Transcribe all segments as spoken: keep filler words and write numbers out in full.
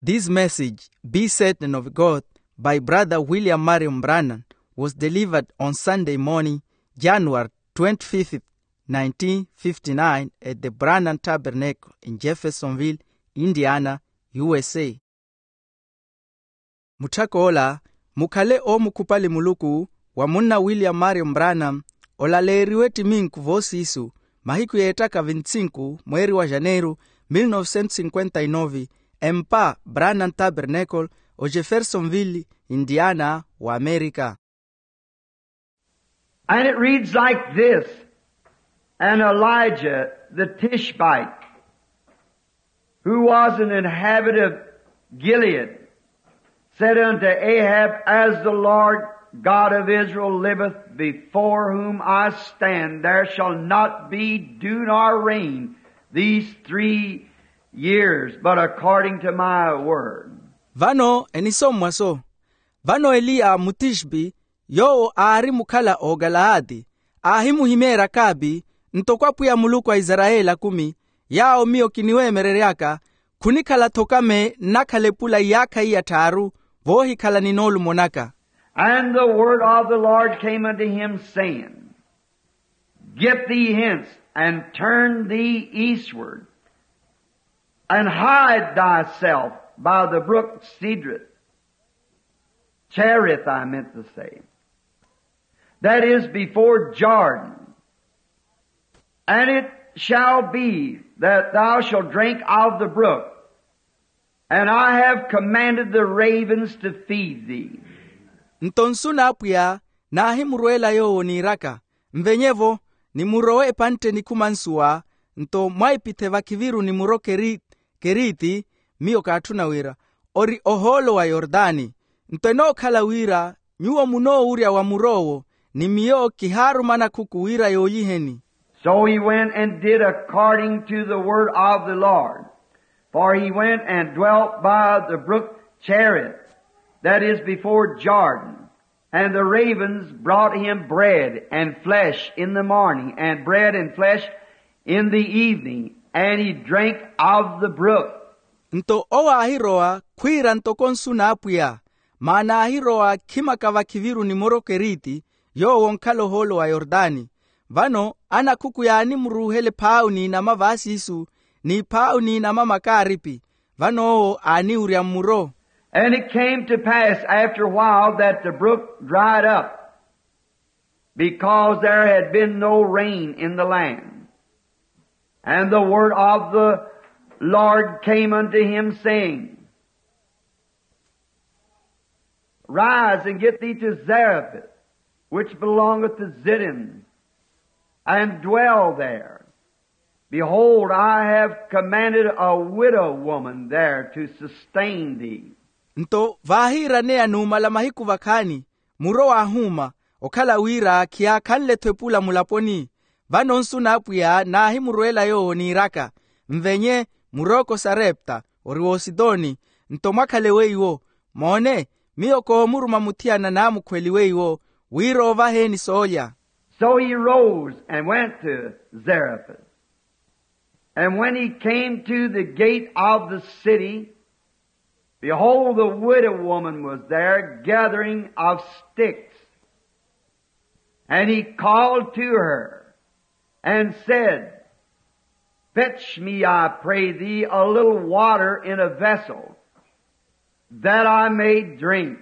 This message, Be Certain of God, by Brother William Marion Branham, was delivered on Sunday morning, January twenty-fifth, nineteen fifty-nine, at the Branham Tabernacle in Jeffersonville, Indiana, U S A. Mutthak'ola, mukhale oomukhupali Muluku, wa munna William Marion Branham, olaleeriwe ttiminku voosiisu, mahiku yeettaka vintsinku mweeri wa janeiru, mil novecentos cinquenta e nove, empa Branham Tabernacle, o Jeffersonville, Indiana, wa Amerika. And it reads like this. And Elijah the Tishbite, who was an inhabitant of Gilead, said unto Ahab, As the Lord God of Israel liveth, before whom I stand, there shall not be dew nor rain these three years, but according to my word. Vano enisommwaso. Vano eliya mutixpi, yoowo aari mukhala ookalaati, aahimuhimeerya akaapi, ntoko apwiya muluku a isarayeli akumi, yaawo miyo kiniweemereryaka, khunikhala-tho okame nnakhala epula iyaakha iya tthaaru, voohikhala ni noolumo naka. And the word of the Lord came unto him, saying, Get thee hence, and turn thee eastward, and hide thyself by the brook Cedrith, Cherith, I meant to say, that is before Jordan. And it shall be that thou shalt drink of the brook, and I have commanded the ravens to feed thee. Nto nsu n'apwiya naahimurweela yoowo niiraka, nvenye-vo, nimurowe epantte nikhuma nsuwa, nto mwaipithe vakhiviru nimuro Keri-, Keriti, miyo kaatthuna wira, ori ohoolo wa Yortani. Nto enookhala wira nyuwo munoowurya wa mur'owo, ni miyo kihaaruma anakhuku wira yooliheni. So he went and did according to the word of the Lord. For he went and dwelt by the brook Cherith, that is before Jordan. And the ravens brought him bread and flesh in the morning, and bread and flesh in the evening, and he drank of the brook. Nto owo aahirowa khwiira ntoko nsu n'apwiya, maana aahirowa khimaka vakhiviru nimuro Keriti, yoowo onkhala ohoolo wa Yortani. Vano anakhuku yaanimuruuhela ephaawu n'inama vaasiisu, n'iphaawu n'inama makaaripi, vano owo aaniwurya mmuro. And it came to pass after a while that the brook dried up, because there had been no rain in the land. And the word of the Lord came unto him, saying, Rise and get thee to Zarephath, which belongeth to Zidon, and dwell there. Behold, I have commanded a widow woman there to sustain thee. Nto vaahiiraneya numala mahiku vakhaani, muro waahuuma, okhala wira khiyaakhanle-tho epula mulaponi. Vano nsu n'apwiya naahimurweela yoowo niiraka, nvenye, murooko sarepta, ori w'ositoni, nto mwakhale weiwo. Moone, miyo koomuruma muthiyana naamukhweli weiwo, wira oovaheni soolya. So he rose and went to Zarephath. And when he came to the gate of the city, behold, the widow woman was there gathering of sticks. And he called to her and said, Fetch me, I pray thee, a little water in a vessel, that I may drink.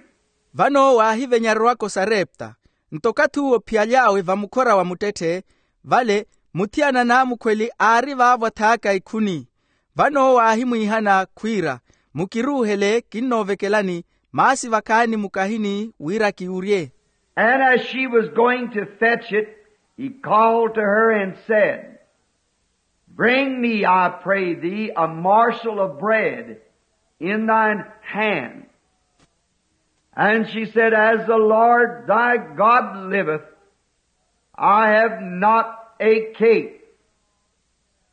Vano waahivenyarerwaka osarepta, nto okathi uwo ophiyaly'awe vamukhora wa muttetthe, vale muthiyana naamukhweli aari vaavo athaaka ikhuni. Vano owo aahimwiihana khwiira, mukiruuhele, kinnoovekelani, maasi vakhaani mukahini wira kiwurye. And as she was going to fetch it, he called to her and said, Bring me, I pray thee, a morsel of bread in thine hand. And she said, As the Lord thy God liveth, I have not a cake,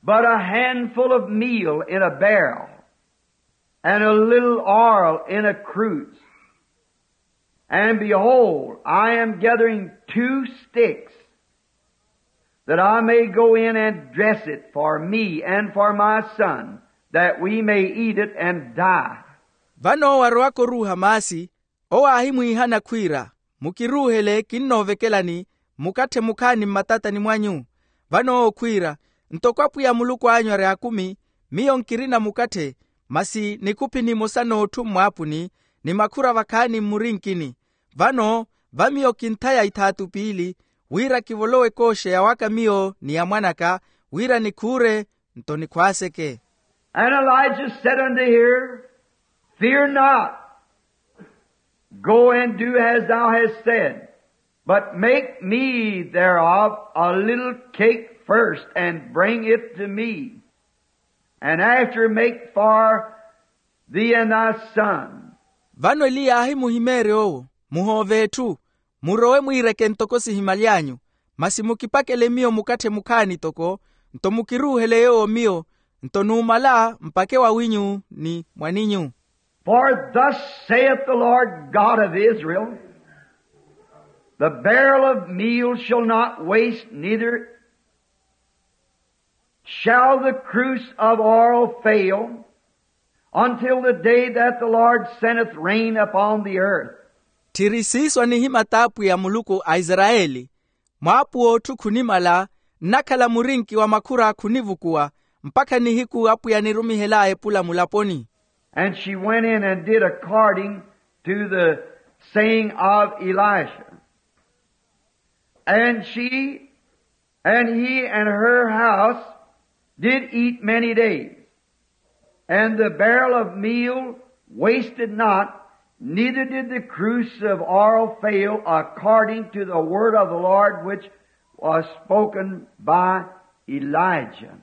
but a handful of meal in a barrel, and a little oil in a cruse. And behold, I am gathering two sticks, that I may go in and dress it for me and for my son, that we may eat it and die. Vano owo arowaka oruuha maasi, owo aahimwiihana khwiira, mukiruuhele kinnoovekelani, mukatthe mukhaani mmatatani mwanyu. Vano owo khwiira, ntoko apwiya muluku anyu ari akumi, miyo nkirina mukatthe, masi nikhuphi nimosa n'otthu mmwaapuni, ni makhura vakhaani mmurinkini. Vano va miyo kinthaya ithaatu piili, wira kivolowe ekooxeya waka miyo ni ya mwanaka, wira nikhuure, nto nikhwaaseke. And Elijah said unto her, Fear not, go and do as thou hast said, but make me thereof a little cake first, and bring it to me, and after make for thee and thy son. Vano eliya aahimuhimeerya owo, muhoove etthu, murowe mwiireke ntoko sihimaly'anyu, masi mukipakele miyo mukatthe mukhaani toko, nto mukiruuhele yoowo miyo, nto numala mpake wawinyu ni mwaninyu. For thus saith the Lord God of Israel, the barrel of meal shall not waste, neither shall the cruse of oil fail, until the day that the Lord sendeth rain upon the earth. Tthiri siiso anihimata apwiya muluku a isarayeli, mwaapuwa otthu khunimala, nnakhala murinki wa makhura khunivukuwa, mpakha nihiku apwiya anirumihel'aya epula mulaponi. And she went in and did according to the saying of Elisha. And she and he and her house did eat many days. And the barrel of meal wasted not, neither did the cruse of oil fail, according to the word of the Lord which was spoken by Elijah.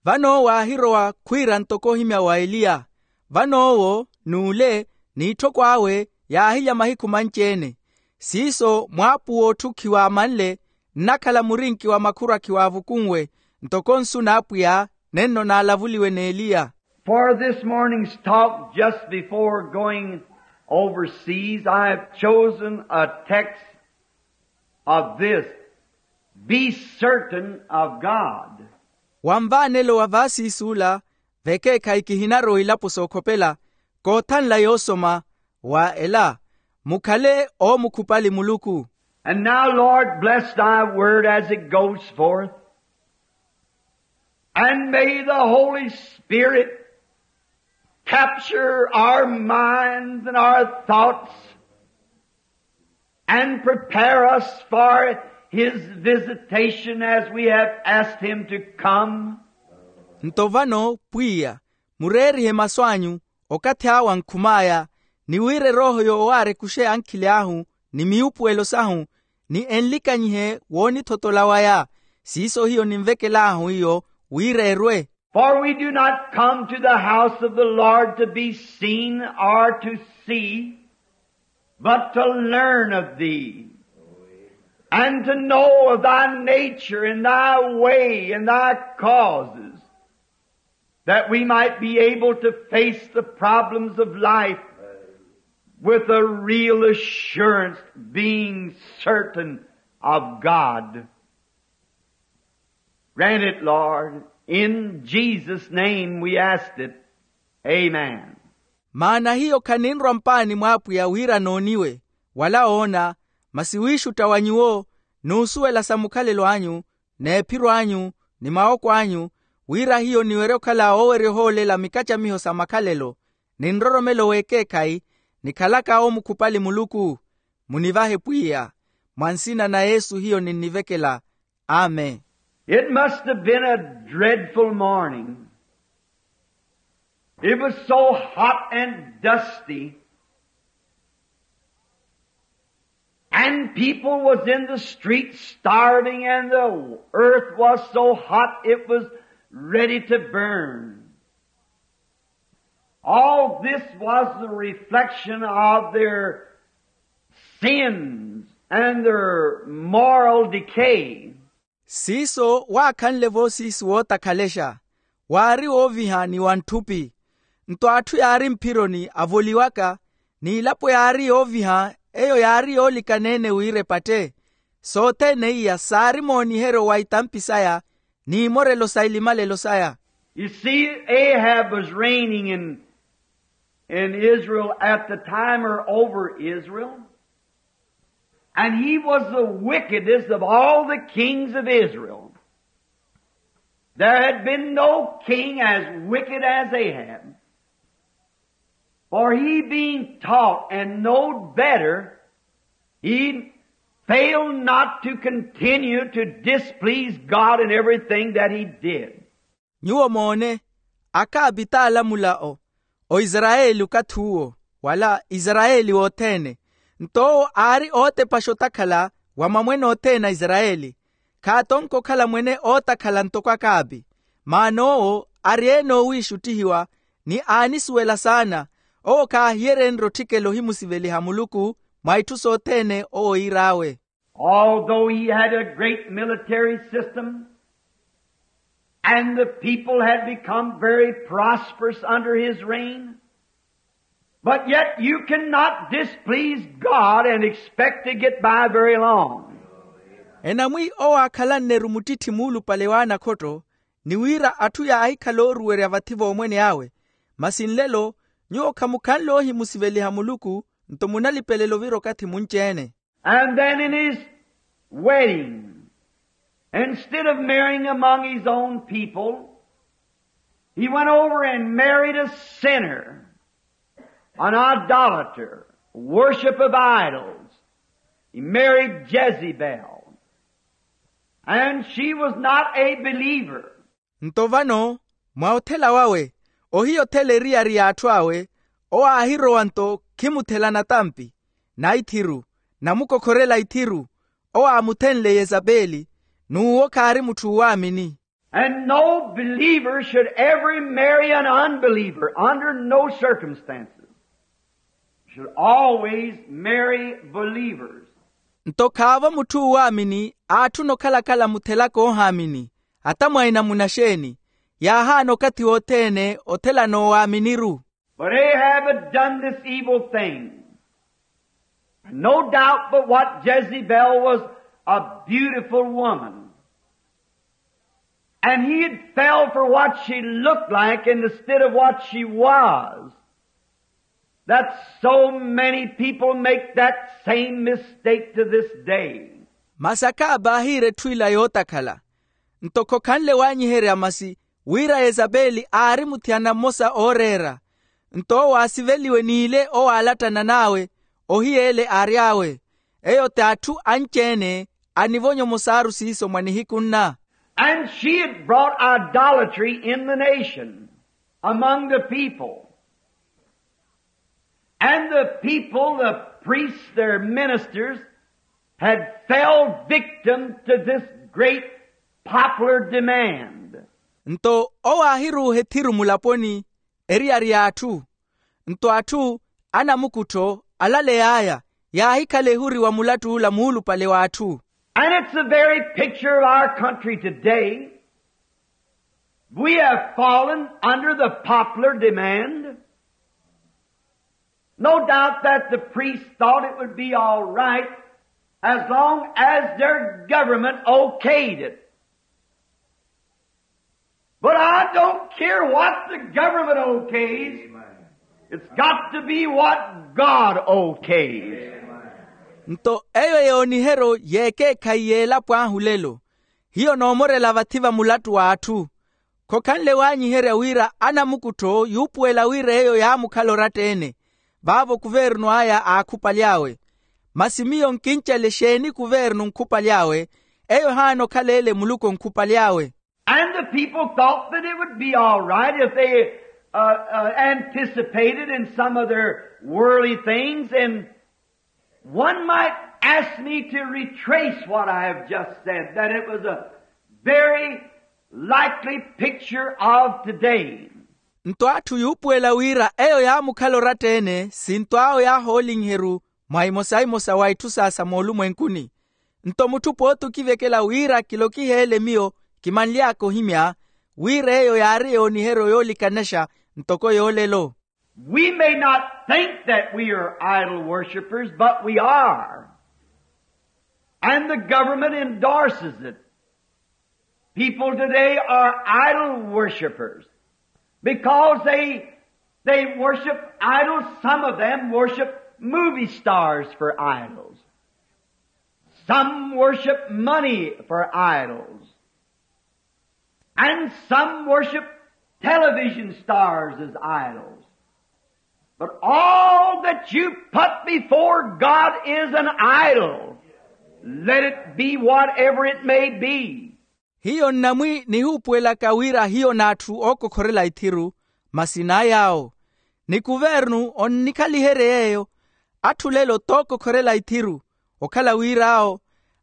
Vano owo aahirowa khwiira ntoko ohimya wa eliya. Vano owo n'ule n'itthoko awe yaahilya mahiku manci-ene. Siiso mwaapuwa otthu khiwaamanle, nnakhala murinki wa makhura khiwaavukunwe, ntoko nsu n'apwiya nenno naalavuliwe n'eliya. For this morning's talk, just before going overseas, I have chosen a text of this: Be certain of God. Wa nvaanelo wa vaasiisuula, vekeekhayi kihinarowa ilapo sookhopela, koothanla yoosoma wa ela, mukhale oomukhupali muluku. And now, Lord, bless thy word as it goes forth. And may the Holy Spirit capture our minds and our thoughts and prepare us for his visitation as we have asked him to come. Nto vano pwiya, mureerihe masu anyu, okathi awe ankhum'aya, ni wira erooho yoowaara ekuxe ankhili ahu, ni miupuwelo sahu, ni enlikanyihe woonithotola waya. Siiso hiyo ninvekel'ahu iyo wira erwe. For we do not come to the house of the Lord to be seen or to see, but to learn of thee, and to know of thy nature and thy way and thy causes, that we might be able to face the problems of life with a real assurance, being certain of God. Grant it, Lord. In Jesus' name we ask it. Amen. Maana hiyo khaninrwa mpaani mw'apwiya wira nooniwe, wala oona, masi wiixutta wa nyuwo, n'usuwela sa mukhalelo anyu, n'ephiro anyu, ni mawoko anyu, wira hiyo niwerye okhala oowerya ohoolela mikacamiho sa makhalelo, ni nroromelo w'ekeekhayi, nikhalaka oomukhupali muluku. Munivahe pwiya. Mwa nsina na yesu hiyo ninnivekela. Amen. It must have been a dreadful morning. It was so hot and dusty. And people was in the streets starving, and the earth was so hot it was ready to burn. All this was the reflection of their sins and their moral decay. Siiso waakhanle voosiisi wootakhalexa, waari wooviha ni wa ntthupi. Nto atthu yaari mphironi avoliwaka, n'ilapo yaari yooviha, eyo yaari yoolikana-ene wira epatte. Sothene iya saari mooniheryo wa itampi saya, n'imorelo sa ilimalelo saya. You see, Ahab was reigning in in Israel at the time, or over Israel, and he was the wickedest of all the kings of Israel. There had been no king as wicked as Ahab, for he being taught and knowed better, he failed not to continue to displease God in everything that he did. Nyuwo moone, akaapi t'alamula o oisarayeli okathi uwo, wala isarayeli wothene. Nto owo aari ootepaxa otakhala wa mamwene othene a isarayeli. Khaatonke okhala mwene ootakhala ntoko akaapi. Maana owo ari-ene oowiixuttihiwa, ni aanisuwela saana. Owo khaahiyeryenrye otthikela ohimusiveliha muluku mwa itthu sothene owo iir'awe. Although he had a great military system, and the people had become very prosperous under his reign, but yet you cannot displease God and expect to get by very long. Enamwi owo aakhalanne-ru muttitthi muulupale w'anakhotto, ni wira atthu yaahikhala ooruwerya vathi v'omwene awe. Masi nlelo, nyuwo khamukhanle oohimusiveliha muluku, nto munalipelela ovira okathi munci-ene. And then in his wedding, instead of marrying among his own people, he went over and married a sinner, an idolater, worship of idols. He married Jezebel, and she was not a believer. Nto vano, mwa othela wawe, ohiya othela eriyari y'atthu awe, owo aahirowa nto khimuthela natampi, naithiru, namukokhorela ithiru. Owo aamuthenle yezapeli, n'uwo khaari mutthu oowaamini. And no believer should ever marry an unbeliever under no circumstances. Should always marry believers. Nto khaavo mutthu oowaamini aatthuna okhalakhala muthelaka oohaamini, ata mwaina munaxeeni, yaahaana okathi wothene othelana oowaamini-ru. But Ahab had done this evil thing. No doubt but what Jezebel was a beautiful woman. And he had fell for what she looked like instead of what she was. That so many people make that same mistake to this day. Masi akaapi aahiira etthu ila yootakhala. Nto khokhanle waanyiherya masi wira yezapeli aari muthiyana mmosa ooreera. Nto owo aasiveliwe n'ile owo aalattana n'awe, ohiya ele aary'awe. Eyo ti atthu anci-ene anivonya omosaaru siiso mwa nihiku nna. And she had brought idolatry in the nation, among the people. And the people, the priests, their ministers, had fell victim to this great popular demand. Nto owo aahiruuha ethiru mulaponi, eriyari y'atthu. Nto atthu anamukuttho alaley'aya yaahikhala ehuri wa mulatt'ula muulupale w'atthu. And it's the very picture of our country today. We have fallen under the popular demand. No doubt that the priests thought it would be all right as long as their government okayed it. But I don't care what the government okays. It's got to be what God okays. Nto eyo yooniheryo y'ekeekhayi y'elapo ahu lelo. Hiyo noomorela vathi va mulattu w'atthu. Khokhanle waanyiherya wira anamukuttho yuupuwela wira eyo yaamukhala oratta-ene. Vaavo kuvernu aya aakhupaly'awe. Masi miyo nkincele exeeni kuvernu nkhupaly'awe? Eyo ehaana okhala ele muluku onkhupaly'awe. And the people thought that it would be all right if they uh, uh, anticipated in some of their worldly things. And one might ask me to retrace what I have just said, that it was a very likely picture of today. Nto atthu yuupuwela wira eyo yaamukhala oratta-ene sinto awo yaahoolinhe-ru mwa imosa-imosa wa itthu saasa moolumwenkuni. Nto mutthu pooti okivekela wira kilokiheele miyo kimanly'aka ohimya wira eyo yaari yooniheryo yoolikanexa ntoko yoolelo. We may not think that we are idol worshippers, but we are. And the government endorses it. People today are idol worshippers because they They worship idols. Some of them worship movie stars for idols. Some worship money for idols. And some worship television stars as idols. But all that you put before God is an idol. Let it be whatever it may be. Hiyo nnamwi nihuupuwelaka wira hiyo n'atthu ookokhorela ithiru, masi n'ay'awo. Ni kuvernu onnikhaliherye yeeyo. Atthu lelo t'okokhorela ithiru, okhala wir'awo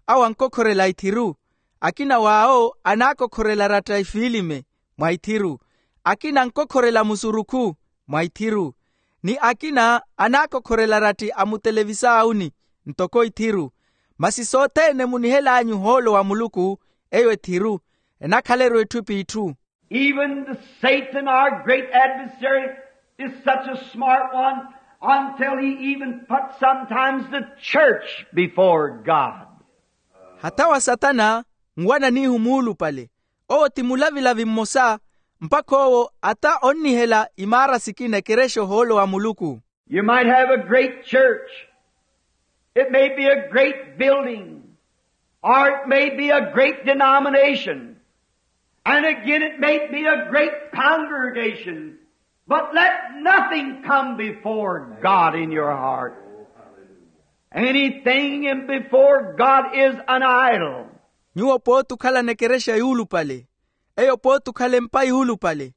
awo ankokhorela ithiru. Akina w'awo anaakokhorela aratta ifiilime mwa ithiru, akina ankokhorela musurukhu mwa ithiru, ni akina anaakokhorela aratti a mutelevisaawuni ntoko ithiru. Masi sothene munihel'anyu ohoolo wa muluku, eyo ethiru, enakhala-ru etthu p'itthu. Even the Satan, our great adversary, is such a smart one until he even puts sometimes the church before God. Hatha wa satana nwananihu muulupale. Owo ti mulavilavi mmosa, mpakha owo ata onnihela imaara sikina ekerexa ohoolo wa muluku. You might have a great church. It may be a great building, or it may be a great denomination. And again, it may be a great congregation, but let nothing come before God in your heart. Anything in before God is an idol. Nyuwo pooti okhalana ekerexa yuulupale, eyo pooti okhala empa yuulupale,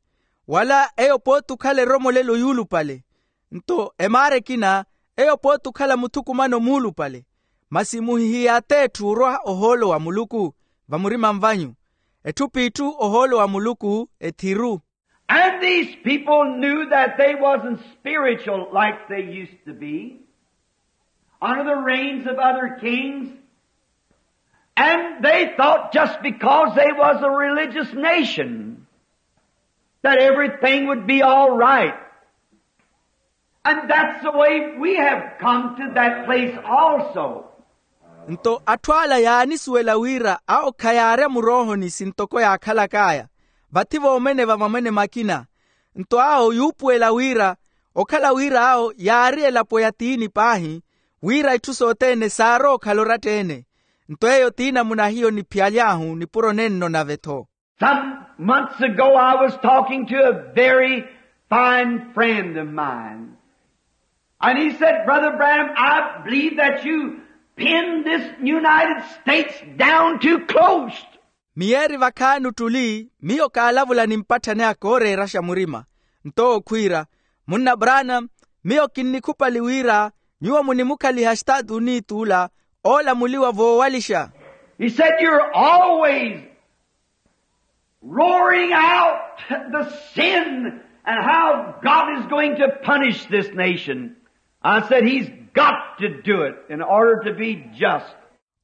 wala eyo pooti okhala eromolelo yuulupale, nto emaara ekina, eyo pooti okhala muthukumano muulupale. Masi muhihiy'att'etthu orwa ohoolo wa muluku vamurima vanyu. Etthu p'itthu ohoolo wa muluku ethiru. And these people knew that they wasn't spiritual like they used to be under the reigns of other kings. And they thought just because they was a religious nation that everything would be all right. And that's the way we have come to that place also. Nto atthu ala yaanisuwela wira awo khayaarya muroohoni sintoko yaakhalak'aya, vathi voomene va mamwene makina. Nto awo yuupuwela wira okhala wira awo yaari elapo ya tiini paahi, wira itthu sothene saarowa okhala oratta-ene. Nto eyo ti namuna hiyo niphiyaly'ahu nipuro nenno nave-tho. Some months ago, I was talking to a very fine friend of mine. And he said, "Brother Branham, I believe that you pinned this United States down too close." Miyeeri vakhaani ottuli, miyo kaalavula ni mpatthani aka ooreeraxa murima. Nto owo khwiira, "Munna Branham, miyo kinnikhupali wira nyuwo munimukhaliha Estatu Unitu ola oolamuliwa voowalixa." He said, "You're always roaring out the sin and how God is going to punish this nation." I said, "He's got to do it in order to be just."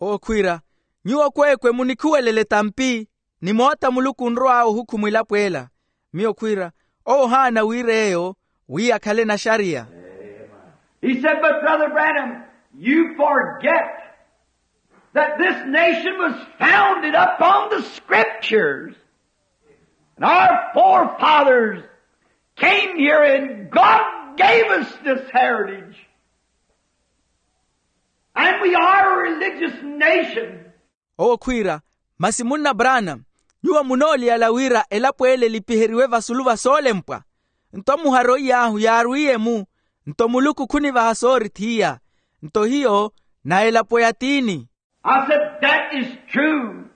Owo khwiira, "Nyuwo kweekwe munikhuwelele etampi ni moota Muluku onrow'awe ohukhumwa elapo ela." Miyo khwiira, "Owo ohaana wira eyo wi akhale naxariya." He said, "But Brother Branham, you forget that this nation was founded upon the scriptures. And our forefathers came here and God gave us this heritage. And we are a religious nation." Owo khwiira, "Masi munna Branham, nyuwo munooliyala wira elapo ele elipiheriwe vasulu va soolempwa. Nto muharo iy'ahu yaarwiye-mu, nto Muluku khunivaha soorithiya. Nto hiyo na elapo ya tiini." I said, "That is true,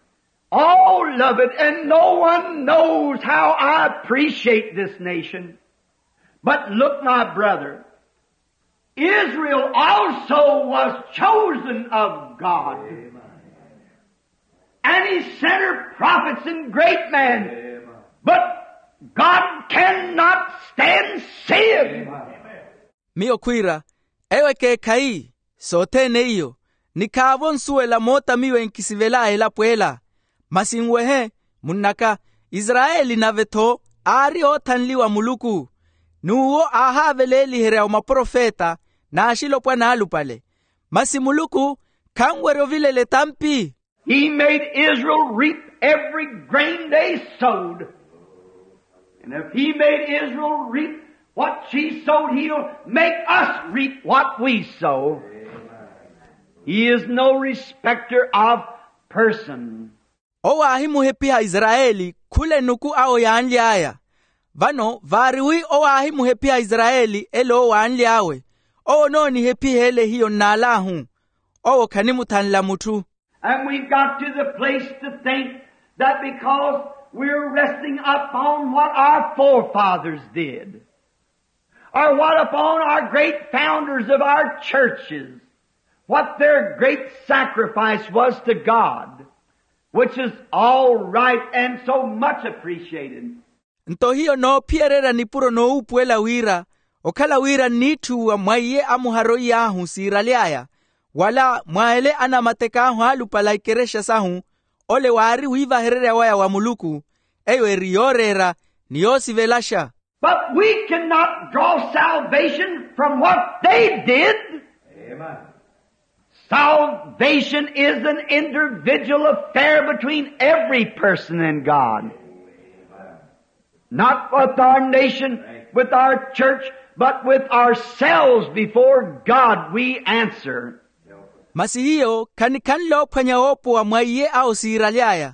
all of it, and no one knows how I appreciate this nation. But look, my brother, Israel also was chosen of God. And he sent her prophets and great men. But God cannot stand sin." Miyo khwiira, eyo ekeekhayi, sothene iyo, nikhaavo nsuwela moota miyo enkisivel'aya elapo ela. Masi nwehe, munn'aka, Israyeli nave-tho aari oothanliwa a Muluku, n'uwo aahaaveleeliherya omaprofeta n'axilopwana alupale. Masi Muluku khanwerya ovilela etampi. He made Israel reap every grain they sowed. And if he made Israel reap What she sowed, he'll make us reap what we sow. He is no respecter of person. Owo aahimuhephiha isarayeli khula enuku awo yaanly'aya. Vano vaari wi owo aahimuhephiha isarayeli elo owo aanly'awe, owo onoonihephiha ele hiyo nn'al'ahu. Owo khanimuthanla mutthu. And we've got to the place to think that because we're resting upon what our forefathers did, or what upon our great founders of our churches, what their great sacrifice was to God, which is all right and so much appreciated. Nto hiyo noophiyererya nipuro noowuupuwela wira, okhala wira nniitthuwa mwa iye amuharoiy'ahu siiraly'aya, wala mwa ele anamatek'ahu aalupale a ikerexa sahu, ole waari wiivahererya waya wa muluku, eyo eri yooreera ni yoosivelaxa. But we cannot draw salvation from what they did. Salvation is an individual affair between every person and God. Not with our nation, with our church, but with ourselves before God we answer. Masi hiyo khanikhanle oophwanya woopowa mwa iye awo siiraly'aya.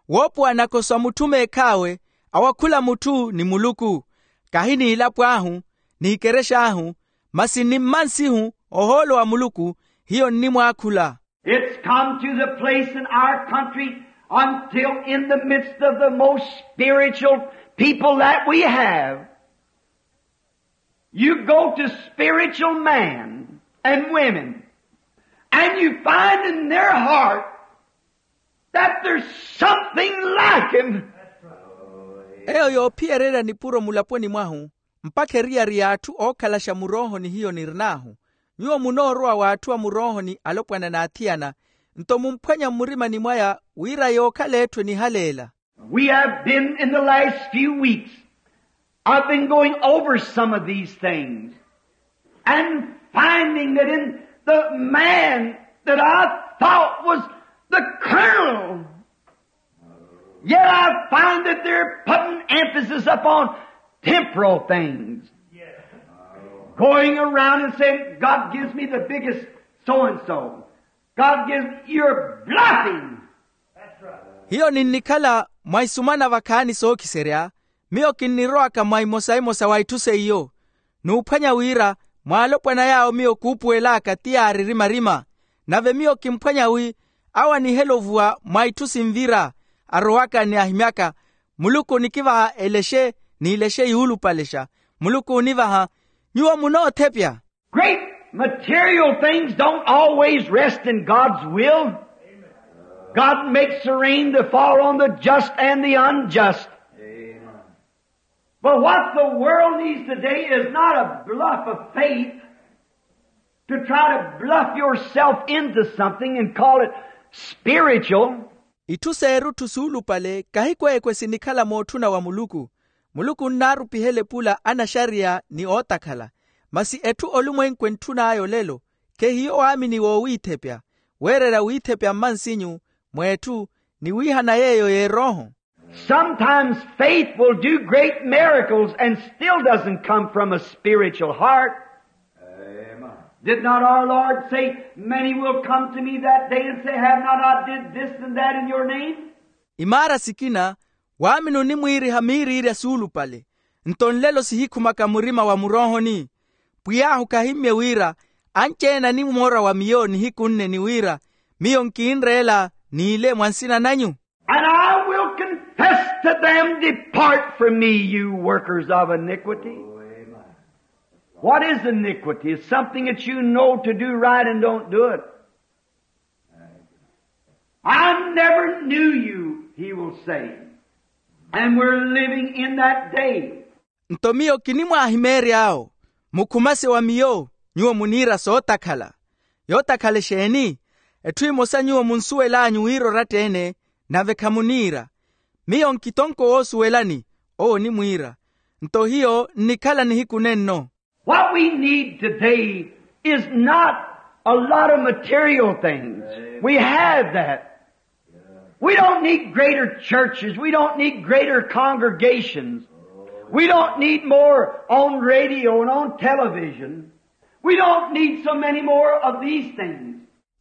Woopowa nako sa mutthu meekh'awe, awakhula mutthu ni muluku, kahi n'ilapo ahu, ni ikerex'ahu, masi ni mmansihu ohoolo wa muluku. Hiyo nnimwaakhula. It's come to the place in our country until in the midst of the most spiritual people that we have, you go to spiritual men and women, and you find in their heart that there's something like him. Eyo yoophiyererya nipuro mulaponi mwahu, mpakha eriyari y'atthu ookhalaxa muroohoni hiyo nirn'ahu. Nyuwo munoorowa w'atthu a muroohoni alopwana n'athiyana, nto mumphwanya mmurimani mwaya wira yookhala etthu enihaleela. We have been, in the last few weeks, I've been going over some of these things and finding that in the man that I thought was the colonel, yet I find that they're putting emphasis upon temporal things. Going around and saying, "God gives me the biggest so-and-so. God gives," you're bluffing. Hiyo ninnikhala mwa isumana vakhaani sookiserya, miyo kinnirowaka mwa imosa-imosa wa itthu seiyo. N'uphwanya wira, mwaalopwana yaawo miyo kuupuwel'aka ti yaaririmarima. Nave miyo kimphwanya wi awo anihela ovuwa mwa itthu sinvira, arowaka ni ahimyaka, muluku onikivaha elexe n'ilexe yuulupalexa. Muluku onivaha, nyuwo munoothepya. Great material things don't always rest in God's will. God makes the rain to fall on the just and the unjust. But what the world needs today is not a bluff of faith to try to bluff yourself into something and call it spiritual. Itthu s'erutthu suulupale kahi kweekwe sinikhala mootthuna wa muluku. Muluku onnaarupihela epula anaxariya ni ootakhala. Masi etthu olumwenku entthun'aya olelo, khehiyo waamini woowiithepya, weererya wiithepya mmansinyu, mw'etthu, ni wiihana yeeyo y'erooho. Sometimes faith will do great miracles and still doesn't come from a spiritual heart. Did not our Lord say, "Many will come to me that day and say, 'Have not I did this and that in your name?'" Imaara sikina, waamini onimwiiriha miiriirya suulupale, nto nlelo sihikhumaka murima wa muroohoni. Pwiy'ahu khahimmye wira, anci-ene animoora wa miyo nihiku nne ni wira, miyo nkinreela n'ile mwa nsina nanyu. And I will confess to them, 'Depart from me, you workers of iniquity.'" What is iniquity? It's something that you know to do right and don't do it. "I never knew you," he will say. And we're living in that day. Nto miyo kinimwaahimeery'awo, mukhumase wa miyo, nyuwo muniira sootakhala. Yootakhala exeeni? Etthu emosa nyuwo munsuwel'anyu wira oratta-ene, nave khamuniira. Miyo nkitonko woosuwelani, owo onimwiira. Nto hiyo nnikhala nihiku nenno. What we need today is not a lot of material things. We have that. We don't need greater churches. We don't need greater congregations. We don't need more on radio and on television. We don't need so many more of these things.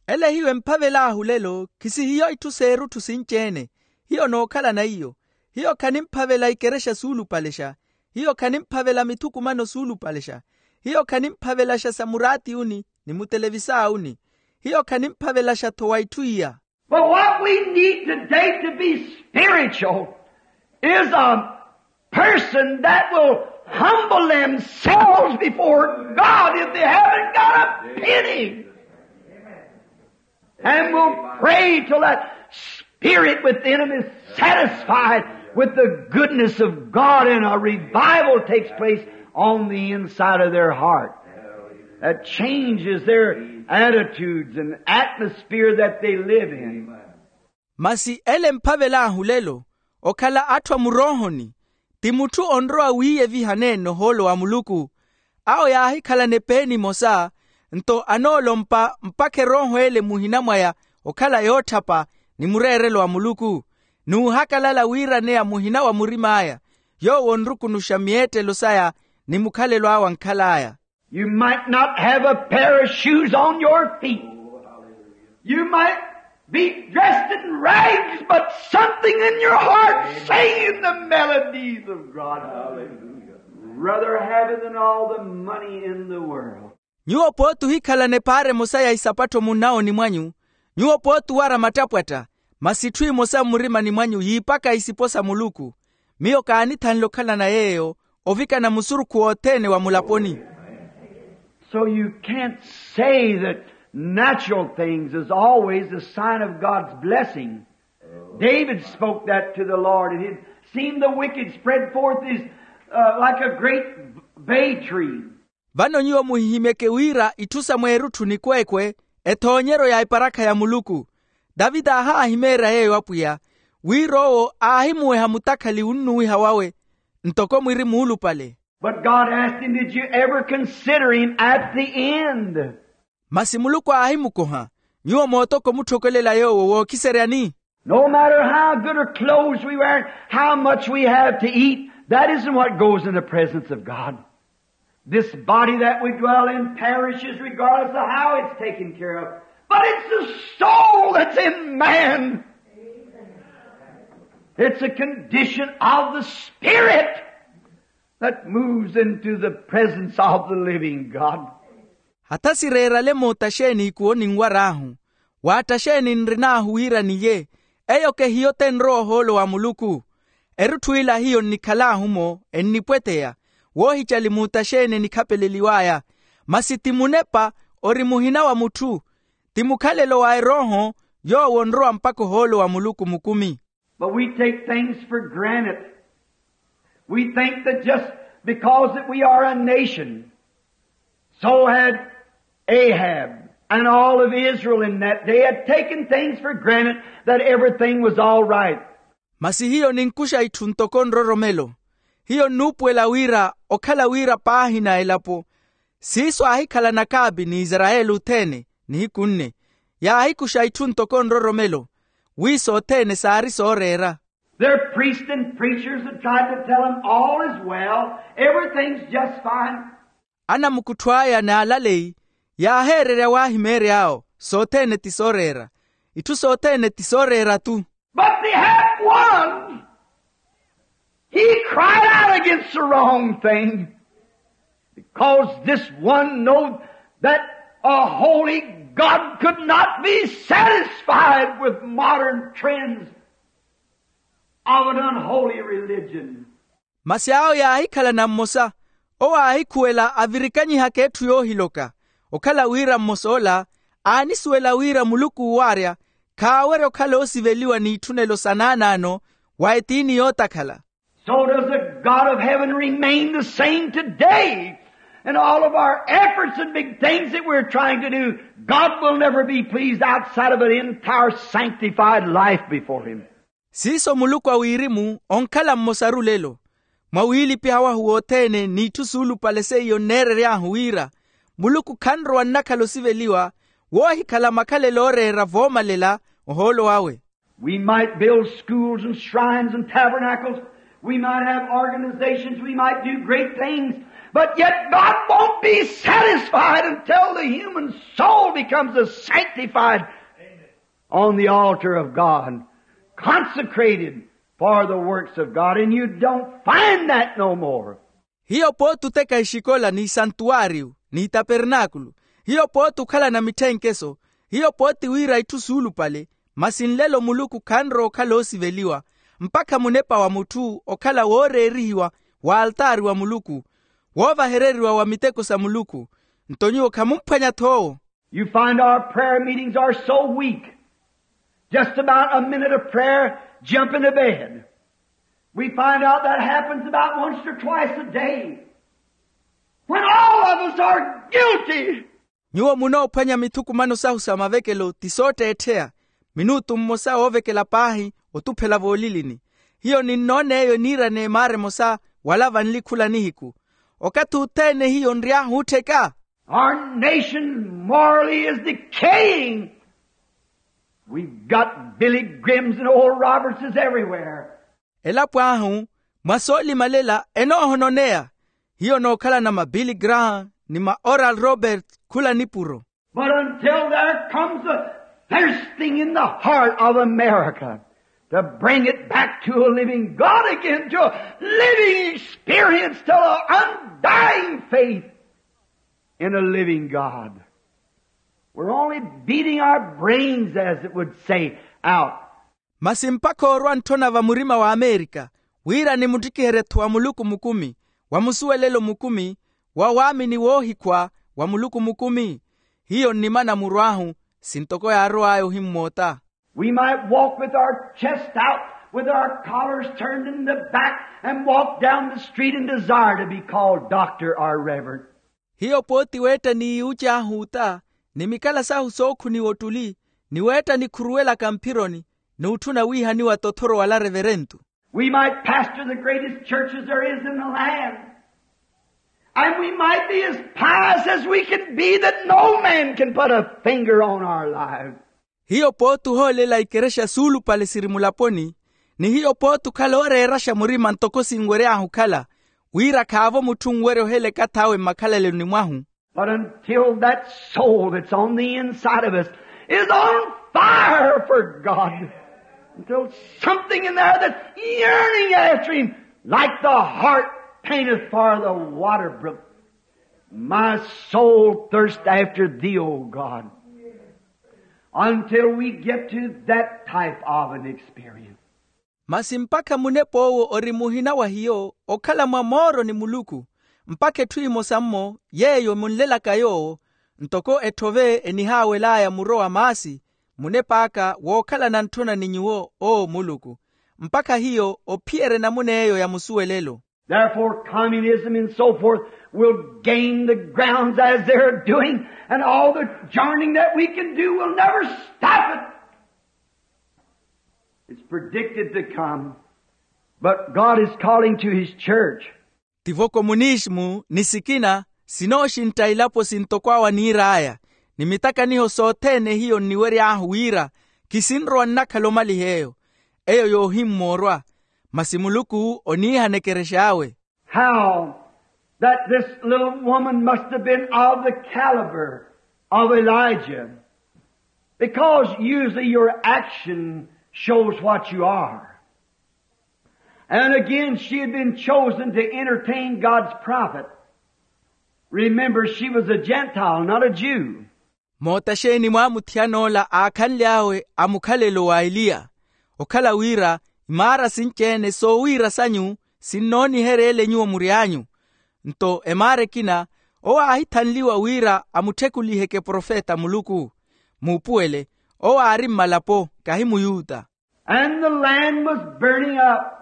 Ele hiyo emphavel'ahu lelo khisi hiyo itthu s'erutthu sinci-ene. Hiyo nookhalana iyo. Hiyo khanimphavela ikerexa suulupalexa. Hiyo khanimphavela mithukumano suulupalexa. Hiyo khanimphavelaxa sa muraatiyuni ni mutelevisawuni. Hiyo khanimphavelaxa-tho wa itthu iya. But what we need today to be spiritual is a person that will humble themselves before God if they haven't got a penny. And will pray till that spirit within them is satisfied with the goodness of God and a revival takes place on the inside of their heart that changes their attitudes and atmosphere that they live in. Masi ele mphavel'ahu lelo okhala atthu a muroohoni, ti mutthu onrowa wiiyeviha neene ohoolo wa muluku. Awo yaahikhalana epeeni emosa, nto anoolompa mpakha erooho ele muhina mwaya okhala yootthapa ni mureerelo wa muluku, n'uhakalala wiiraneya muhina wa murim'aya yoowo onrukunuxa miyeettelo saya ni mukhalelo awe ankhal'aya. You might not have a pair of shoes on your feet. You might be dressed in rags, but something in your heart singing the melodies of God. Hallelujah. Rather have it than all the money in the world. Nyuwo pooti ohikhalana epaara emosa ya isapattho munawoni mwanyu. Nyuwo pooti owara mattapwatta, masi itthu emosa mmurimani mwanyu yiipaka isipo sa muluku. Miyo kaanithanle okhalana yeeyo ovikana musurukhu wothene wa mulaponi. So you can't say that natural things is always a sign of God's blessing. David spoke that to the Lord, and he'd seen the wicked spread forth his, uh, like a great bay tree. Vano nyuwo muhihimyeke wira itthu sa mweerutthu nikweekwe ethoonyeryo ya eparakha ya muluku. Taviti aahaahimeerya yeeyo apwiya, wira owo aahimuweha mutakhali wunnuwiha wawe ntoko mwiri muulupale. But God asked him, did you ever consider him at the end? Masi muluku aahimukoha, nyuwo mootoko mutthokelela yoowo wookhiseryani? No matter how good a clothes we wear, how much we have to eat, that isn't what goes in the presence of God. This body that we dwell in perishes regardless of how it's taken care of. But it's the soul that's in man. It's a condition of the spirit that moves into the presence of the living God. Hatha sireerale mootta xeeni ikuwo ninwar'ahu? Waatta xeeni nrin'ahu wira niye? Eyo kehiyo tenrowa ohoolo wa muluku. Erutthu ila hiyo nnikhal'ahu-mo ennipweteya woohicali muutta xeeni enikhapeleliw'aya. Masi ti munepa ori muhina wa mutthu. Ti mukhalelo wa erooho yoowo onrowa mpakha ohoolo wa muluku mukumi. But we take things for granted. We think that just because that we are a nation, so had Ahab and all of Israel in that day had taken things for granted that everything was all right. Masi hiyo ninkuxa itthu ntoko nroromelo. Hiyo nnuupuwela wira okhala wira paahina elapo siiso aahikhalana akaapi ni isarayeli othene nihiku nne, yaahikuxa itthu ntoko nroromelo wi sothene saari sooreera. Their priests and preachers had tried to tell them all is well, everything's just fine. Anamukuttho aya n'alaleyi yaaheererya waahimeery'awo sothene ti sooreera. Itthu sothene ti sooreera-tu. But they had one. He cried out against the wrong thing. Because this one knowed that a holy God could not be satisfied with modern trends of an unholy religion. Masi awo yaahikhalana mmosa owo aahikhuwela avirikanyihaka etthu yoohiloka okhala wira mmosa ola aanisuwela wira muluku uwaarya khaawerya okhala oosiveliwa n'itthunelo sa naanaano wa etiini yootakhala. So does the God of heaven remain the same today. And all of our efforts and big things that we're trying to do, God will never be pleased outside of an entire sanctified life before Him. Siiso muluku a wirimu onkhala mmosaru lelo mwa wiilipiha wahu wothene n'itthu suulupale seiyo nneerery'ahu wira muluku khanrowa nnakhala osiveliwa woohikhala makhalelo ooreera voomalela ohoolo awe. We might build schools and shrines and tabernacles, We might have organizations, we might do great things, but yet God won't be satisfied until the human soul becomes a sanctified on the altar of God, consecrated for the works of God, and you don't find that no more. Hiyo pooti oteka exikola ni isantuwaariyu ni itapernaakulu, hiyo pooti okhalana mitthenkeso, hiyo pooti wira itthu suulupale, masi nlelo muluku khanrowa okhala oosiveliwa mpakha munepa wa mutthu okhala wooreerihiwa w'altaari wa muluku, woovahereriwa wa miteko sa muluku. Nto nyuwo khamumphwanya-tho owo. You find our prayer meetings are so weak. Just about a minute of prayer, jump into bed. We find out that happens about once or twice a day, when all of us are guilty. Nyuwo munoophwanya mithukumano sahu sa mavekelo ti sootteettheya, minutu mmosa woovekela paahi otuphela voolilini. Hiyo ninnoona eyo niira n'emaara emosa wala vanli khula nihiku. Okathi othene hiyo nry'ahu ottheka. Our nation morally is decaying. We've got Billy Grahams and Oral Robertses everywhere. Elapo ahu mwa soolimalela enoohononeya. Hiyo nookhalana ma Billy Graham ni ma Oral Roberts khula nipuro. But until there comes a thirsting in the heart of America to bring it back to a living God again, to a living experience, to an undying faith in a living God, we're only beating our brains, as it would say, out. Masi mpakha orwa ntthona va murima wa amerika wira nimuttikiherye-tho wa muluku mukumi, wa musuwelelo mukumi, wa waamini woohikhwa wa muluku mukumi. Hiyo nnimana murw'ahu, sintoko yaarow'aya ohimmoota. We might walk with our chest out, with our collars turned in the back, and walk down the street and desire to be called doctor or reverend. Hiyo pooti weetta ni yuuci ahuuta, ni mikala sahu sookhuniwa ottuli, ni weetta nikhuruwelaka mphironi, n'utthuna wiihaniwa tothoro wala reverentu. We might pastor the greatest churches there is in the land. And we might be as pious as we can be, that no man can put a finger on our lives. Hiyo pooti ohoolela ikerexa suulupale siri mulaponi, ni hiyo pooti okhala ooreeraxa murima ntoko sinwery'ahu okhala, wira khaavo mutthu onwerya oheleka ath'awe mmakhalaleloni mwahu. But until that soul that's on the inside of us is on fire for God, until something in there that's yearning after Him, like the hart panteth for the water brook, my soul thirsts after Thee, O God. Until we get to that type of an experience. Masi mpakha munepa owo ori muhina wa hiyo okhala mwa mooro ni muluku, mpakha etthu emosa-mmo yeeyo emunlelaka yoowo, ntoko etthove enihaawel'aya muro wa maasi, munep'aka wookhalana ntthona ni nyuwo owo muluku, mpakha hiyo ophiyerye enamuna eyo ya musuwelelo. Therefore, communism and so forth will gain the grounds as they're doing, and all the journeying that we can do will never stop it. It's predicted to come, but God is calling to His church. Tivo komunisimu ni sikina sinooxintta ilapo sintoko awo aniir'aya, ni mitakaniho sothene hiyo nniwery'ahu wira kisinrowa nnakhala omaliha eyo, eyo yoohimmoorwa, masi muluku oniihana ekerex'awe. How that this little woman must have been of the caliber of Elijah, because usually your action shows what you are. And again, she had been chosen to entertain God's prophet. Remember, she was a Gentile, not a Jew. Moota xeeni mwaamuthiyana ola aakhanly'awe a mukhalelo wa eliya, okhala wira imaara sinci-ene soowiira sanyu sinnoonihereele nyuwo mury'anyu. Nto emaara ekina owo aahithanliwa wira amutthekuliheke profeta a muluku. Muupuwele, owo aari mmalapo kahi muyuta. And the land was burning up.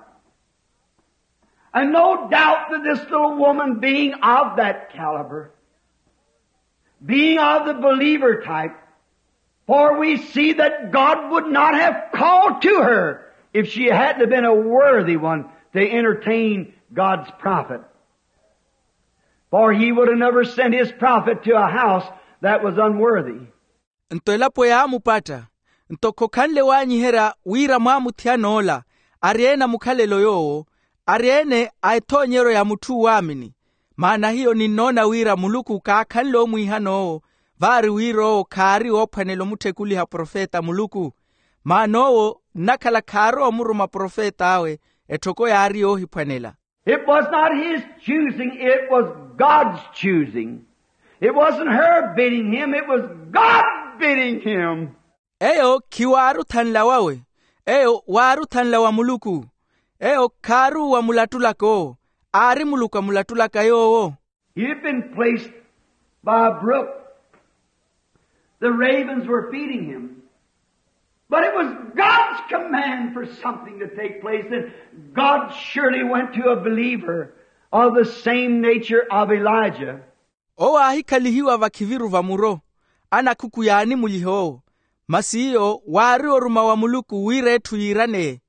And no doubt that this little woman, being of that caliber, being of the believer type, for we see that God would not have called to her if she hadn't have been a worthy one to entertain God's prophet. For He would have never sent His prophet to a house that was unworthy. Nto elapo yaamupatta, nto khokhanle waanyiherya wira mwaamuthiyana ola ari ene a mukhalelo yoowo, ari-ene a ethoonyeryo ya mutthu uwaamini. Maana hiyo ninnoona wira muluku kaakhanle omwiihan'owo, vaari wira owo khaari oophwanela omutthekuliha profeta a muluku. Maana owo nnakhala khaarowa omuruma profet'awe, etthoko yaari yoohiphwanela. It was not his choosing, it was God's choosing. It wasn't her bidding him, it was God bidding him. Eyo khiwaari othanla wawe, eyo waari othanla wa muluku. Eyo khaaruwa mulattulaka owo, aari muluku amulattulaka yoowo. He had been placed by a brook. The ravens were feeding him. But it was God's command for something to take place, and God surely went to a believer of the same nature of Elijah. Owo aahikhalihiwa vakhiviru va muro, anakhuku yaanimuliha owo. Masi iyo waari oruma wa muluku wira etthu yiiraneye.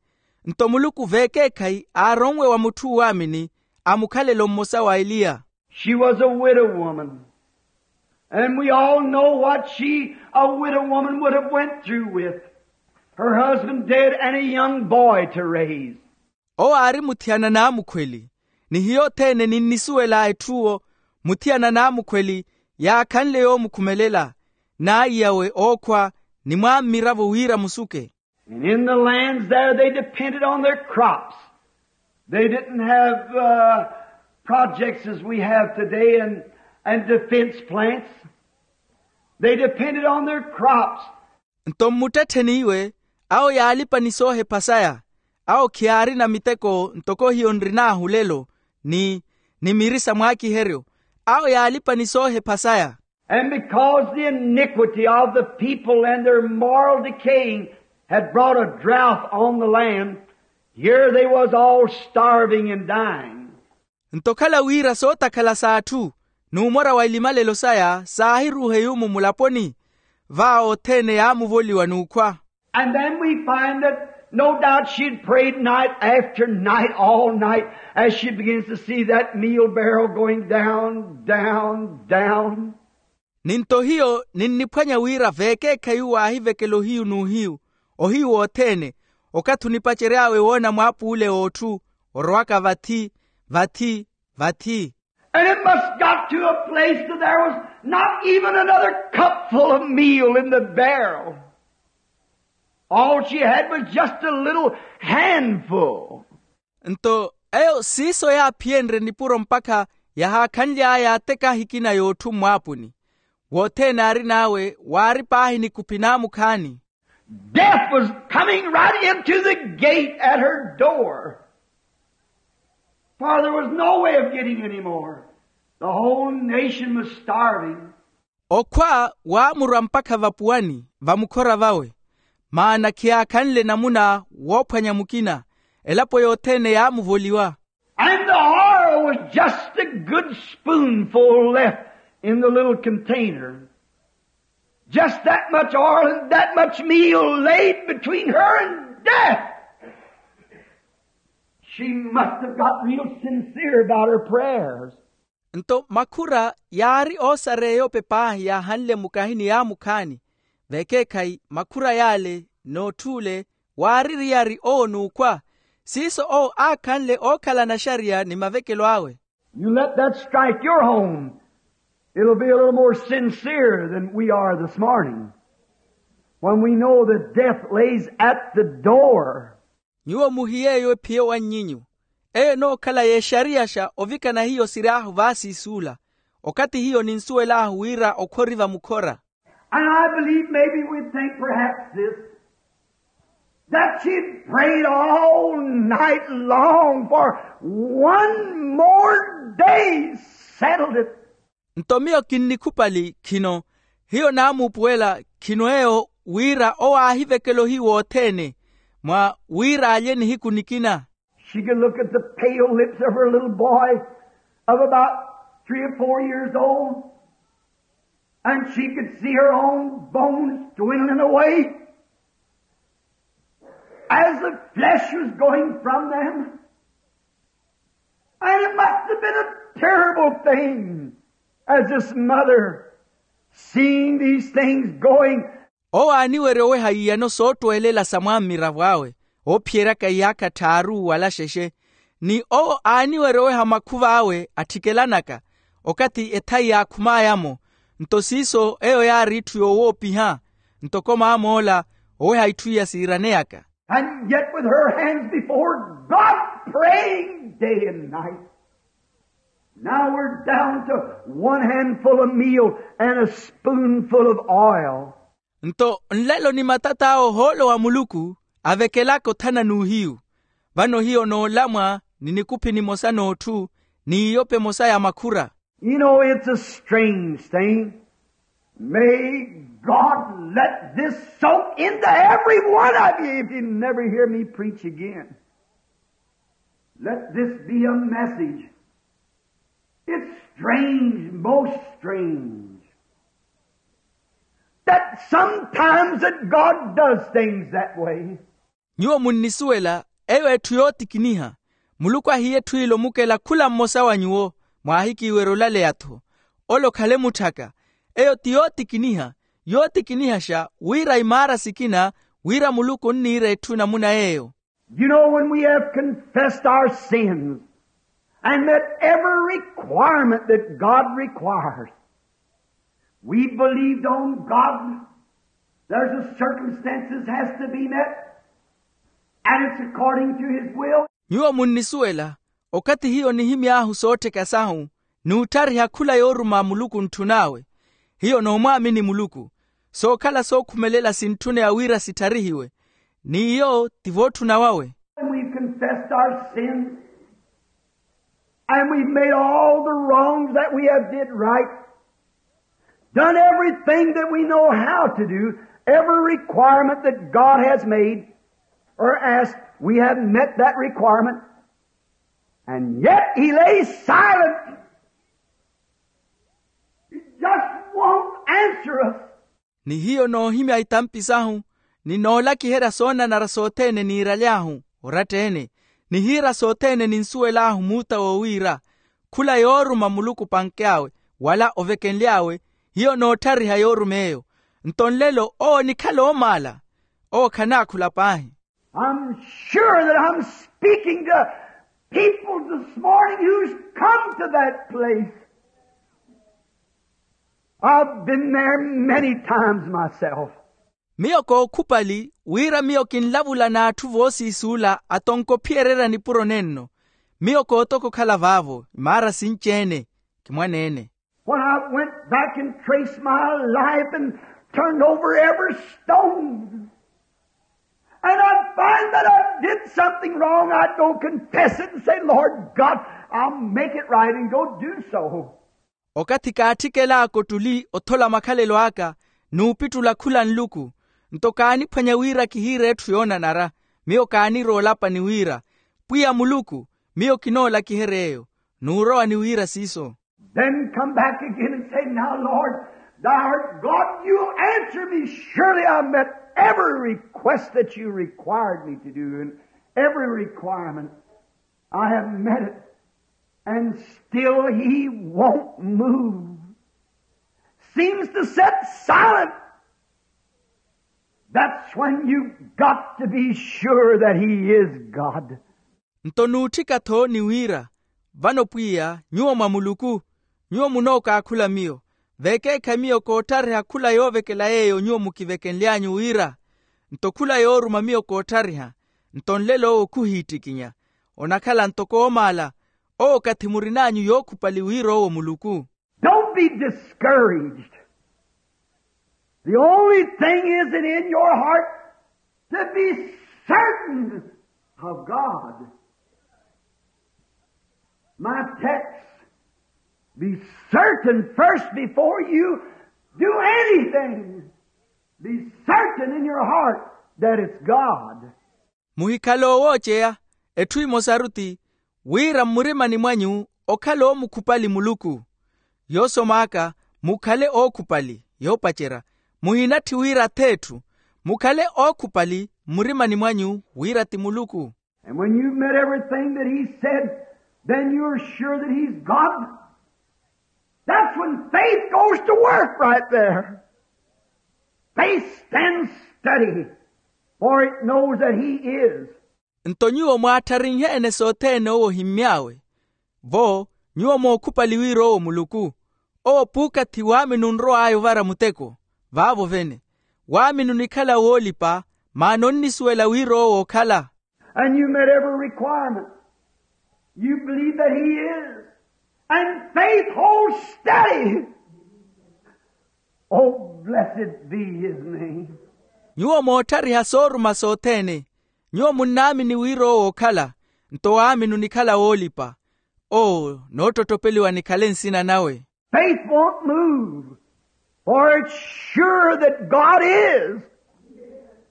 Nto muluku veekeekhayi aaronwe wa mutthu uwaamini, amukhalelo mmosa wa eliya. She was a widow woman. And we all know what she, a widow woman, would have went through with her husband dead and a young boy to raise. Owo aari muthiyana n'amukhweli, ni hiyo othene ninnisuwela etthuwo. Muthiyana n'amukhweli yaakhanle yoomukhumelela, n'aiyawe ookhwa, ni mwammiravo wira musuke. And in the lands there, they depended on their crops. They didn't have uh, projects as we have today and, and defense plants. They depended on their crops. Nto mmuttettheni iwe, awo yaalipa ni soohepha saya. Awo khiyaarina miteko ntoko hiyo nrin'ahu lelo, ni ni miri sa mwaakiheryo. Awo yaalipa ni soohepha saya. And because the iniquity of the people and their moral decaying had brought a drought on the land, here they was all starving and dying. Nto okhala wira sootakhala s'atthu n'umora wa elimalelo saya saahiruuhe yuumu mulaponi, vaawo othene yaamuvoliwa n'ukhwa. And then we find that no doubt she'd prayed night after night, all night, as she begins to see that meal barrel going down, down, down. Ni nto hiyo ninniphwanya wira veekeekhayi uwo aahivekela ohiyu n'uhiyu, ohiyu wothene, okathi onipacery'awe woona mwaapuule w'otthu orowaka vathi, vathi, vathi. And it must got to a place that there was not even another cupful of meal in the barrel. All she had was just a little handful. Nto eyo siiso yaaphiyenrye nipuro mpakha yahaakhanly'aya ateka ahikina y'otthu mmwaapuni. Wothene aarin'awe waari paahi nikuphi n'amukhaani. Death was coming right into the gate at her door. For there was no way of getting any more. The whole nation was starving. Okhwa waamurwa mpakha vapuwani va mukhora vawe, maana khiyaakhanle namuna woophwanya mukina. Elapo yothene yaamuvoliwa. And the oil was just a good spoonful left in the little container. Just that much oil and that much meal laid between her and death. She must have got real sincere about her prayers. Nto makhura yaari oosareya eyope paahi yaahanle mukahini yaamukhaani. Vekeekhayi makhura yaale n'otth'ule waari eriyari owo n'ukhwa. Siiso owo aakhanle ookhala naxariya ni mavekelo awe. You let that strike your home, it'll be a little more sincere than we are this morning, when we know that death lays at the door. Nyuwo muhiye eyo ephiye wannyinyu. Eyo enookhala yeexariyaxa ovikana hiyo siryahu vaasiisuula, okathi hiyo ninsuwel'ahu wira okhwa ori vamukhora. And I believe maybe we think perhaps this, that she prayed all night long for one more day settled it. Nto miyo kinnikhupali khino, hiyo naamuupuwela khino eyo wira owo aahivekela ohiyu wothene mwa wira alye nihiku nikina. She could look at the pale lips of her little boy of about three or four years old, and she could see her own bones dwindling away as the flesh was going from them. And it must have been a terrible thing as this mother seeing these things going. Owo aaniwerya oweha iyano soottwelela sa mwammiravo awe oophiyeryaka iyaakha tthaaru wala xexe. Ni owo aaniwerya oweha makhuva awe atthikelanaka okathi ethayi yaakhumaya-mo. Nto siiso eyo yaari itthu yoowoopiha. Ntoko maamoola oweha itthu iya siiraneyaka. And yet with her hands before God, praying day and night. Now we're down to one handful of meal and a spoonful of oil. Nto nlelo ni matat'awe ohoolo wa muluku avekelaka othana n'uhiyu. Vano hiyo noolamwa ni nikuphi nimosa n'otthu, n'iyope emosa ya makhura. You know, it's a strange thing. May God let this soak into every one of you if you never hear me preach again. Let this be a message. It's strange, most strange, that sometimes that God does things that way. Nyuwo munnisuwela eyo etthu yootikiniha. Muluku ahiya etthu ilo mukela khula mmosa wa nyuwo, mwaahikiiwerya olaleya-tho. Ole okhale mutthaka. Eyo ti yootikiniha, yootikinihaxa wira imaara sikina, wira muluku onniira etthu namuna yeeyo. You know, when we have confessed our sins and met every requirement that God requires, we believed on God. There's a circumstances has to be met, and it's according to his will. Nyuwo munnisuwela, okathi hiyo nihimy'ahu soottheka sahu, n'utthariha khula yooruma muluku ntthun'awe. Hiyo noomwaamini muluku. Sookhala sookhumelela sintthuna wira sittharihiwe, n'iyo ti vootthuna wawe. And we've confessed our sins, and we've made all the wrongs that we have did right, done everything that we know how to do, every requirement that God has made or asked, we have met that requirement. And yet he lays silent. He just won't answer us. Ni hiyo noohimya itampi sahu, ni noolakiherya soonanara sothene niiraly'ahu oratta-ene, nihiira sothene ninsuwel'ahu muuta woowiira, khula yooruma muluku panke'awe, wala ovekenly'awe, hiyo nootthariha yoorum'eyo. Nto nlelo owo onikhala oomaala, owo khanaakhula paahi. I'm sure that I'm speaking to people this morning who's come to that place. I've been there many times myself. Miyo kookhupali wira miyo kinlavula n'atthu voosiis'ula atonkophiyererya nipuro nenno. Miyo kootoka okhala vaavo imaara sinci-ene. Kimwaneene. When I went back and traced my life and turned over every stone, and I find that I did something wrong, I'd go confess it and say, Lord God, I'll make it right, and go do so. Okathi kaatthikelaaka ottuli othola makhalelo aka, n'upittula khula nluku, nto kaaniphwanya wira kihiire etthu yoonanara. Miyo kaanirowa olapa ni wira, pwiya muluku, miyo kinoolakiherya eyo. N'urowa ni wira siiso. Then come back again and say, now Lord, thou art God, you answer me. Surely I met every request that you required me to do, and every requirement I have met it. And still he won't move. Seems to sit silent. That's when you've got to be sure that he is God. Nto nuutthika-tho ni wira, vano pwiya nyuwo mwa muluku. Nyuwo munookaakhula miyo, veekeekhayi miyo koottariha khula yoovekela yeeyo nyuwo mukivekenly'anyu wira. Nto khula yooruma miyo koottariha. Nto nlelo owo khuhiittikinya. Onakhala ntoko oomaala. Owo okathi murin'anyu yookhupali wira owo muluku. Don't be discouraged. The only thing is it in your heart to be certain of God. My text, be certain first before you do anything. Be certain in your heart that it's God. Muhikhale oowooceya. Etthu emosaru ti wira mmurimani mwanyu okhala oomukhupali muluku. Yoosom'aka, mukhale ookhupali yoopacerya. Muhinatthi wira ath'etthu. Mukhale ookhupali mmurimani mwanyu wira ti muluku. And when you've met everything that he said, then you're sure that he's God. That's when faith goes to work right there. Faith stands steady, for it knows that he is. Nto nyuwo mwaattharinhe-ene sothene owo ohimmy'awe. Vo nyuwo mookhupali wira owo muluku, owo puukathi waamini onrow'aya ovara muteko. Vaavo vene waamini onikhala woolipa, maana onnisuwela wira owo ookhala. And you met every requirement. You believe that he is. And faith holds steady. Oh, blessed be his name. Nyuwo mootthariha sooruma sothene. Nyuwo munnaamini wira owo ookhala. Nto waamini onikhala woolipa. Oo, noottotopeliwa nikhale nsina nawe. Faith won't move, for it's sure that God is,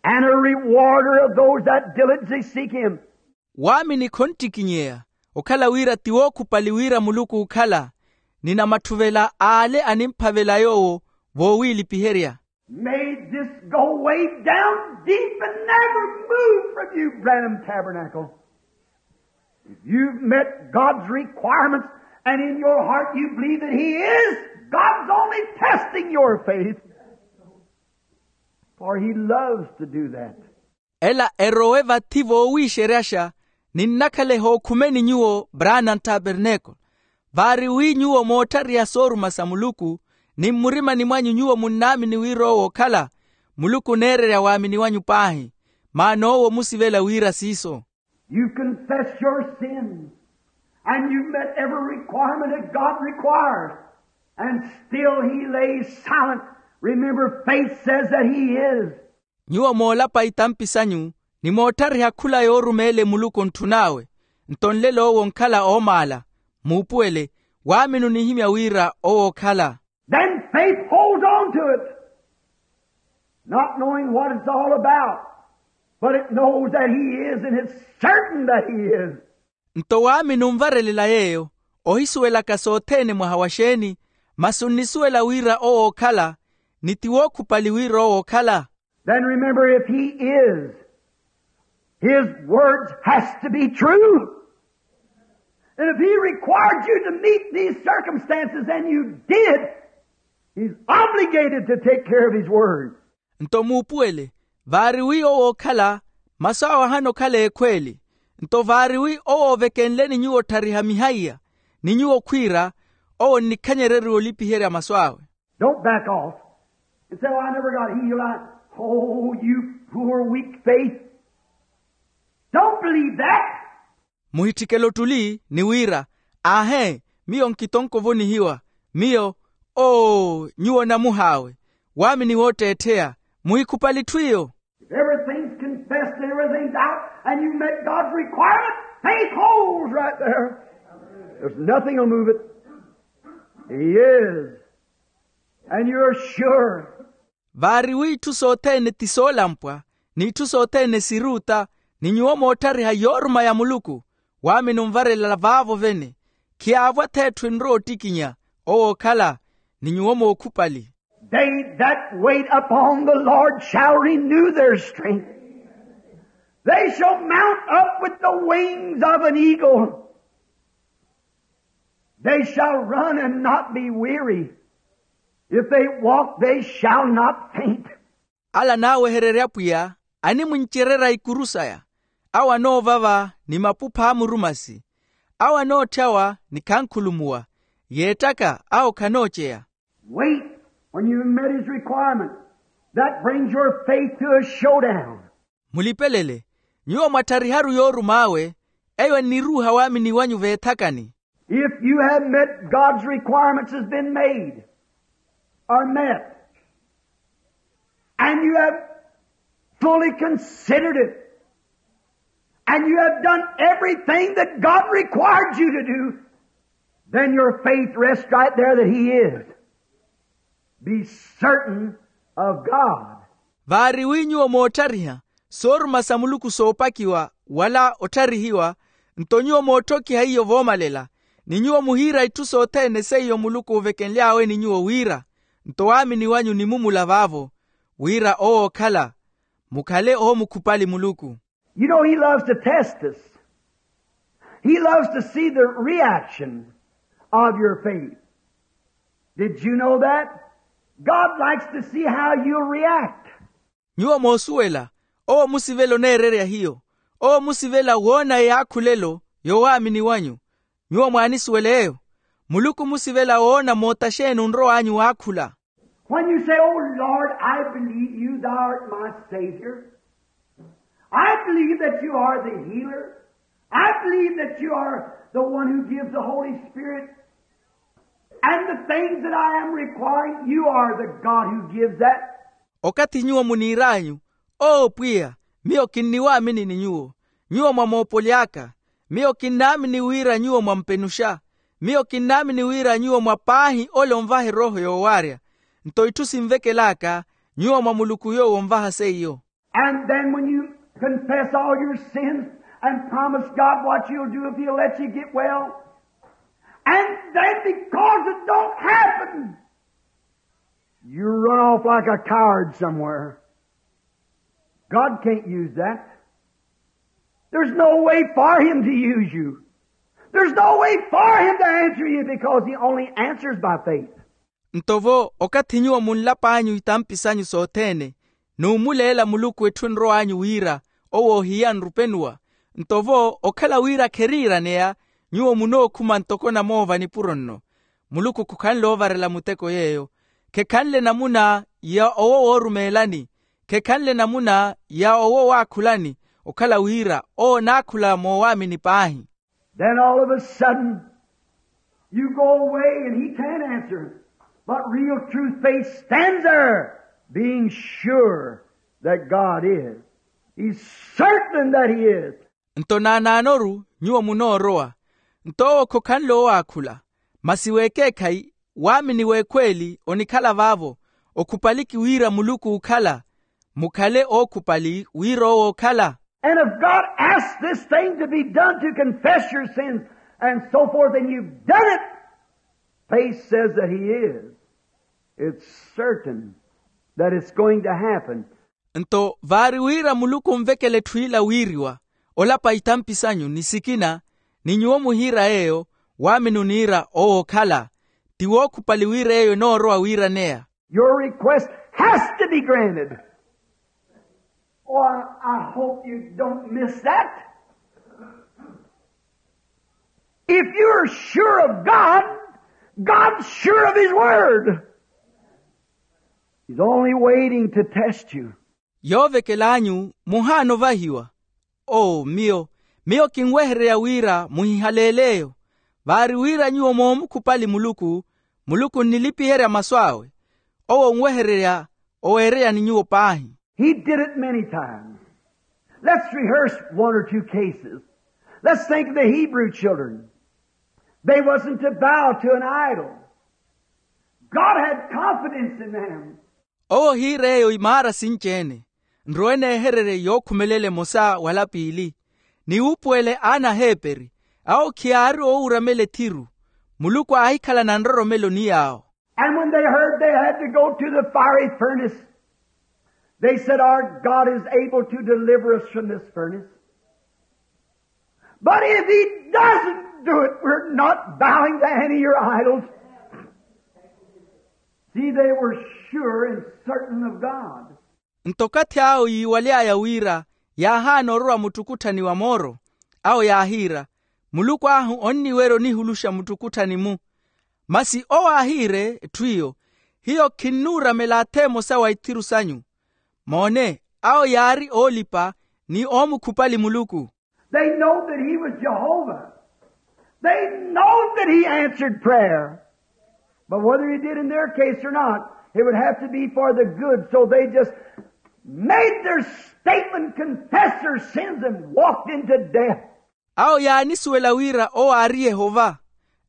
and a rewarder of those that diligently seek him. Waamini khonttikinyeya, okhala wira ti wookhupali wira muluku ookhala, ni namattuvela ale animphavela yoowo voowiilipiherya. May this go way down deep and never move from you, Branham Tabernacle. If you've met God's requirements and in your heart you believe that he is, God's only testing your faith. For he loves to do that. Ela erowe vathi voowiixeryaxa, ninnakhala ehookhumeni nyuwo, Branham Tabernacle. Vaari wi nyuwo mootthariha sooruma sa muluku, ni mmurimani mwanyu nyuwo munnaamini wira owo ookhala, muluku oneererya waamini wanyu paahi. Maana owo omusivela wira siiso. You confess your sins, and you met every requirement that God requires, and still he lays silent. Remember, faith says that he is. Nyuwo moolapa itampi sanyu, ni mootthariha khula yoorumeele muluku ontthun'awe. Nto nlelo owo onkhala oomaala. Muupuwele, waamini onihimya wira owo ookhala. Then faith holds on to it, not knowing what it's all about, but it knows that he is, and it's certain that he is. Nto waamini onvarelela yeeyo, ohisuwelaka sothene mwaha wa xeeni, masi onnisuwela wira owo ookhala, ni ti wookhupali wira owo ookhala. Then remember, if he is, his words has to be true. And if he required you to meet these circumstances and you did, he's obligated to take care of his word. Nto muupuwele, vaari wi owo ookhala, masu awe ahana okhala ekhweeli. Nto vaari wi owo oovekenleni nyuwo otthariha mihaiya, ni nyuwo khwiira, owo onnikhanyereriwa olipiherya masu awe. Don't back off and say, "Oh, I never got healed. I," oh, you poor, weak faith. Don't believe that. Muhitthikele ottuli ni wira, "Aahe, miyo nkitonko ovonihiwa. Miyo, oo, nyuwo namuh'awe. Waamini wootteettheya. Muhikhupali etthu iyo." If everything's confessed and everything's out, and you met God's requirement, faith holds right there. There's nothing will move it. He is. And you're sure. Vaari wi itthu sothene ti soolampwa, ni itthu sothene siruuta, ni nyuwo mootthariha yooruma ya muluku, waamini onvarelela vaavo vene. Khiyaavwa-tho etthu enrowa ottikinya, owo ookhala, ni nyuwo mookhupali. They that wait upon the Lord shall renew their strength. They shall mount up with the wings of an eagle. They shall run and not be weary. If they walk, they shall not faint. Ala anaawehererya apwiya, animwincererya ikuru saya. Awo anoovava ni mapupha a murumasi. Awo anootthyawa ni khankhulumuwa. Yeettaka awo khanooceya. Wait, when you met his requirement, that brings your faith to a showdown. Mulipelele, nyuwo mwatthariharu yoorum'awe, eyo enniruuha waamini wanyu veethakani. If you have met God's requirements has been made, or met, and you have fully considered it, and you have done everything that God required you to do, then your faith rests right there that he is. Be certain of God. Vaari wi nyuwo moottariha sooruma sa muluku soopakiwa, wala ottharihiwa, nto nyuwo mootthokiha iyo voomalela, ni nyuwo muhiira itthu sothene seiyo muluku oovekenly'awe ni nyuwo wira, nto waamini wanyu onimumula vaavo, wira owo ookhala, mukhale oomukhupali muluku. You know, he loves to test us. He loves to see the reaction of your faith. Did you know that? God likes to see how you'll react. Nyuwo moosuwela, owo omusivela oneererya hiyo. Owo musivela woona eyaakhulelo yoowaamini wanyu. Nyuwo mwaanisuwela eyo. Muluku musivela woona moota xeeni onrow'anyu waakhula. When you say, "Oh Lord, I believe you, thou art my Savior. I believe that you are the healer. I believe that you are the one who gives the Holy Spirit. And the things that I am requiring, you are the God who gives that." Okathi nyuwo muniir'anyu, "Oo pwiya, miyo kinniwaamini ni nyuwo. Nyuwo mwamoopoli aka. Miyo kinnaamini wira nyuwo mwampenuxa. Miyo kinnaamini wira nyuwo mwa paahi ole onvaha erooho yoowaarya. Nto itthu sinvekel'aka, nyuwo mwa muluku yoowo onvaha seiyo." And then when you confess all your sins and promise God what you'll do if he'll let you get well, and then because it don't happen, you run off like a coward somewhere. God can't use that. There's no way for him to use you. There's no way for him to answer you because he only answers by faith. Nto vo okathi nyuwo munlap'anyu itampi sanyu sothene, n'umuleela muluku etthu enrow'anyu wira owo ohiya nrupenuwa. Nto vo okhala wira kheriiraneya, nyuwo munookhuma ntoko namoova nipuro nno. Muluku khukhanle ovarela muteko yeeyo. Khekhanle namuna ya owo woorumeelani. Khekhanle namuna ya owo waakhulani. Okhala wira owo onaakhula moowaamini paahi. Then all of a sudden, you go away and he can't answer. But real true faith stands there, being sure that God is. He's certain that he is. Nto naanaanoru nyuwo munoorowa. Nto owo khokhanle owaakhula. Masi w'ekeekhayi, waamini w'ekhweeli onikhala vaavo. Okhupaliki wira muluku ookhala. Mukhale ookhupali wira owo ookhala. And if God asks this thing to be done, to confess your sins and so forth, and you've done it, faith says that he is. It's certain that it's going to happen. Nto vaari wira muluku onvekela etthu ila wiiriwa, olapa itampi sanyu ni sikina, ni nyuwo muhiira yeeyo, waamini oniira owo ookhala. Ti wookhupali wira eyo enoorowa wiiraneya. Your request has to be granted. Oh, I, I hope you don't miss that. If you're sure of God, God's sure of his word. He's only waiting to test you. Yoovekel'anyu muhaana ovahiwa. Oo miyo, miyo kinwehererya wira muhihaleele eyo. Vaari wira nyuwo moomukhupali muluku, muluku onnilipiherya masu awe. Owo onwehererya oweererya ni nyuwo paahi. He did it many times. Let's rehearse one or two cases. Let's think of the Hebrew children. They wasn't to bow to an idol. God had confidence in them. Owo ohiira eyo imaara sinci-ene. Nrowe neehererye yookhumelela emosa wala piili. Niwuupuwele aana aheeperi, awo khiyaari oowuramela ethiru. Muluku aahikhalana nroromelo ni yaawo. And when they heard they had to go to the fiery furnace, they said, "Our God is able to deliver us from this furnace. But if he doesn't do it, we're not bowing to any of your idols." See, they were sure and certain of God. Nto okathi awo yiiwaly'aya wira yaahaana orwa muttukutthani wa mooro, awo yaahiira, "Muluku ahu onniwerya onihuluxa muttukutthani-mu." Masi owo aahiire etthu iyo, "Hiyo khinnuuramela atha emosa wa ithiru sanyu." Moone, awo yaari oolipa ni oomukhupali muluku. They know that he was Jehovah. They know that he answered prayer. But whether he did in their case or not, it would have to be for the good. So they just made their statement, confessed their sins, and walked into death. Awo yaanisuwela wira owo aari yehova.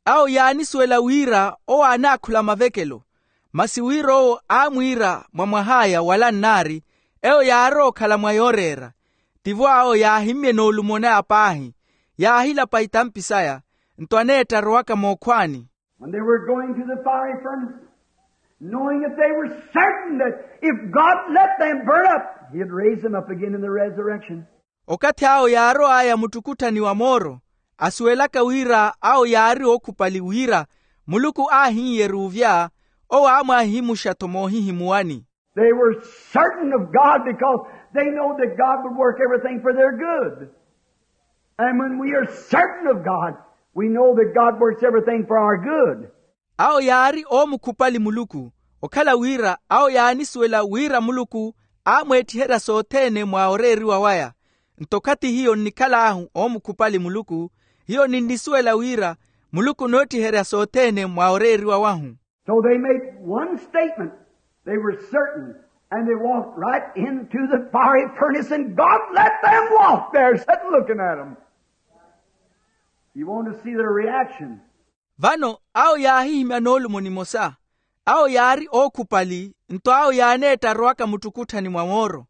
Awo yaanisuwela wira owo aanaakhula mavekelo. Masi wira owo aamwiira mwa mwah'aya wala nnaari, eyo yaarowa okhala mwa yooreera. Tivo awo yaahimmyana olumon'aya paahi, yaahilapa itampi saya, nto aneetta arowaka mookhwaani. When they were going to the fiery furnace, knowing that they were certain that if God let them burn up, he'd raise them up again in the resurrection. Okathi awo yaarow'aya muttukutthani wa mooro, asuwelaka wira awo yaari ookhupali wira muluku aahin'yerya ovya, owo aamwaahimuxa-tho moohihimuwani. They were certain of God because they know that God would work everything for their good. And when we are certain of God, we know that God works everything for our good. Awo yaari oomukhupali muluku, okhala wira awo yaanisuwela wira muluku aamweettiherya sothene mwa oreeriwa waya. Nto okhathi hiyo nnikhal'ahu oomukhupali muluku, hiyo ninnisuwela wira muluku onoottiherya sothene mwa oreeriwa wahu. So they made one statement. They were certain, and they walked right into the fiery furnace, and God let them walk there, sitting looking at them. You want to see their reaction. Vano awo yaahihimya noolumo nimosa. Awo yaari ookhupali, nto awo yaaneetta arowaka muttukutthani mwa mooro.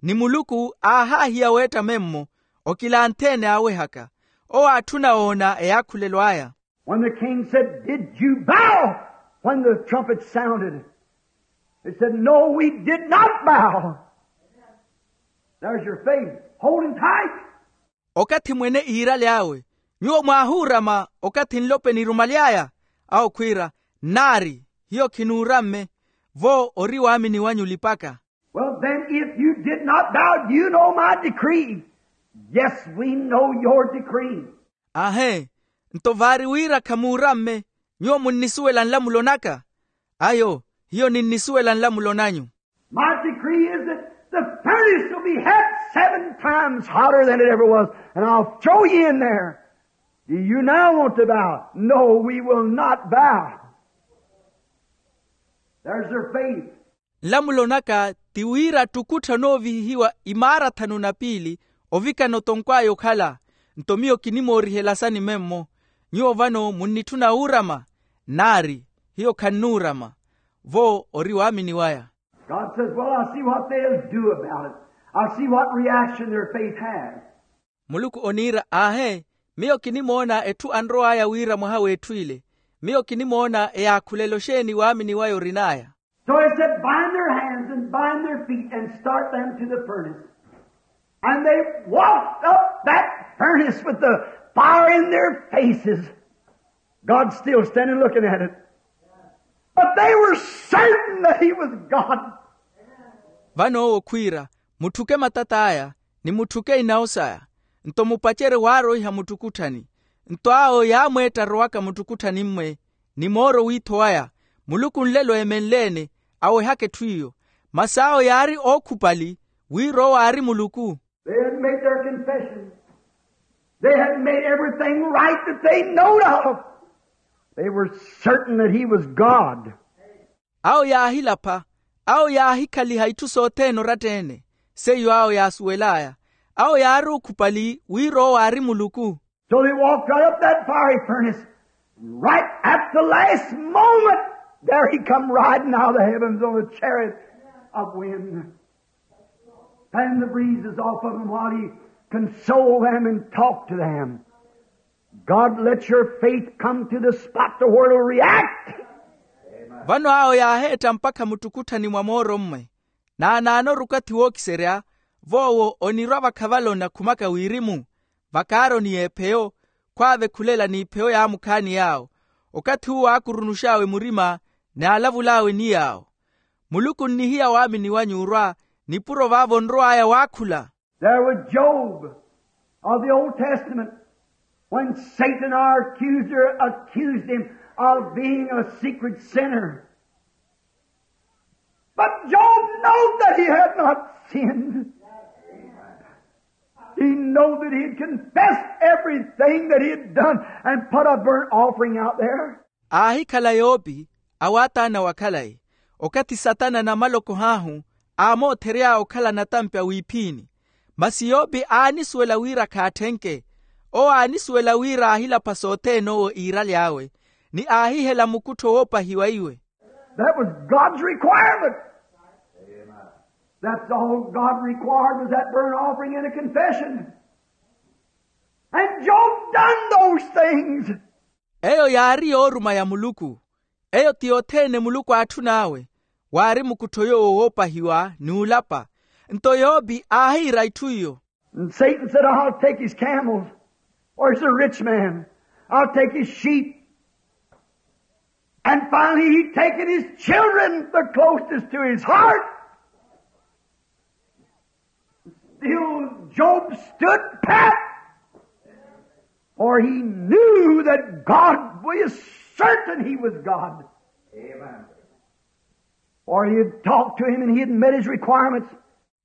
Ni muluku aahaahiya weetta memmo, okilanthe-ene aawehaka. Owo aatthuna woona eyaakhulelo aya. When the king said, "Did you bow when the trumpet sounded?" They said, "No, we did not bow." There's your faith. Holding tight. Okathi mwene iirale awe, nyuwo mwaahuurama okathi nlope nirumaly'aya? Awo khwiira, nnaari, hiyo khinuuramme. Vo ori waamini wanyu olipaka. Well, then, if you did not bow, do you know my decree? Yes, we know your decree. Aahe, nto vaari wira khamuuramme, nyuwo munnisuwela nlamulo naka? Ayo, hiyo ninnisuwela nlamulo nanyu. My decree is that the furnace will be hot seven times hotter than it ever was, and I'll throw you in there. Do you now want to bow? No, we will not bow. There's their faith. Nlamulo naka ti wira ttukuttha onoovihihiwa imaara thanu na piili ovikana otonkw'aya okhala. Nto miyo kinimoorihelasani memmo. Nyuwo vano munnitthuna wuurama? Nnaari, hiyo khannuurama. Vo ori waamini waya. God says, "Well, I'll see what they'll do about it. I'll see what reaction their faith has." Muluku oniira, aahe, miyo kinimoona etthu anrow'aya wira mwaha w'etthu ile. Miyo kinimoona eyaakhulelo xeeni waamini waya orin'aya. So he said, "Bind their hands and bind their feet and start them to the furnace." And they walked up that furnace with the fire in their faces. God's still standing looking at it. But they were certain that he was God. Vano owo khwiira, mutthuke matat'aya, ni mutthuke inawo saya. Nto mupacerye waaroiha muttukutthani. Nto awo yaamweetta arowaka muttukutthani-mwe, ni mooro wiitho waya, muluku nlelo eemenle-ene, awehaka etthu iyo. Masi awo yaari ookhupali, wira owo aari muluku. They had made their confession. They had made everything right that they knowed of. They were certain that he was God. Awo yaahilapha, awo yaahikhaliha itthu sothene oratta-ene, seiyo awo yaasuwel'aya. Awo yaari ookhupali wira owo aari muluku. So they walked right up that fiery furnace. Right at the last moment, there he come riding out of the heavens on a chariot of wind. Fan the breezes off of him while he console them and talk to them. God, let your faith come to the spot to where it'll react. Vano awo yaaheetta mpakha muttukutthani mwa mooro-mmwe. Naanaano ori okathi wookiserya, voowo onirwa vakhavala onakhumaka wirimu, vakaaroni y'epheyo, khwaave khulela n'ipheyo yaamukhaani yaawo. Okathi uwo aakurunux'awe murima, n'alavul'awe ni yaawo. Muluku onnihiya waamini wanyu orwa, nipuro vaavo onrow'aya waakhula. There was Job of the Old Testament when Satan, our accuser, accused him of being a secret sinner. But Job knew that he had not sinned. He knew that he had confessed everything that he had done and put a burnt offering out there. Aahikhala yopi, awaataana wa khalayi, okathi satana na malokho ahu aamoothery'aya okhala natampi a wiiphiini. Masi yopi aanisuwela wira khaatthenke. Owo aanisuwela wira aahilapha sothene owo iiraly'awe, ni aahihela mukuttho woopahiwa iwe. That was God's requirement. That's all God required was that burnt offering and a confession. And Job done those things. Eyo yaari yooruma ya muluku. Eyo ti yothene muluku aatthun'awe. Waari mukuttho yoowo woopahiwa ni olapa. Nto yopi aahiira itthu iyo. And Satan said, "I'll take his camels." Or he's a rich man. "I'll take his sheep." And finally, he'd taken his children, the closest to his heart. Still, Job stood pat. For he knew that God was certain he was God. Amen. For he had talked to him and he had met his requirements.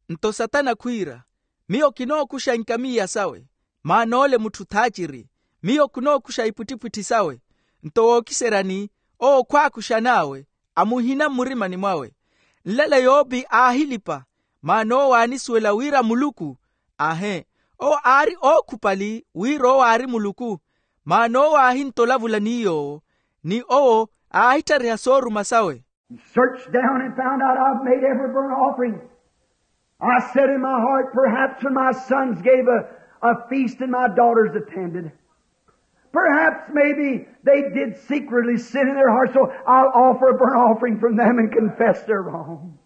Nto satana khwiira, miyo kinookuxa inkamiya sawe, maana ole mutthu thaaciri. Miyo kinookuxa ipwittipwitthi sawe. Nto wookiseryani, owo khwaakuxan'awe, amuhina mmurimani mwawe. Nlelo yopi aahilipa, maana owo aanisuwela wira muluku. Aahe, owo aari ookhupali wira owo aari muluku. Maana owo aahintolavula ni yoowo, ni owo aahitthariha sooruma sawe. Searched down and found out I've made every burnt offering. I said in my heart, perhaps when my sons gave a, a feast and my daughters attended, perhaps maybe they did secretly sin in their heart, so I'll offer a burnt offering from them and confess their wrong.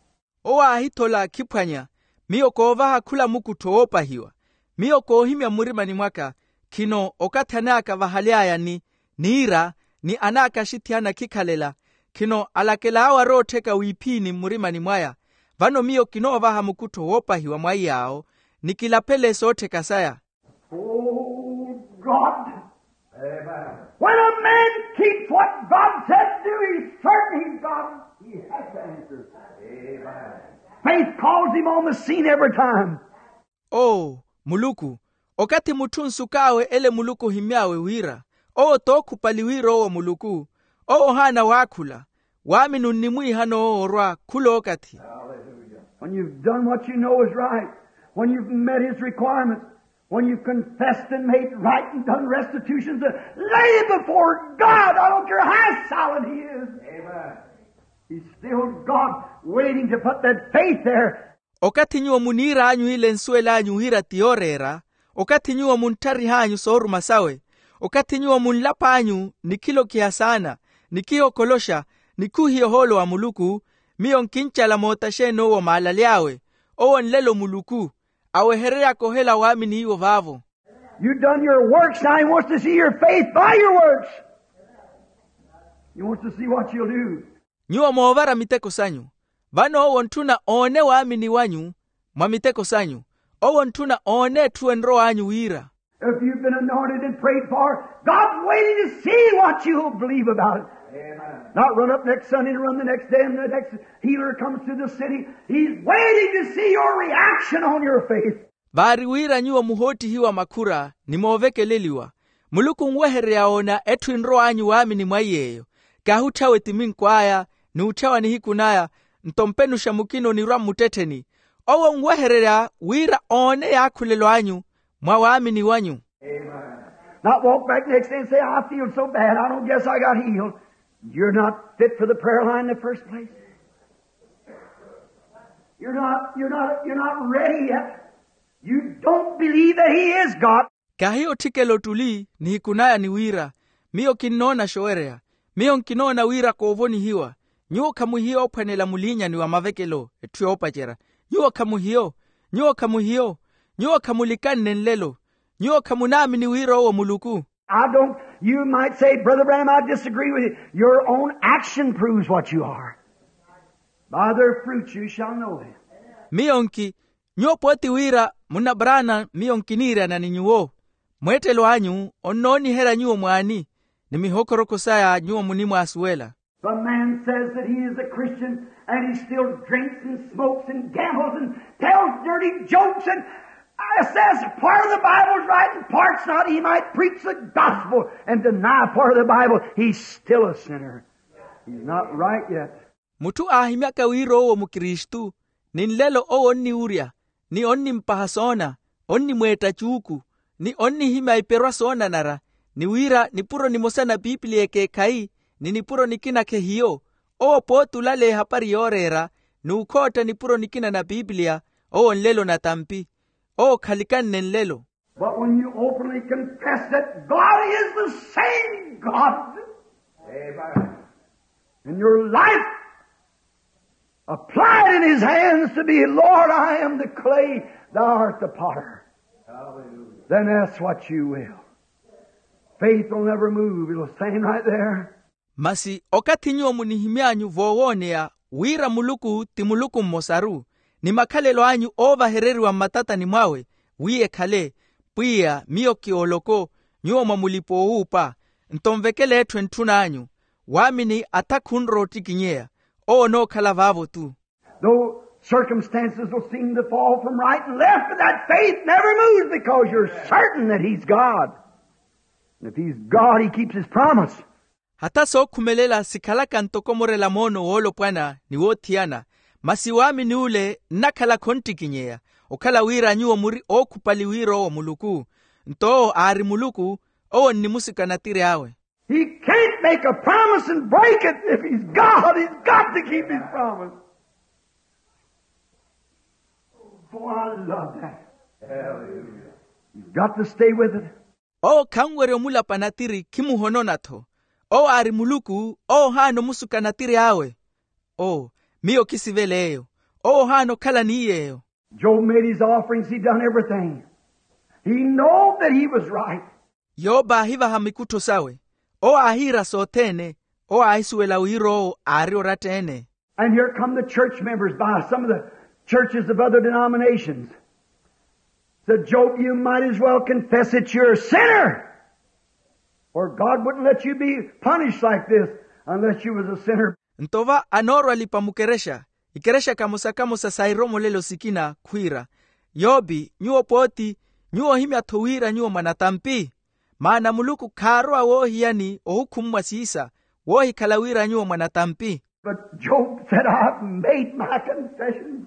Owo aahithola akhiphwanya, miyo koovaha khula mukuttho woopahiwa. Miyo koohimya mmurimani mwaka, khino okathi anaaka vahaly'aya ni niira, ni anaaka axithiyana khikhalela, khino alakel'awe aroottheka wiiphini mmurimani mwaya. Vano miyo kinoovaha mukuttho woopahiwa mwa iy'awo, ni kilaphele soottheka saya. Oh God, when a man keeps what God said to do, he's certain he's God. He has to answer. Faith calls him on the scene every time. Oo muluku, okathi mutthu onsuk'awe ele muluku ohimmy'awe wira, owo t'okhupali wira owo muluku. Owo ohaana waakhula, waamini onnimwiihana owo orwa khul'okathi. When you've done what you know is right, when you've met his requirements, when you've confessed and made right and done restitutions, lay before God, I don't care how silent he is. Amen. He's still God, waiting to put that faith there. Okathi nyuwo muniir'anyu ile ensuwel'anyu wira ti yooreera, okathi nyuwo munttharih'anyu sooruma sawe, okathi nyuwo munlap'anyu nikhilokiha saana, nikhihokoloxa, nikhuhiya ohoolo wa muluku, miyo nkincala moota xeeni owo maalaly'awe. Owo nlelo muluku, awehereryaka ohela waaminiiwo vaavo. You've done your works, now he wants to see your faith by your works. He wants to see what you'll do. Nyuwo moovara miteko sanyu. Vano owo ntthuna oone waamini wanyu mwa miteko sanyu. Owo ntthuna oone etthu enrow'anyu wira. If you've been anointed and prayed for, God's waiting to see what you'll believe about it. Amen. Not run up next Sunday and run the next day and the next healer comes to the city. He's waiting to see your reaction on your faith. Vaari wira nyuwo muhoottihiwa makhura ni moovekeleliwa. Muluku onwehereya oona etthu enrow'anyu waamini mwa iy'eyo. Kahi otthawe timink'aya, n'utthawa nihiku naya, nto mpenuxa mukina onirwa mmuttettheni. Owo onwehererya wira oone yaakhulelo anyu mwa waamini wanyu. Not walk back next day and say, I feel so bad, I don't guess I got healed. You're not fit for the prayer line in the first place. You're not, you're not, you're not ready yet. You don't believe that he is God. Kahi otthikela ottuli nihiku naya ni wira, miyo kinnoona xoowereya. Miyo nkinoona wira koovonihiwa. Nyuwo khamuhiyo ophwanela muliinyani wa mavekelo etthu yoopacerya. Nyuwo khamuhiyo. Nyuwo khamuhiyo. Nyuwo khamulikanne nlelo. Nyuwo khamunaamini wira owo muluku. I don't, you might say, Brother Branham, I disagree with you. Your own action proves what you are. By their fruits you shall know them. Miyo nki, nyuwo pooti wira munna Branham, miyo nkiniiryana ni nyuwo. Mweettelo anyu onnooniherya nyuwo mwaani, ni mihokholokho saya nyuwo munimwaasuwela. The man says that he is a Christian and he still drinks and smokes and gambles and tells dirty jokes and, uh, says part of the Bible's right and part's not. He might preach the gospel and deny part of the Bible. He's still a sinner. He's not right yet. Mutthu aahimyaka wira owo mukristu, ni nlelo owo onniwurya, ni onnimpaha soona, onnimweetta cuuku, ni onnihimya iperwa soonanara, ni wira nipuro nimosa na piipiliya ekeekhayi, ni nipuro nikina khehiyo. Owo pooti olaleya ehapari yooreera, n'ukhootta nipuro nikina na piipiliya. Owo nlelo natampi. Owo khalikanne nlelo. But when you openly confess that God is the same God, amen, and your life applied in his hands to be, Lord, I am the clay, thou art the potter. Hallelujah. Then ask what you will. Faith will never move. It'll stand right there. Masi okathi nyuwo munihimy'anyu voowooneya wira muluku ti muluku mmosaru, ni makhalelo anyu oovahereriwa mmatatani mwawe, wi ekhale, pwiya miyo ki oloko, nyuwo mwa mulipa owuupa. Nto nvekele etthu entthun'anyu, waamini atha khunrowa ottikinyeya. Owo onookhala vaavo-tu. Though circumstances will seem to fall from right and left, but that faith never moves because you're certain that he's God. And if he's God, he keeps his promise. Hatha sookhumelela sikhalaka ntoko murela moono woolopwana ni woothiyana, masi waamini ule nnakhala khonttikinyeya. Okhala wira nyuwo muri ookhupali wira owo muluku. Nto owo aari muluku, owo nnimusuka natiri awe. He can't make a promise and break it. If he's God, he's got to keep his promise. Oh, I love that. Hallelujah. You've got to stay with it. Owo khanwerya omulapa natiri khimuhonona-tho. Owo aari muluku, owo ohaana omusuka natiri awe. O, miyo khisivela eyo. Owo ohaana okhala ni yeeyo. Job made his offerings, he done everything. He knowed that he was right. Yope aahivaha mikuttho sawe. Owo aahiira sothene. Owo aahisuwela wira owo aari oratta-ene. And here come the church members by some of the churches of other denominations. Said, Job, you might as well confess that you're a sinner. For God wouldn't let you be punished like this unless you was a sinner. Nto va anoorwa alipa mukerexa, ikerexa kamosa-kamosa sa iromolelo sikina khwiira, Yopi, nyuwo pooti, nyuwo ohimya-tho wira nyuwo mwanatampi? Maana Muluku khaarowa woohiyani ohukhummwa siisa, woohikhala wira nyuwo mwanatampi. But Job said, I've made my confession.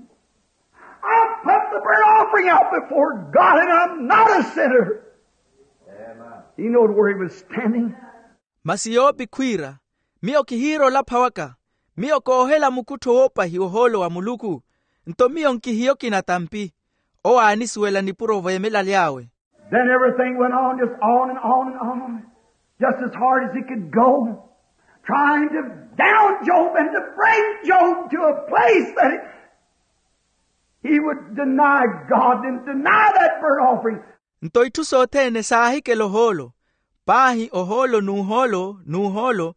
I put the burnt offering out before God, and I'm not a sinner. He knowed where he was standing. Masi Yopi khwiira, miyo kihiira olapha waka, miyo koohela mukuttho woopahiwa ohoolo wa Muluku, nto miyo nkihiyo kinatampi. Owo aanisuwela nipuro oveemelaly'awe. Then everything went on, just on and on and on, just as hard as he could go, trying to down Job and to bring Job to a place that he, he would deny God and deny that burnt offering. Nto itthu sothene saahikela ohoolo, paahi ohoolo n'uhoolo n'uhoolo,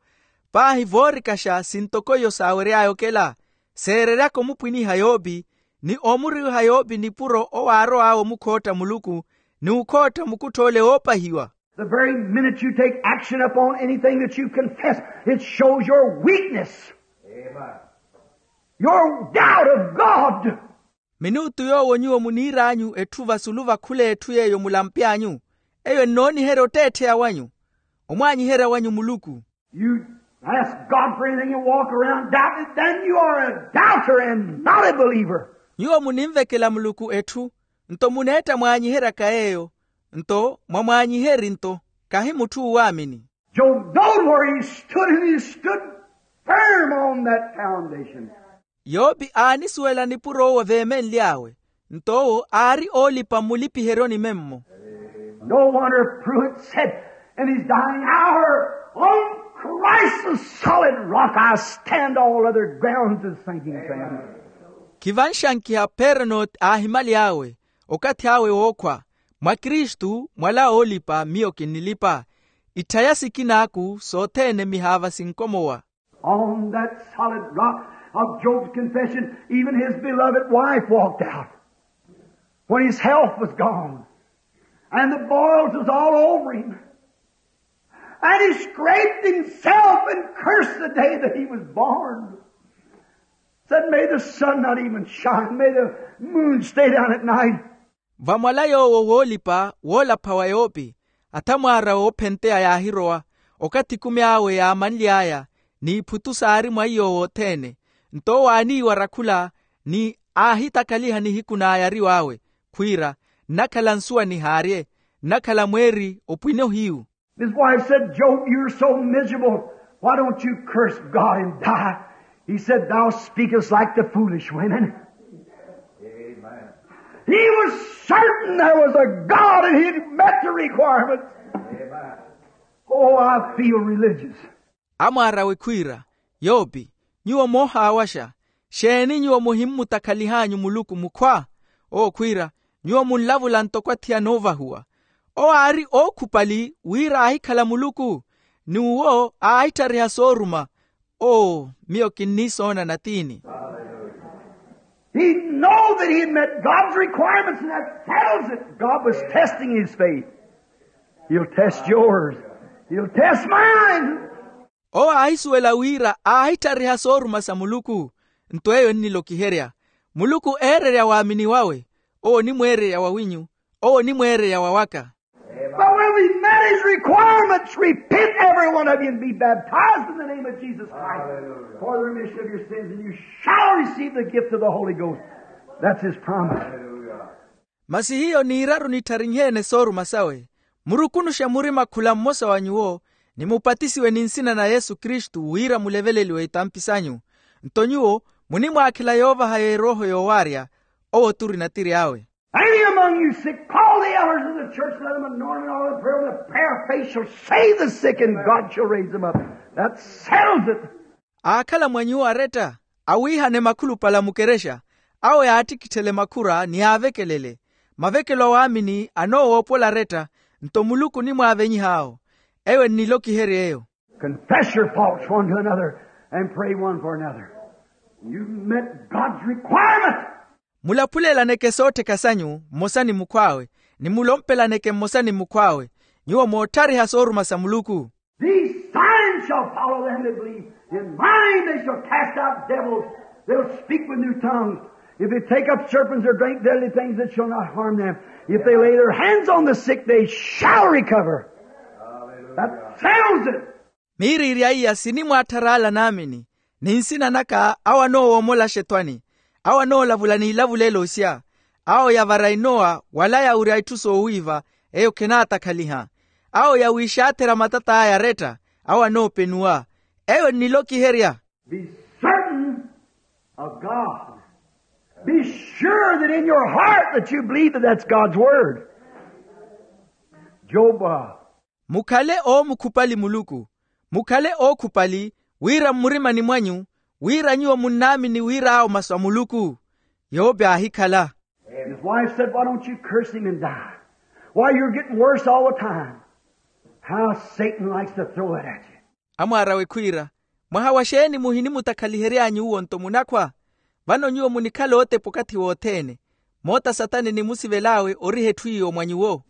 paahi voorikaxa sintoko iyo saawery'aya okela, seereryaka omupwiniha Yopi, ni omuriwiha Yopi nipuro owo aarow'awe omukhootta Muluku, ni ukhootta mukuttho ole woopahiwa. The very minute you take action upon anything that you confess, it shows your weakness, your doubt of God. Minuutu yoowo nyuwo muniir'anyu etthu vasulu va khul'etthu yeeyo mulampy'anyu, eyo ennooniherya otteettheya wanyu, omwaanyiherya wanyu Muluku. You ask God for anything and walk around doubting, then you are a doubter and not a believer. Nyuwo muninvekela Muluku etthu, nto muneetta mwaanyiheryaka yeeyo, nto mwamwaanyiheri nto, kahi mutthu oowaamini. Job knowed where he stood, and he stood firm on that foundation. Yopi aanisuwela nipuro owo aveemenly'awe, nto owo aari oolipa mmulipiheryoni memmo. No wonder Pruitt said in his dying hour, on Christ the solid rock I stand, all other grounds is sinking sand. Khivanxankiha Pernot aahimyaly'awe, okathi awe wookhwa, mwa Kristu mwala oolipa miyo kinnilipa, itthaya sikin'aku sothene mihaava sinkomowa. On that solid rock of Job's confession, even his beloved wife walked out when his health was gone and the boils was all over him. And he scraped himself and cursed the day that he was born. Said, may the sun not even shine, may the moon stay down at night. Vamwala yoowo woolipa woolapha wa Yopi, athamwaara woophenteya yaahirowa, okathi ekumi awe yaamanly'aya, n'iphutu saari mwa iyo wothene. Nto owo aaniiwara khula, ni aahitakhaliha nihiku n'ayariw'awe, khwiira, nnakhala nsuwa nihaarye, nnakhala mweeri opwine ohiyu. His wife said, Job, you're so miserable. Why don't you curse God and die? He said, thou speakest like the foolish women. Amen. He was certain there was a God and he'd met the requirements. Amen. Oh, I feel religious. Amwaar'awe khwiira, Yopi, nyuwo moohaawaxa, xeeni nyuwo muhimmutakhalihanyu Muluku mukhwa? Owo khwiira, nyuwo munlavula ntoko athiyana oovahuwa. Owo aari ookhupali wira aahikhala Muluku, ni uwo aahittariha sooruma. Oo, miyo kinniisoona natiini. He know that he had met God's requirements, and that settles it. God was testing his faith. He'll test yours. He'll test mine. Owo aahisuwela wira aahitthariha sooruma sa muluku. Nto eyo ennilokiherya, muluku eererya waamini wawe. Owo onimweererya wawinyu. Owo onimweererya wawaka. But when we met his requirements, repent every one of you and be baptized in the name of Jesus Christ for the remission of your sins, and you shall receive the gift of the Holy Ghost. That's his promise. Masi hiyo niiraru nitthariheene sooruma sawe, murukunuxe murima khula mmosa wa nyuwo, nimupatisiwe ni nsina na yesu kristu wira muleveleliwe itampi sanyu. Nto nyuwo munimwaakhela yoovaha y'erooho yoowaarya. Owo turi natiri awe. Any among you sick, call the elders of the church, let them anoint them all and pray over them. The prayer of faith shall save the sick, and God shall raise them up. That settles it. Aakhala mwa nyuwo aretta, awiihane makhulupale a mukerexa, awo yaattikitthele makhura ni aavekelele. Mavekelo a waamini anoowoopola aretta, nto muluku onimwaavenyiha awo. Eyo ennilokiherya eyo. Confess your faults one to another and pray one for another. You've met God's requirement. Mulaphulelaneke soottheka sanyu mmosa ni mukhw'awe, ni mulompelaneke mmosa ni mukhw'awe. Nyuwo mootthariha sooruma sa muluku. These signs shall follow them that believe. In my name they shall cast out devils. They'll speak with new tongues. If they take up serpents or drink deadly things, it shall not harm them. If they lay their hands on the sick, they shall recover. That settles it. Miiriirya iya sinimwaatthara ala naamini, ni nsina naka awo anoowoomola axetwani, awo anoolavula n'ilavulelo osya, awo yavara inowa wala yawurya itthu soowiiva, eyo khenaatakhaliha, awo yawiixaatherya matat'aya aretta, awo anoopenuwa. Eyo ennilokiherya. Be certain of God. Be sure that in your heart that you believe that that's God's word. Job, uh, Mukhale oomukhupali muluku. Mukhale ookhupali wira mmurimani mwanyu, wira nyuwo munnaamini wira awo masu a muluku. Yope aahikhala. His wife said, why don't you curse him and die? Why, you're getting worse all the time. How Satan likes to throw that at you. Amwaar'awe khwiira, mwaha wa xeeni muhinimutakhalihery'anyu uwo nto munakhwa? Vano nyuwo munikhala ootepa okathi wothene. Moota satani nimusivel'awe oriha etthu iyo mwa nyuwo.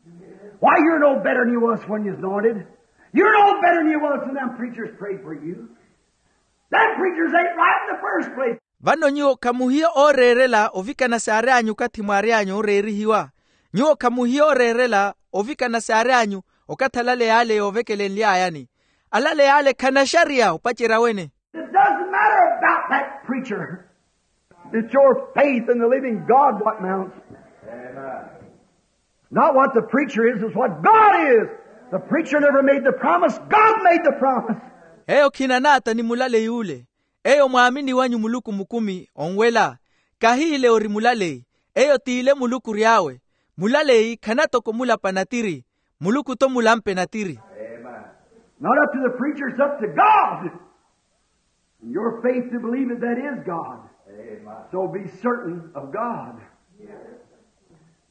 Why, you're no better than you was when you was anointed. You're no better than you was when them preachers prayed for you. Them preachers ain't right in the first place. Vano nyuwo khamuhiya ooreerela ovikana saary'anyu okathi mwaary'anyu ooreerihiwa. Nyuwo khamuhiya ooreerela ovikana saary'anyu okathi alale yaale yoovekelenly'ayani. Alale yaale khanaxariya opacerya wene. It doesn't matter about that preacher. It's your faith in the living God what mounts. Not what the preacher is, it's what God is. The preacher never made the promise. God made the promise. Eyo khinanaata ni mulaleyi ule. Eyo mwaamini wanyu muluku mukumi onwela. Kahiile ori mulaleyi. Eyo t'ile muluku ory'awe. Mulaleyi khanatoko mulapa natiri. Muluku-tho mulampe natiri. Not up to the preacher, it's up to God. And your faith to believe that that is God. So be certain of God.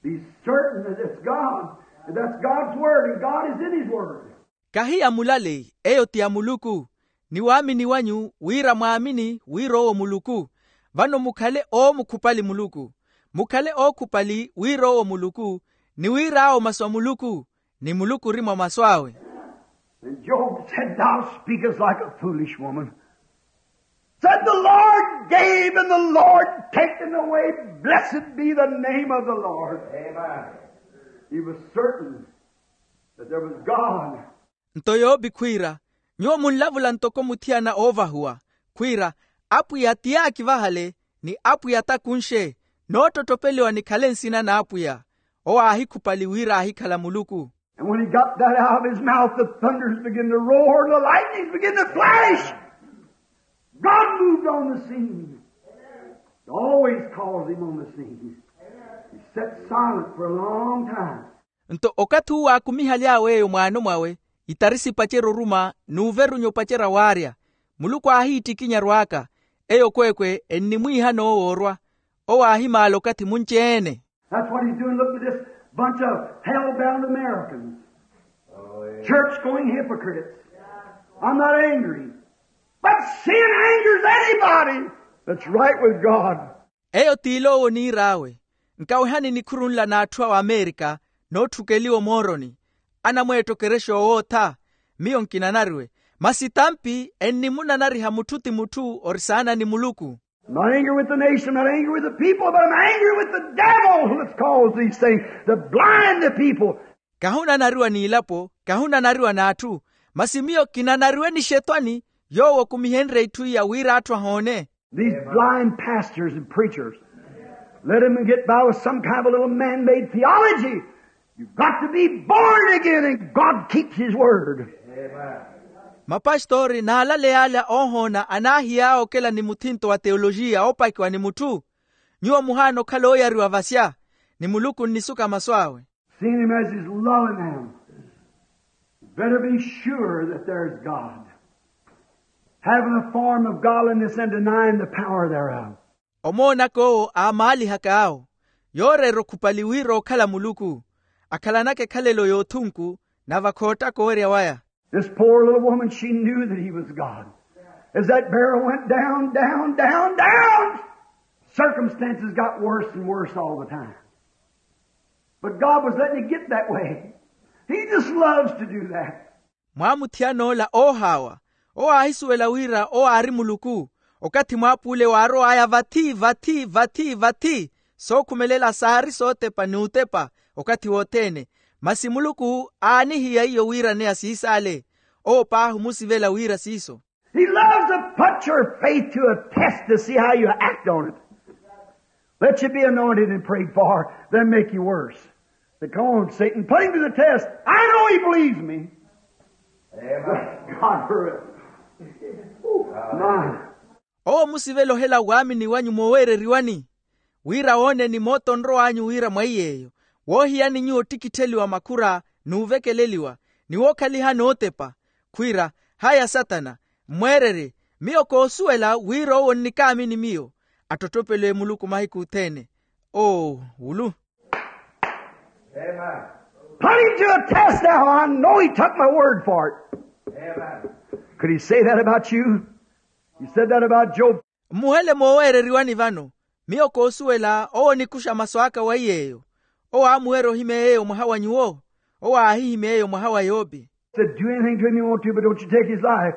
Be certain that it's God. And that's God's word, and God is in his word. Kahi ya mulaleyi, eyo ti ya muluku. Ni waamini wanyu wira mwaamini wira owo muluku. Vano mukhale oomukhupali muluku. Mukhale ookhupali wira owo muluku, ni wira awo masu a muluku, ni muluku ori mwa masu awe. And Job said, thou speakest like a foolish woman. Said, the Lord gave and the Lord taken away. Blessed be the name of the Lord. He was certain that there was God. Nto yoopi khwiira, nyuwo munlavula ntoko muthiyana oovahuwa, khwiira, apwiya ti yaakivahale, ni apwiya t'akunxe, noottottopeliwa nikhale nsina n'apwiya. Owo aahikhupali wira aahikhala muluku. And when he got that out of his mouth, the thunders began to roar, the lightnings began to flash. God moved on the scene. He always calls him on the scene. He sat silent for a long time. Nto okathi uwo aakumihaly'awe eyo mwaano mwawe, itari sipacerya oruma n'uverunya opacerya waarya. Muluku aahiittikinya arw'aka. Eyo kweekwe ennimwiihana owo orwa. Owo aahimaala okathi munci-ene. That's what he's doing. Look at this bunch of hell-bound Americans. Church-going hypocrites. I'm not angry. But sin angers anybody that's right with God. Eyo t'ile owo oniir'awe. Nkawehani nikhuru nla n'atthu a amerika, nootthukeliwa omooroni. anamweetta okerexa owootha. Miyo nkinanariwe. Masi tampi ennimunanariha mutthu ti mutthu ori saana ni muluku. I'm not angry with the nation, I'm not angry with the people, but I'm angry with the devil that's caused these things to blind the people. Kahunanariwa n'ilapo, kahunanariwa n'atthu. Masi miyo kinanariwe ni xetwani, yoowo okumihenrye itthu iya wira atthu ahoone. These blind pastors and preachers, let them get by with some kind of a little man-made theology. You've got to be born again, and God keeps His word. Mapastori n'alale yale oohoona anaahiy'awe okela ni muthinto wa teolojiya oopakiwa ni mutthu. Nyuwo muhaana okhala ooyariwa vasya, ni muluku onnisuka masu awe. Seeing him as he's loving them, better be sure that there's God. Having a form of godliness and denying the power thereof. Omoonaka owo aamaalihaka awo, yooreera okhupali wira okhala muluku, akhalanaka ekhalelo y'othunku, nave akhoottaka owerya waya. This poor little woman, she knew that he was God. As that barrel went down, down, down, down, circumstances got worse and worse all the time. But God was letting it get that way. He just loves to do that. Mwaamuthiyana ola oohaawa, owo aahisuwela wira owo aari muluku. Okathi mwaapuule waarow'aya vathi vathi vathi vathi, sookhumelela saari sootepa n'utepa okathi wothene. Masi muluku aanihiya iyo wira neya siisaale. Owo paahi omusivela wira siiso. He loves to put your faith to a test to see how you act on it. Let you be anointed and prayed for, then make you worse. Say, "Come on, Satan, put him to the test. I know he believes me." Amen. God for it. My. Owo omusivela ohela waamini wanyu mooweereriwani, wira wooneni moota onrow'anyu wira mwa iy'eyo, woohiyani nyuwo ottikittheliwa makhura n'uvekeleliwa, ni wookhalihani ootepa. Khwiira, haya satana, mmweererye, miyo koosuwela wira owo onnikaamini miyo. Attottopelwe muluku mahiku othene. Oo, wulu. Put him to a test now. I know he took my word for it. Could he say that about you? He said that about Job. Mmuhele mooweereriwani vano, miyo koosuwela owo onikuxa masu aka wa iy'eyo. Owo aamuwerya ohimya yeeyo mwaha wa nyuwo. Owo aahihimya yeeyo mwaha wa yope. Said, "Do anything to him you want to, but don't you take his life.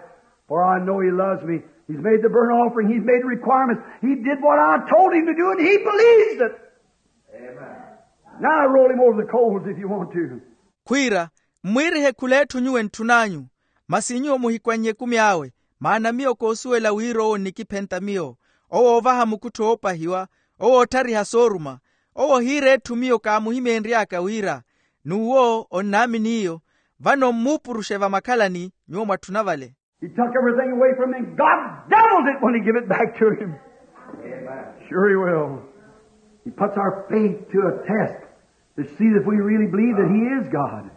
For I know he loves me. He's made the burnt offering. He's made the requirements. He did what I told him to do, and he believes it." Now roll him over the coals if you want to. Khwiira, mmwiirihe khula etthu nyuwo entthun'anyu, masi nyuwo muhikwan'ye ekumi awe, maana miyo koosuwela wira owo onnikiphenta miyo, owo oovaha mukuttho oopahiwa, owo ootthariha sooruma. Owo ohiira etthu miyo kaamuhimenry'aka wira, n'uwo onnaamini iyo. Vano mmuupuruxe vamakhalani nyuwo mwatthuna vale. He took everything away from him. God doubled it when he give it back to him. Sure he will. He puts our faith to a test to see if we really believe that he is God.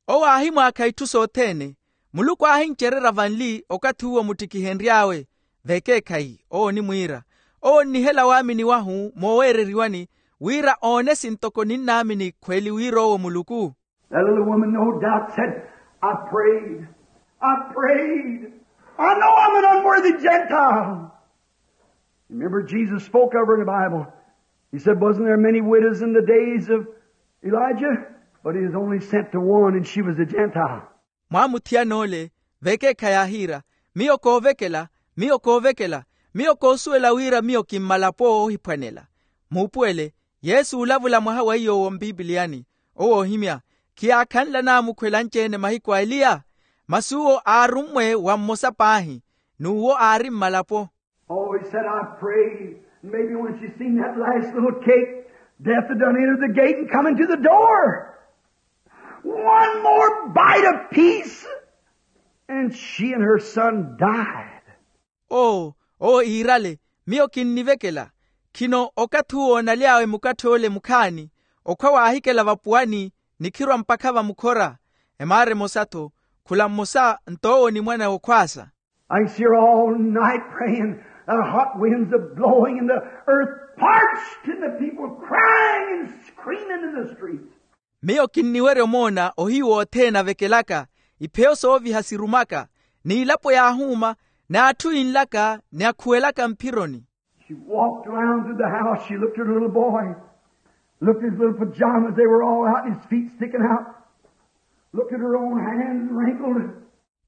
Owo aahimwaakha itthu sothene. Muluku aahincererya vanli okathi uwo muttikihenry'awe. Vekeekhayi owo onimwiira, owo onnihela waamini wahu mooweereriwani, wira oone sintoko ninnaamini khweli wira owo muluku. That little woman, no doubt, said, "I prayed, I prayed. I know I'm an unworthy Gentile." Remember, Jesus spoke of her in the Bible. He said, "Wasn't there many widows in the days of Elijah? But he was only sent to one, and she was a Gentile." Mwaamuthiyana ole, vekeekha yaahiira, miyo koovekela, miyo koovekela, miyo koosuwela wira miyo kimmalapo oohiphwanela. Muupuwele, yesu uulavula mwaha wa iy'owo mpipiliyani, owo oohimya, khiyaakhanla naamukhwela anci-ene mahiku a eliya. Masi uwo aarummwe wa mmosa paahi, n'uwo aari mmalapo. Oh, he said, "I pray, maybe when she's seen that last little cake, death had done entered the gate and come into the door. One more bite of peace, and she and her son died." Oo, oo iirale, miyo kinnivekela. Khino okathi uwo onaly'awe mukatthe ole mukhaani, okhwa waahikela vapuwani, nikhirwa mpakha vamukhora. Emaara emosa-tho, khula mmosa nto owo ni mwana w'okhwaasa. I can see her all night praying. The hot winds a blowing and the earth parched and the people crying and screaming in the streets. Miyo kinniwerya omoona ohiyu othene avekelaka, ipheyo sooviha sirumaka, n'ilapo yaahuuma, n'atthu inlaka ni akhuwelaka mphironi. She walked around through the house. She looked at her little boy, looked at his little pajamas, they were all out, his feet sticking out. Looked at her own hands wrinkled.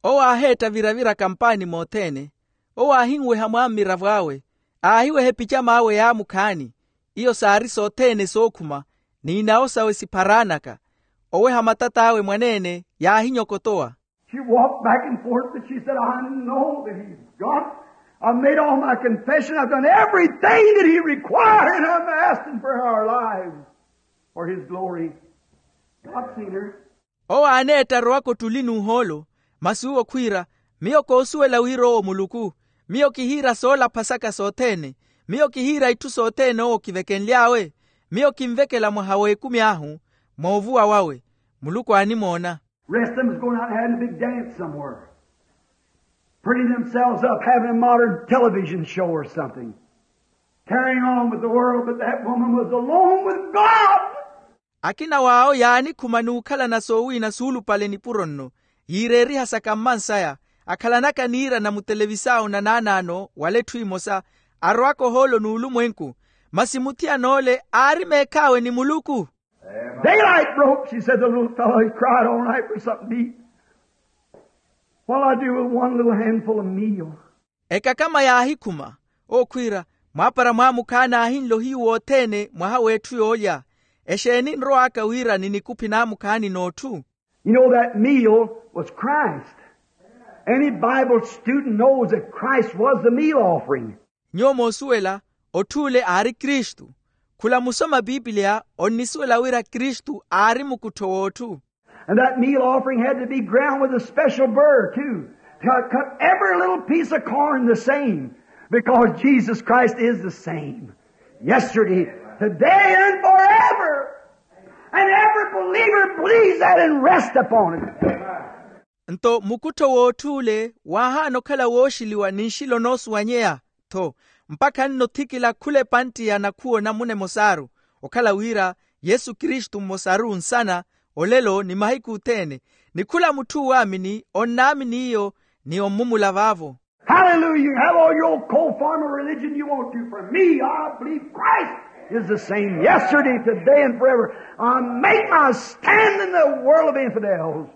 Owo aaheetta viravira kampaani mothene. Owo aahinweha mwa mmiravo awe, aahiweha epicam'awe yaamukhaani. Iyo saari sothene sookhuma, n'inawo sawe sipharaanaka. Oweha matat'awe mwaneene yaahinyokotowa. She walked back and forth, but she said, "I know that he's God. I've made all my confession. I've done everything that he required. I'm asking for our lives for his glory." God seen her. Owo aaneetta arowaka ottuli n'uhoolo, masi uwo khwiira, miyo koosuwela wira owo muluku. Miyo kihiira soolaphasaka sothene. Miyo kihiira itthu sothene owo kivekenly'awe. Miyo kinvekela mwaha w'ekumi ahu, moovuwa wawe. Muluku aanimoona. Rest of them is going out and having a big dance somewhere, prettying themselves up, having a modern television show or something, carrying on with the world, but that woman was alone with God. Akina w'awo yaanikhuma n'ukhalana soowiina suulupale nipuro nno, yiireeriha sakammansaya, akhalanaka niirana mutelevisao na naanaano wala etthu emosa, arowaka ohoolo n'ulumwenku. Masi muthiyana ole aari meekh'awe ni muluku. Daylight broke, she said, the little fellow, he cried all night for something to eat. What'll I do with one little handful of meal? Ekakama yaahikhuma, ookhwiira, mwaapara mwaamukhaani aahinla ohiyu wothene mwaha w'etthu yoolya. Exeeni nrow'aka wira ninikuphi naamukhaani n'otthu? You know, that meal was Christ. Any Bible student knows that Christ was the meal offering. Nyuwo moosuwela, otth'ule aari kristu. Khula musoma piipiliya onnisuwela wira kristu aari mukuttho w'otthu. And that meal offering had to be ground with a special burr too, to cut every little piece of corn the same, because Jesus Christ is the same yesterday, today, and forever. And every believer believes that and rest upon it. Nto mukuttho w'otth'ule waahaana okhala wooxiliwa ni nxilo noosuwanyeya. Tho, mpakha nno othikila khula epantte ya nakhuwo namuna emosaaru, okhala wira yesu kristu mmosaru nsana, olelo ni mahiku othene. Ni khula mutthu uwaamini onnaamini iyo, ni ommumula vaavo. Hallelujah. You have all your old cold form of religion you want to. For me, I believe Christ is the same yesterday, today, and forever. I make my stand in the world of infidels.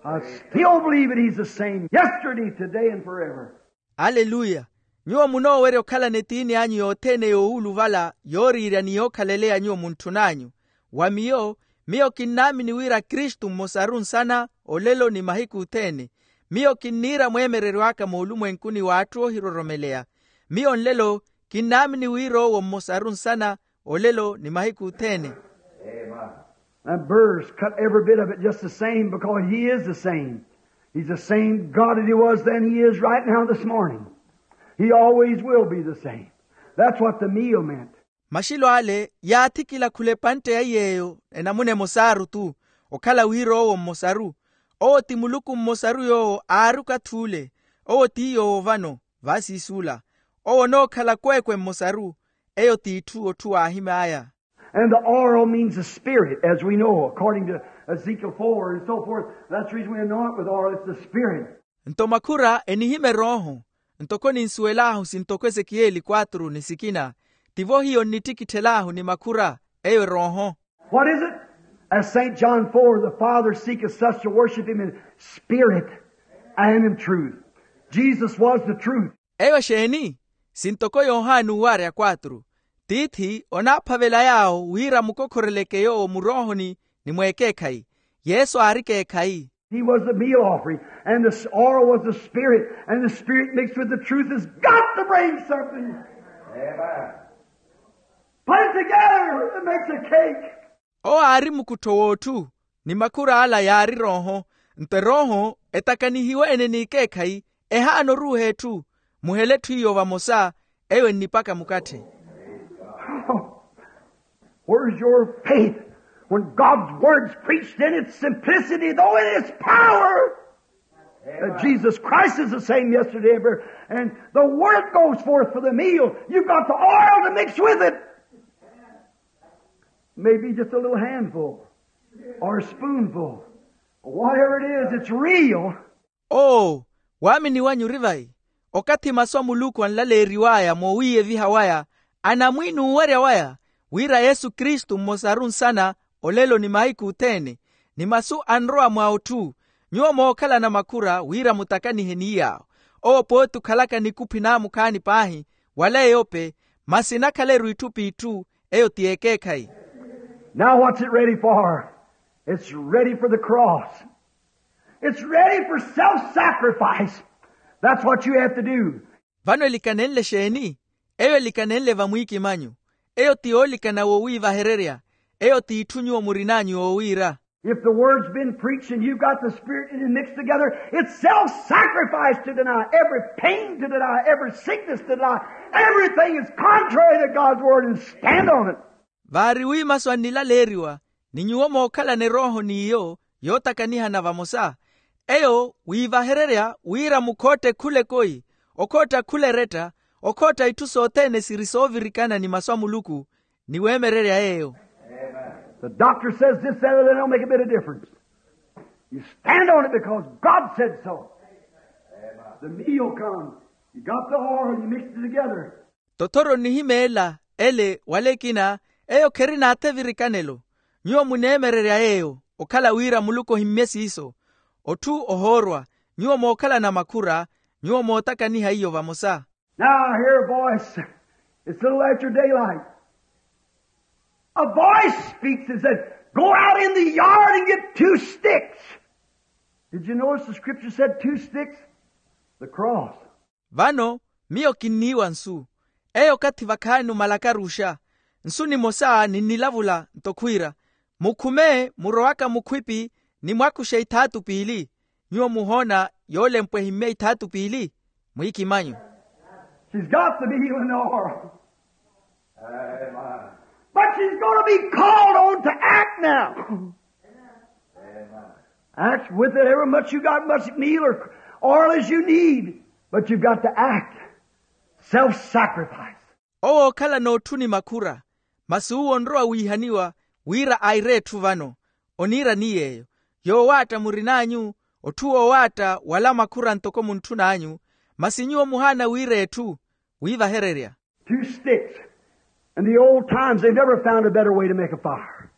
I still believe that he's the same yesterday, today, and forever. Aleluya. Nyuwo munoowerya okhalana etiini anyu yothene yoowuluvala yooriirya ni yookhaleleya nyuwo muntthun'anyu. Wa miyo, miyo kinnaamini wira kristu mmosaru nsana, olelo ni mahiku othene. Miyo kinniira mweemereryo aka moolumwenkuni w'atthu oohiroromeleya. Miyo nlelo kinnaamini wira owo mmosaru nsana, olelo ni mahiku othene. And birds cut every bit of it just the same, because he is the same. He's the same God that he was then, he is right now this morning. He always will be the same. That's what the meal meant. Maxilo ale yaathikila khula epantte ya iy'eyo enamuna emosaaru tu, okhala wira owo mmosaru. Owo ti muluku mmosaru yoowo aari okath'ule. Owo ti yoowo vano, vaasiisuula. Owo onookhala kweekwe mmosaru. Eyo t'itthu otthu waahim'aya. And the oral means the spirit, as we know, according to Ezekiel four and so forth. That's the reason we anoint with oil, it's the spirit. Nto makhura enihima erooho. Ntoko ninsuwel'ahu sintoko esekiyeli kwatru ni sikina, tivo hiyo nnittikittel'ahu ni makhura, eyo erooho. What is it? As Saint John four, the Father seeketh such to worship him in spirit and in truth. Jesus was the truth. Eyo exeeni? Sintoko yohani uwarya kwatru, tiithi onaaphavela yaawo wira mukokhoreleke yoowo muroohoni ni mweekeekhayi. Yesu aari ekeekhayi. He was the meal offering, and the s- oil was the spirit, and the spirit mixed with the truth has got to bring something. Amen. Put it together, it makes a cake. Owo aari mukuttho w'otthu, ni makhur'ala yaari erooho. Nto erooho etakanihiwe-ene n'ikeekhayi, ehaana oruuha etthu. Muhele etthu iyo vamosa, eyo ennipaka mukatthe. Where's your faith when God's word's preached in its simplicity, though in its power? That Jesus Christ is the same yesterday and forever. And the word goes forth for the meal. You've got the oil to mix with it. Maybe just a little handful or a spoonful. Whatever it is, it's real. Oo, waamini wanyu ori vayi? Okathi masu a muluku anlaleeriw'aya moowiiyeviha waya, anamwiini uwerya waya, wira yesu kristu mmosaru nsana, olelo ni mahiku othene. ni masu anrowa mwa otthu. Nyuwo mookhalana makhura wira mutakanihe ni yaawo. Owo pooti okhalaka nikuphi naamukhaani paahi, wala eyope, masi nakhaleriwa itthu p'itthu. Eyo ti ekeekhayi. Now what's it ready for? It's ready for the cross. It's ready for self-sacrifice. That's what you have to do. Vano elikanenle xeeni? Eyo elikanenle vamwiikimanyu. Eyo ti yoolikana wowiivahererya. Eyo t'itthu nyuwo murin'anyu yoowiira. If the word's been preached and you've got the Spirit and it mixed together, it's self-sacrifice to deny, every pain to deny, every sickness to deny, everything is contrary to God's word and stand on it. Vaari wi masu annilaleeriwa, ni nyuwo mookhalana erooho n'iyo yootakanihana vamosa. Eyo wiivahererya wira mukhootte khula ekoyi, okhootta khula eretta, okhootta itthu sothene siri soovirikana ni masu a muluku, ni weemererya yeeyo. The doctor says this, that, or that, don't make a bit of difference. You stand on it because God said so. The meal comes. You got the oil, you mix it together. Tothoro nnihimeela ele wala ekina, eyo kherina athe virikanelo. Nyuwo muneemererya yeeyo, okhala wira muluku ohimmye siiso. Otthu ohoorwa, nyuwo mookhalana makhura, nyuwo mootakaniha iyo vamosa. Now I hear a voice. It's a little after daylight. A voice speaks and says, "Go out in the yard and get two sticks." Did you notice the scripture said two sticks? The cross. Vano miyo kinniiwa nsu. Eyo okathi vakhaani omalakaruxa. Nsu nimosa ninnilavula nto khwiira, mukhume murowaka mukhwipi, ni mwakuxe ithaatu piili. Nyuwo muhoona yoolempwa ehimmye ithaatu piili? Mwiikimanyu. She's got the meal and the oil. But she's going to be called on to act now. Act with it, however much you got, much meal or oil as you need, but you've got to act. Self-sacrifice. Owo ookhala n'otthu ni makhura, masi uwo onrowa wiihaniwa wira aire etthu vano. Oniira ni yeeyo, yoowaatta murin'anyu, otthu woowaatta wala makhura ntoko muntthunaanyu. Masi nyuwo muhaana wira etthu wiivahererya. Two sticks. In the old times, they never found a better way to make a fire.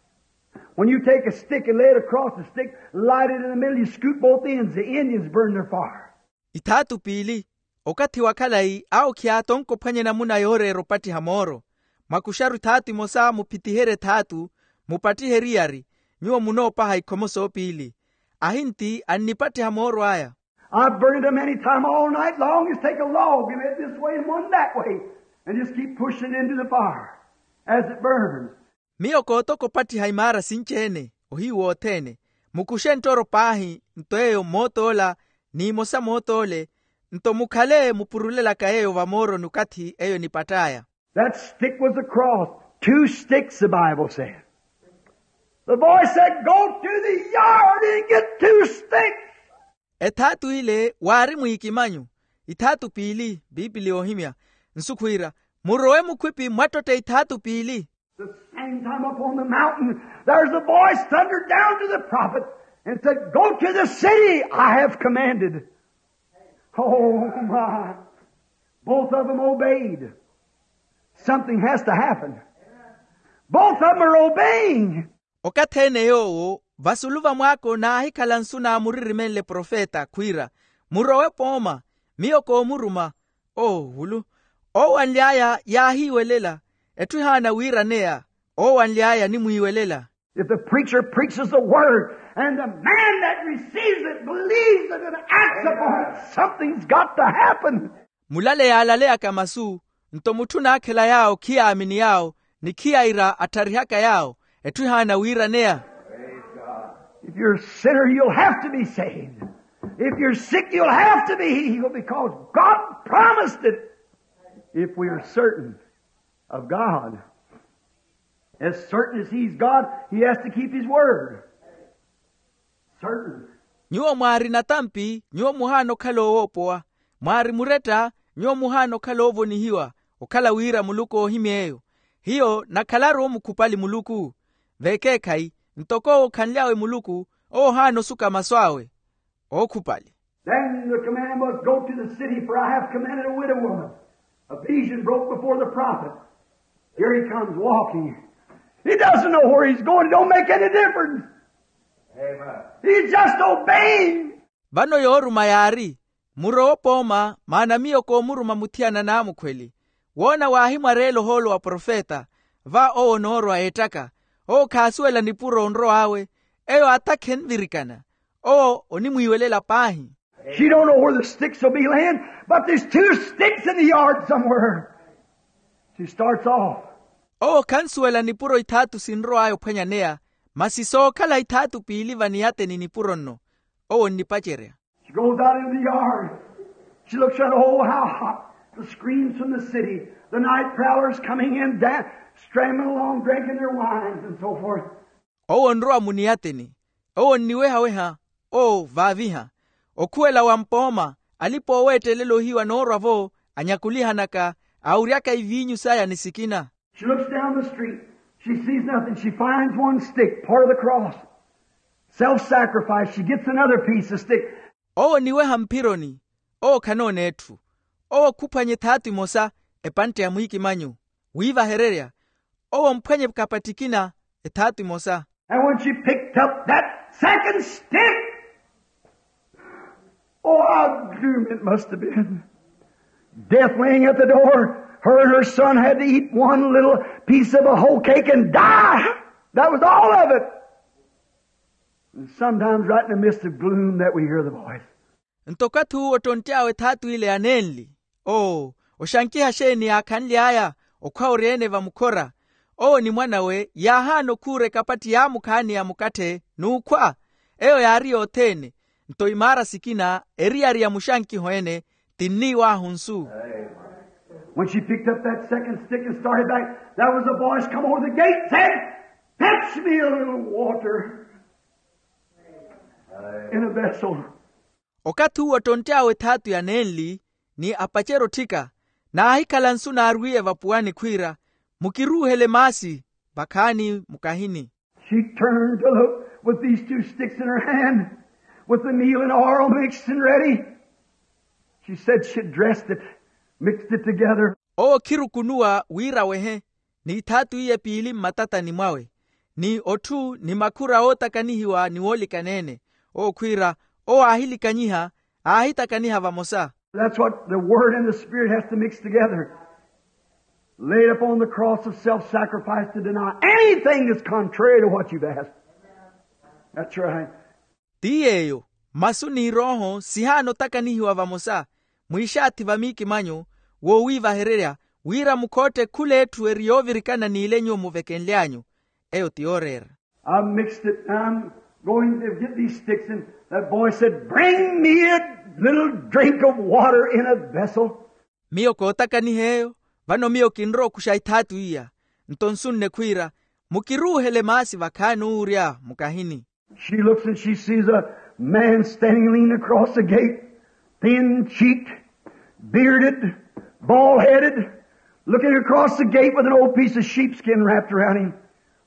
When you take a stick and lay it across the stick, light it in the middle, you scoop both ends, the Indians burn their fire. Ithaatu piili. Okathi wa khalayi awo khiyaatonka ophwanya enamuna yooreera opattiha mooro. Mwakuxaru ithaatu imosa muphitiherye ethaatu, mupattihe eriyari, nyuwo munoopaha ikhomo soopiili. Ahinti annipattiha mooro aya. I've burned them any time all night long. Just take a log and it this way and one that way, and just keep pushing it into the fire as it burns. Miyo kootoka opattiha imaara sinci-ene ohiyu wothene. Mukuxe ntoro paahi nto eyo mmoot'ola, n'imosa moot'ole, nto mukhale mupurulelaka yeeyo vamooroni okathi eyo enipatt'aya. That stick was the cross. Two sticks, the Bible said. The boy said, "Go to the yard and get two sticks." Ethaatu ile waari mwiikimanyu. Ithaatu piili, piipili yoohimya. Nsu khwiira, murowe mukhwipi mwattotte ithaatu piili. The same time up on the mountain, there's a voice thundered down to the prophet and said, "Go to the city I have commanded." Oh, my. Both of them obeyed. Something has to happen. Both of them are obeying. Okathi-ene yoowo vasulu va mwaako naahikhala nsu naamuririmenle profeta khwiira, murowe pooma, miyo koomuruma. Oowulu. Oowanly'aya yaahiiwelela. Etthu ehaana wiiraneya. Oowanly'aya animwiiwelela. If the preacher preaches the word and the man that receives it believes it and acts upon it, something's got to happen. Mulale yaalaleyaka masu, nto mutthu naakhela yaawo khiyaamini yaawo, ni khiyaira attharihaka yaawo, etthu ehaana wiiraneya. If you're a sinner, you'll have to be saved. If you're sick, you'll have to be healed because God promised it. If we are certain of God, as certain as He's God, He has to keep His word. Certain. Nyuwo mwaari natampi, nyuwo muhaana okhala oowoopowa. Mwaari muretta, nyuwo muhaana okhala oovonihiwa, okhala wira muluku oohimy'eyo. Hiyo nakhalaru omukhupali muluku. Vekeekhayi, ntoko owo okhanly'awe muluku, owo ohaana osuka masu awe ookhupali. Then the command was, "Go to the city, for I have commanded a widow woman." A vision broke before the prophet. Here he comes walking. He doesn't know where he's going. It don't make any difference. He's just obeying. Vano yooruma yaari, murowe opooma maana miyo koomuruma muthiyana n'amukhweli. Woona waahimwareela ohoolo wa profeta, va owo onoorwa eettaka. Owo khaasuwela nipuro onrow'awe. Eyo atakhi envirikana. Owo onimwiiwelela paahi. She don't know where the sticks will be laying, but there's two sticks in the yard somewhere. She starts off. Owo khansuwela nipuro ithaatu sinrow'aya ophwanyaneya, masi sookhala ithaatu piili vaniyateni nipuro nno. Owo onnipacerya. She goes out in the yard. She looks around, oh, how hot. The screams from the city. The night prowlers coming in, da-, strambling along, drinking their wines and so forth. Owo onrowa muniyateni. Owo onniweha-weha. Owo vaaviha. Okhuwela wa mpooma, alipa-ooweettelela ohiyu anoorwa-vo, anyakulihanaka, awuryaka iviinyu saya ni sikina. She looks down the street. She sees nothing. She finds one stick, part of the cross. Self-sacrifice. She gets another piece of stick. Owo oniweha mphironi. Owo khanoona etthu. Owo khuphwanya ethaatu emosa, epantte ya mwiikimanyu, wiivahererya. Owo omphwanya ekapatthi ekina, ethaatu emosa. And when she picked up that second stick, oh, how gloom it must have been. Death laying at the door, her and her son had to eat one little piece of a hoe cake and die. That was all of it. And sometimes right in the midst of gloom that we hear the voice. Nto okathi uwo ottontty'awe ethaatu ile ya nenli, oo, oxankiha xeeni yaakhanly'aya okhwa oryeene vamukhora. Owo ni mwan'awe yaahaana okhuura ekapatthi yaamukhaani ya mukatthe n'ukhwa. Eyo yaari yothene. Nto imaara sikina eriyari ya muxankiho ene, tinniiw'ahu nsu. When she picked up that second stick and started back, there was a voice come over the gate and said, "Fetch me a little water in a vessel." Okathi uwo ottontt'awe ethaatu ya nenli, ni apacerya otthika, naahikhala nsu naarwiiye vapuwani khwiira, "Mukiruuhele maasi vakhaani mukahini." She turned to look with these two sticks in her hand, with the meal and oil mixed and ready. She said she dressed it, mixed it together. Owo khirukunuwa wira awehe, ni ithaatu iye piili mmatatani mwawe, ni otthu ni makhura ootakanihiwa ni woolikaneene. Owo khwiira, owo aahilikanyiha, aahitakaniha vamosa. That's what the Word and the Spirit has to mix together. Laid upon the cross of self-sacrifice to deny anything that's contrary to what you've asked. That's right. Ti yeeyo, masu n'irooho sihaana otakanihiwa vamosa, mwiixaathi va miikimanyu, woowiivahererya, wira mukhootte khula etthu eri yoovirikana n'ile nyuwo muvekenly'anyu. Eyo ti yooreera. I mixed it. I'm going to get these sticks, and that boy said, "Bring me a little drink of water in a vessel." Miyo kootakaniha eyo, vano miyo kinrowa okuxa ithaatu iya. Nto nsu nne khwiira, "Mukiruuhele maasi vakhaani uurya mukahini." She looks and she sees a man standing leaning across the gate, thin-cheeked, bearded, bald-headed, looking across the gate with an old piece of sheepskin wrapped around him.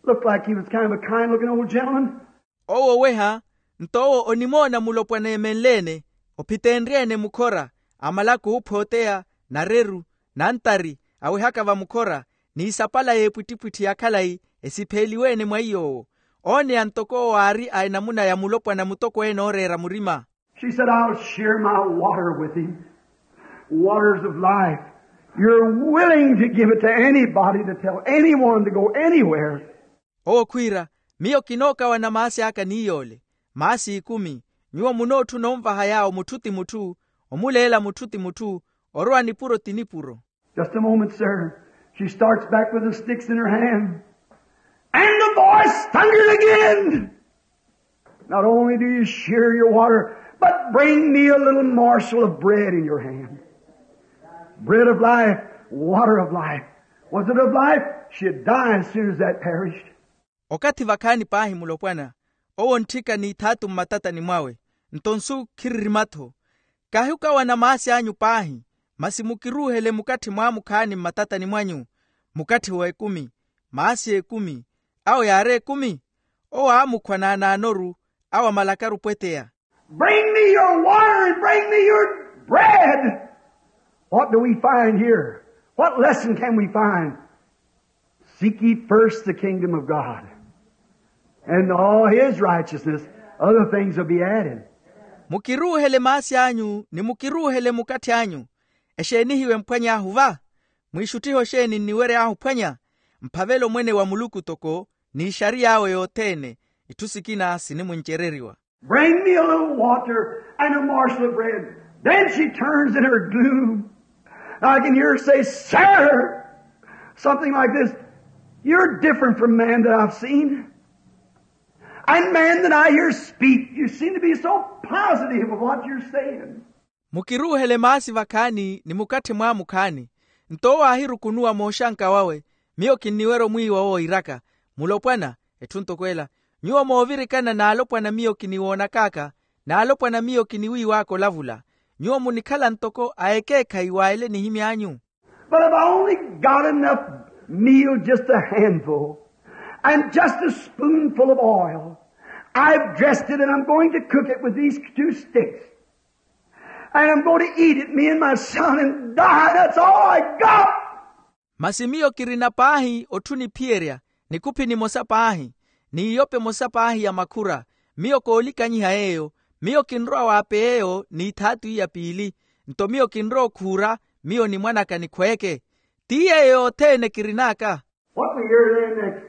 Looked like he was kind of a kind-looking old gentleman. Owo oweha, nto owo onimoona mulopwana eemenle-ene, ophiteenrye-ene mukhora, amalaku oophooteya, nareru, nantari, awehaka vamukhora, n'isapala y'epwittipwitthi ya khalayi, esipheeliwe-ene mwa iy'owo. Ooneya ntoko owo aari a enamuna ya mulopwana mutokweene ooreera murima. She said, "I'll share my water with him. Waters of life. You're willing to give it to anybody, to tell anyone to go anywhere." Owo khwiira, "Miyo kinookawana maasi aka ni yoole, maasi ekumi. Nyuwo munootthuna onvaha yaawo mutthu ti mutthu, omuleela mutthu ti mutthu, orowa nipuro ti nipuro." Just a moment, sir. She starts back with the sticks in her hand. And the voice thundered again. "Not only do you share your water, but bring me a little morsel of bread in your hand." Bread of life, water of life. Was it of life? She'd die as soon as that perished. Okathi vakhaani paahi mulopwana, owo ontthika n'ithaatu mmatatani mwawe, nto nsu khiririma-tho. Kahi okawana maasi anyu paahi, masi mukiruuhele mukatthi mwaamukhaani mmatatani mwanyu, mukatthi w'ekumi, maasi ekumi. Awo yaari ekumi? Owo aamukhwa naanaanoru, awo amalakaru pweteya. Bring me your water and bring me your bread. What do we find here? What lesson can we find? Seek ye first the kingdom of God and all his righteousness, Other things will be added. Mukiruuhele maasi anyu ni mukiruuhele mukathi anyu. Exeeni hiyo emphwany'ahu va? Mwiixuttiho xeeni nniwery'ahu ophwanya? Mphavelo mwene wa muluku toko, n'ixariy'awe yothene. Itthu sikina sinimuncereriwa. Bring me a little water and a morsel of bread. Then she turns in her gloom. I can hear her say, "Sir," something like this, "You're different from man that I've seen. And man that I hear speak, you seem to be so positive of what you're saying." Mukiruuhele maasi vakhaani ni mukathi mwaamukhaani. Nto owo aahirukunuwa mooxanka wawe, miyo kinniwerya omwiiwa owo iiraka, mulopwana, etthu ntoko ela, nyuwo moovirikana n'alopwana miyo kiniwoonak'aka, n'alopwana miyo kiniwiiw'aka olavula. Nyuwo munikhala ntoko a ekeekhayi wa ele nihimy'anyu. But I've only got enough meal, just a handful, and just a spoonful of oil. I've dressed it and I'm going to cook it with these two sticks. And I'm going to eat it, me and my son, and die. That's all I got. Masi miyo kirina paahi otthu niphiyerya, nikuphi nimosa paahi, n'iyope emosa paahi ya makhura. Miyo koolikanyiha yeeyo. Miyo kinrowa waapeya eyo n'ithaatu iya piili. Nto miyo kinrowa okhuura, miyo ni mwan'aka nikhweeke. Ti yeeyo yothene kirin'aka. What we hear there next?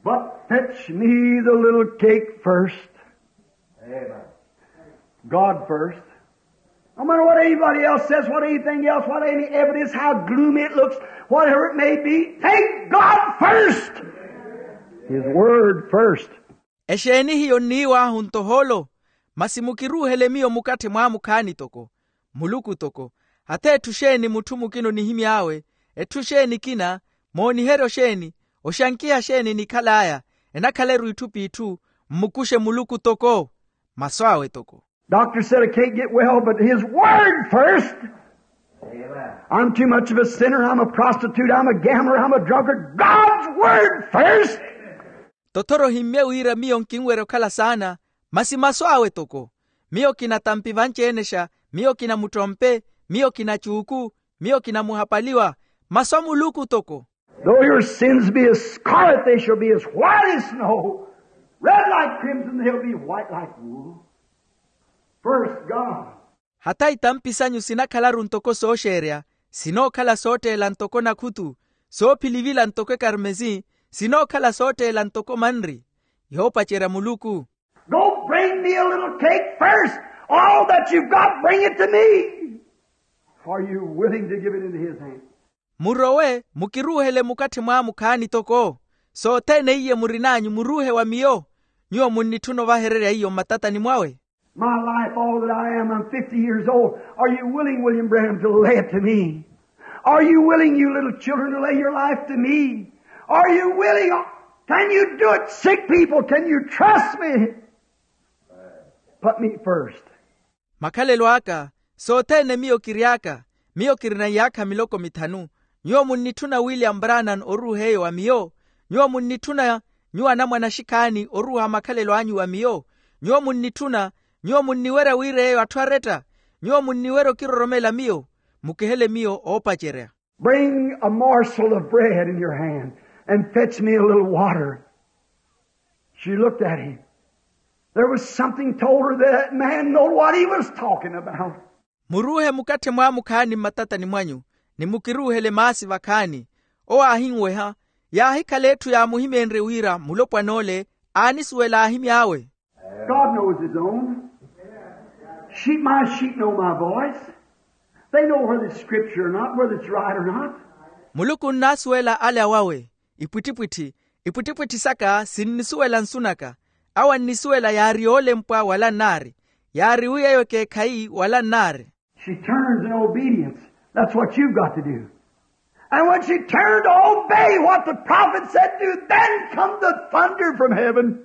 But fetch me the little cake first. Amen. God first. No matter what anybody else says, what anything else, what any evidence, how gloomy it looks, whatever it may be, take God first. His word first. Exeeni hiyo nniiw'ahu nto hoolo? Masi mukiruuhele miyo mukathi mwaamukhaani toko, muluku toko. Hata etthu xeeni mutthu mukina onihimy'awe, etthu xeeni ekina, mooniheryo xeeni, oxankiha xeeni enikhal'aya, enakhaleru itthu p'itthu, mmukuxe muluku toko. Masu awe toko. Doctor said I can't get well, but his word first. I'm too much of a sinner. I'm a prostitute. I'm a gambler. I'm a drunkard. God's word first. Tothoro ohimmye wira miyo nkinwerya okhala saana, masi masu awe toko. Miyo kinatampi vanci-enexa, miyo kinamutrompe, miyo kinacuuku, miyo kinamuhapaliwa. Masu a muluku toko. Though your sins be as scarlet, they shall be as white as snow. Red like crimson, they'll be white like wool. First God. Hata itampi sanyu sinakhalaru ntoko sooxeerya, sinookhala sootteela ntoko nakhutu, soophilivila ntoko ekarmesi, sinookhala sootteela ntoko manri. Yoopacerya muluku. Go bring me a little cake first. All that you've got, bring it to me. Are you willing to give it into his hand? Murowe, mukiruuhele mukathi mwaamukhaani toko. Sothene iye murin'anyu muruuhe wa miyo. Nyuwo munnitthuna ovahererya iyo mmatatani mwawe. My life, all that I am, I'm fifty years old. Are you willing, William Branham, to lay it to me? Are you willing, you little children, to lay your life to me? Are you willing? Can you do it? Sick people, can you trust me? Put me first. Makhalelo aka, sothene miyo kiry'aka, miyo kirina iyaakha miloko mithanu. Nyuwo munnitthuna william branham oruuha eyo wa miyo? Nyuwo munnitthuna nyuwo anamwane axikhaani oruuha makhalelo anyu wa miyo? Nyuwo munnitthuna, nyuwo munniwerya wira eyo atthu aretta? Nyuwo munniwerya okiroromela miyo? Mukihele miyo oopacerya. Bring a morsel of bread in your hand and fetch me a little water. She looked at him. There was something told her that man knowed what he was talking about. Muruuhe mukathi mwaamukhaani mmatatani mwanyu, ni mukiruuhele maasi vakhaani. Owo aahinweha, yaahikhala etthu yaamuhimeenrye wira mulopwan'ole aanisuwela ahimy'awe. God knows his own. Sheep, my sheep know my voice. They know whether it's scripture or not, whether it's right or not. Muluku onnaasuwela ale awawe, ipwittipwitthi, ipwittipwitthi saka sinnisuwela nsu naka. Awo annisuwela yaari yoolempwa wala nnaari, yaari wi eyo ekeekhayi wala nnaari. She turns in obedience. That's what you've got to do. And when she turned to obey what the prophet said to, then come the thunder from heaven.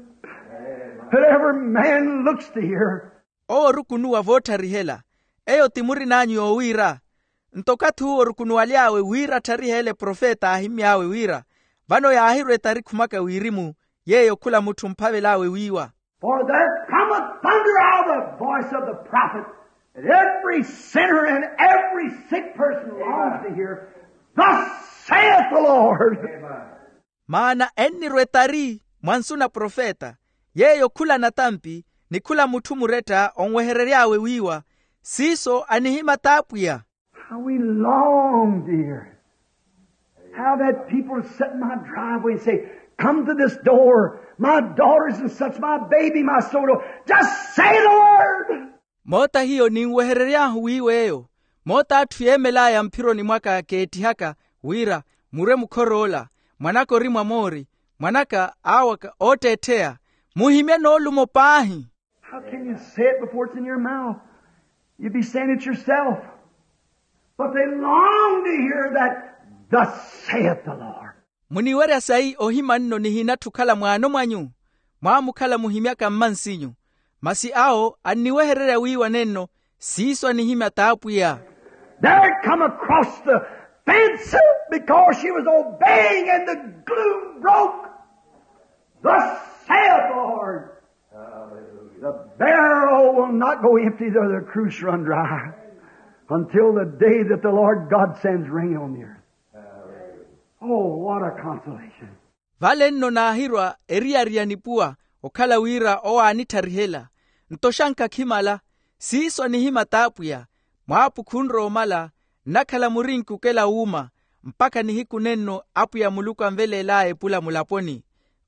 That every man looks to hear. Owo orukunuwa vootharihela. Eyo ti murin'anyu yoowiira. Nto okathi uwo orukunuwaly'awe wira attharihele profeta aahimmy'awe wira, vano yaahirwa etari khumaka wirimu, yeeyo khula mutthu omphavel'awe wiiwa. For there cometh thunder out of the voice of the prophet, that every sinner and every sick person longs to hear, "Thus saith the Lord." Maana ennirwa etari mwa nsu na profeta, yeeyo khula natampi, ni khula mutthu muretta onweherery'awe wiiwa siiso anihimata apwiya. How we long to hear how that people sit in my driveway and say, come to this door, my daughters and such, my baby, my soul, just say the word. Moota hiyo ninweherery'ahu wiiwa eyo moota atthu yeemel'aya mphironi mwaka keettihaka wira murwe mukhor'ola mwanaka ori mwa moori mwanaka aawaka ootteettheya muhimye noolumo paahi. How can you say it before it's in your mouth? You'd be saying it yourself. But they long to hear that thus saith the Lord. Muniwerya sayi ohima nno nihinatthu okhala mwaano mwanyu mwaamukhala muhimyaka mmansinyu masi awo anniwehererya wiiwa nenno siiso anihimya t'apwiya. There it come across the fence because she was obeying and the glue broke. Thus saith the Lord. The barrel will not go empty, though the cruse run dry, until the day that the Lord God sends rain on the earth. Oh, what a consolation. Vale nno naahirwa eriyari ya nipuwa okhala wira owo aanittharihe-la nto xankakhimala siiso anihimata apwiya mwaapukhu onrowa omala nnakhala murinki okela wuuma mpakha nihiku nenno apwiya muluku anveleel'aya epula mulaponi.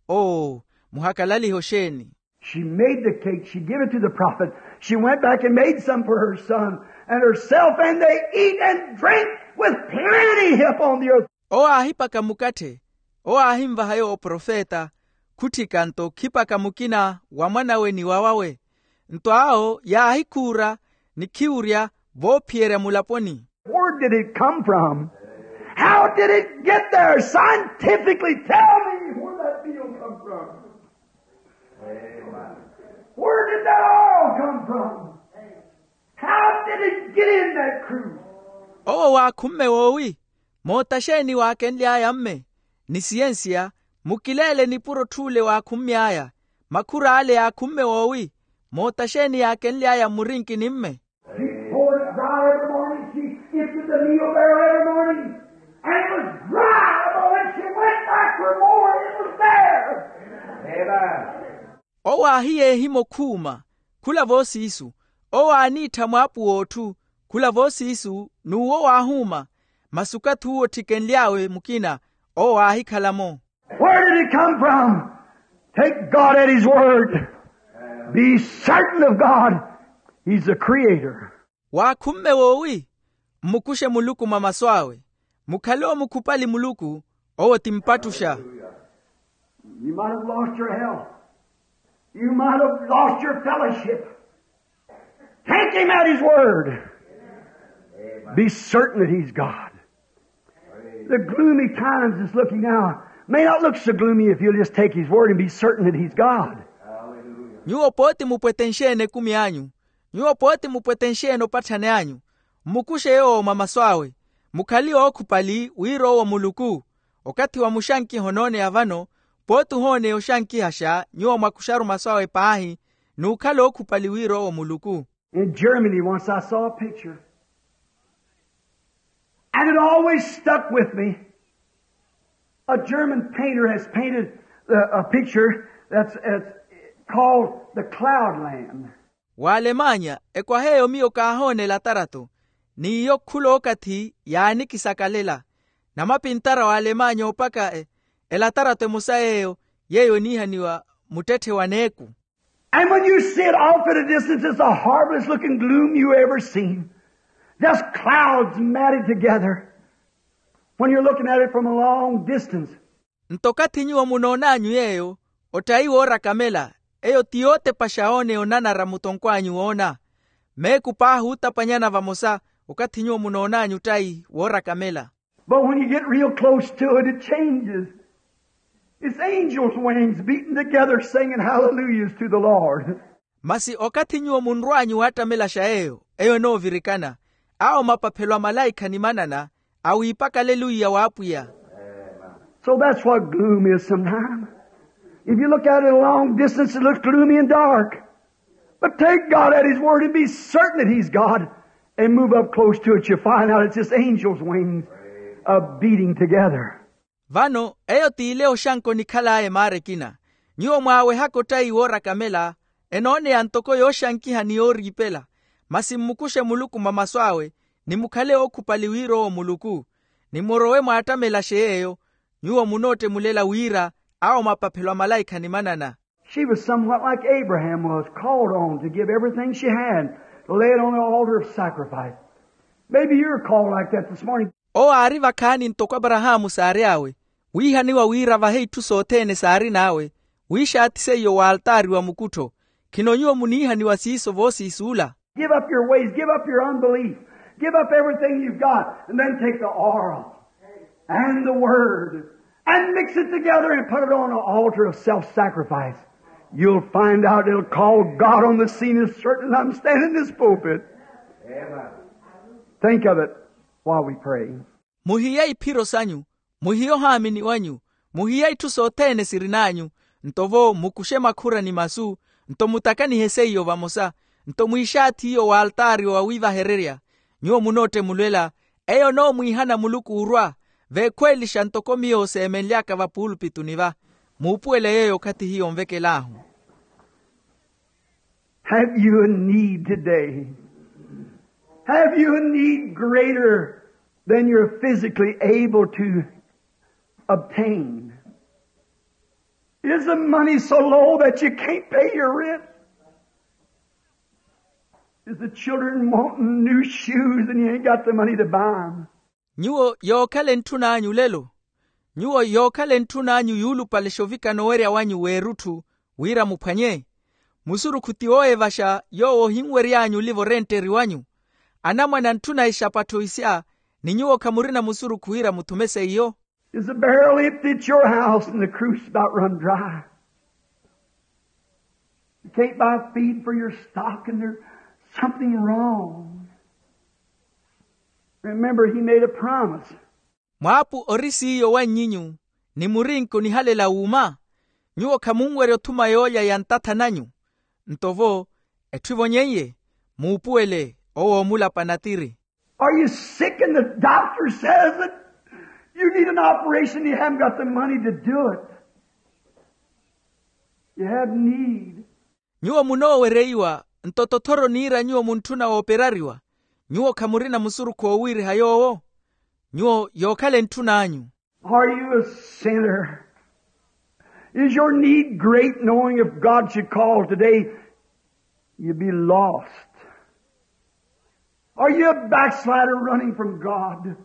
Oo muhakalalihe oxeeni. She made the cake, she gave it to the prophet, she went back and made some for her son and herself and they eat and drink with plenty upon the earth. Owo aahipaka mukatthe owo aahinvaha yowo oprofeta khutthika nto khipaka mukina wa mwan'awe ni wawawe nto awo yaahikhuura ni khiwurya voophiyerya mulaponi. Where did it come from? How did it get there? Scientifically tell me where that meal come from. Where did that oil come from? How did it get in that cruse? Owo waakhumme woowi? Moota xeeni waakenly'aya mme ni siyensiya mukileele nipuro otth'ule waakhummy'aya makhur'ale yaakhumme woowi? Moota xeeni yaakenly'aya mmurinkini mme? She poured it out every morning. She emptied the meal barrel every morning. And it was dry, but when she went back for more, it was there. Amen. Owo aahiyeehimya okhuuma khula voosiisu. Owo aaniittha mwaapu w'otthu khula voosiisu n'uwo waahuuma. Masi okathi uwo otthikenly'awe mukina owo aahikhala-mo. Where did it come from? Take God at his word. Be certain of God. He's the creator. Waakhumme woowi? Mmukuxe muluku mwa masu awe. Mukhale omukhupali muluku. Owo ti mpattuxa. You might have lost your health. You might have lost your fellowship. Take him at his word. Be certain that he's God. The gloomy times is looking now may not look so gloomy if you'll just take his word and be certain that he's God. Nyuwo pooti mupwete nxeene ekumi anyu. Nyuwo pooti mupwete nxeene opatthani anyu. Mmukuxe yoowo mwa masu awe. Mukhale ookhupali wira owo muluku. Okathi wa muxankiha onooneya vano pooti ohooneya oxankihaxa nyuwo mwakuxaru masu awe paahi. N'ukhala ookhupali wira owo muluku. In Germany once I saw a picture. And it always stuck with me. A German painter has painted a picture that's called the Cloud Land. W'alemanya ekwaha eyo miyo kaahoona elatarato. N'iyo khula okathi yaanikisakalela. Namapintara w'alemanya oopaka elatarato emosa yeeyo yeeyo eniihaniwa muttetthe wa neeku. And when you see it off at a distance, it's the horriblest looking gloom you ever seen. Just clouds matted together. When you're looking at it from a long distance. Nto okathi nyuwo munoon'anyu yeeyo ottayi woorakamela. Eyo ti yootepaxa ooneya onanara mutonkw'anyu woona. Meeku paahi ootapanyana vamosa okathi nyuwo munoon'anyu ottayi woorakamela. But when you get real close to it, it changes. It's angels' wings beating together singing hallelujahs to the Lord. Masi okathi nyuwo munrw'anyu waattamelaxa yeeyo eyo enoovirikana. Awo mapaphelo a malaikha ni manana awiipaka aleluya w'apwiya. So that's what gloom is sometimes. If you look at it a long distance it looks gloomy and dark. But take God at his word and be certain that he's God and move up close to it you find out it's just angels' wings beating together. Vano eyo t'ile oxanka onikhal'aya emaara ekina. Nyuwo mwaawehaka ottayi woorakamela enooneya ntoko yooxankiha ni yooriipela. Masi mmukuxe muluku mwa masu awe, ni mukhale ookhupali wira owo muluku, ni murowe mwaattamelaxe yeeyo. Nyuwo munootte mulela wira awo mapaphelo a malaikha ni manana. She was somewhat like Abraham was, called on to give everything she had, to lay it on the altar of sacrifice. Maybe you're called like that this morning. Owo aari vakhaani ntoko aparahaamu saary'awe, wiihaniwa wira avahe itthu sothene saarin'awe, wiixaathi seiyo w'altaari wa mukuttho. Khino nyuwo muniihaniwa siiso voosiisuula? Give up your ways, give up your unbelief, give up everything you've got, and then take the oil and the word and mix it together and put it on an altar of self-sacrifice. You'll find out it'll call God on the scene as certain as I'm standing in this pulpit. Think of it while we pray. Muhiye iphiro sanyu, muhiye ohaamini wanyu, muhiye itthu sothene sirin'anyu, nto vo mukuxe makhura ni masu, nto mutakanihe seiyo vamosa, nto mwiixaathi iyo w'altaari wa wiivahererya. Nyuwo munootte mulwela, eyo onoomwiihana muluku orwa, veekhweelixa ntoko miyo seemenly'aka vapuulupituni va. Muupuwele yeeyo okhathi hiyo onvekel'ahu. Have you a need today? Have you a need greater than you're physically able to obtain? Is the money so low that you can't pay your rent? Is the children wanting new shoes and you ain't got the money to buy 'em? Nyuwo yookhala entthun'anyu lelo, nyuwo yookhala entthun'anyu yuulupalexa ovikana owerya wanyu w'erutthu, wira muphwanye. Musurukhu ti wooyevaxa yoowo ohinwery'anyu oliva orenteri wanyu. Anamwane antthuna exapattho isya, ni nyuwo khamurina musurukhu wira muthume seiyo. Is the barrel empty at your house and the cruise about run dry? You can't buy feed for your stock and there's something wrong. Remember, he made a promise. Mwaapu ori siiyo wannyinyu, ni murinki onihalela wuuma? Nyuwo khamunwerya othuma yoolya ya ntatha nanyu. Nto vo, etthu evonyen'ye, muupuwele, owo oomulapa natiri. Are you sick and the doctor says that you need an operation and you haven't got the money to do it? You have need. Nyuwo munoowereiwa, nto tothoro oniira nyuwo muntthuna wooperariwa, nyuwo khamurina musurukhu oowiiriha yoowo? Nyuwo yookhala entthun'anyu. Are you a sinner? Is your need great, knowing if God should call today, you'd be lost? Are you a backslider running from God?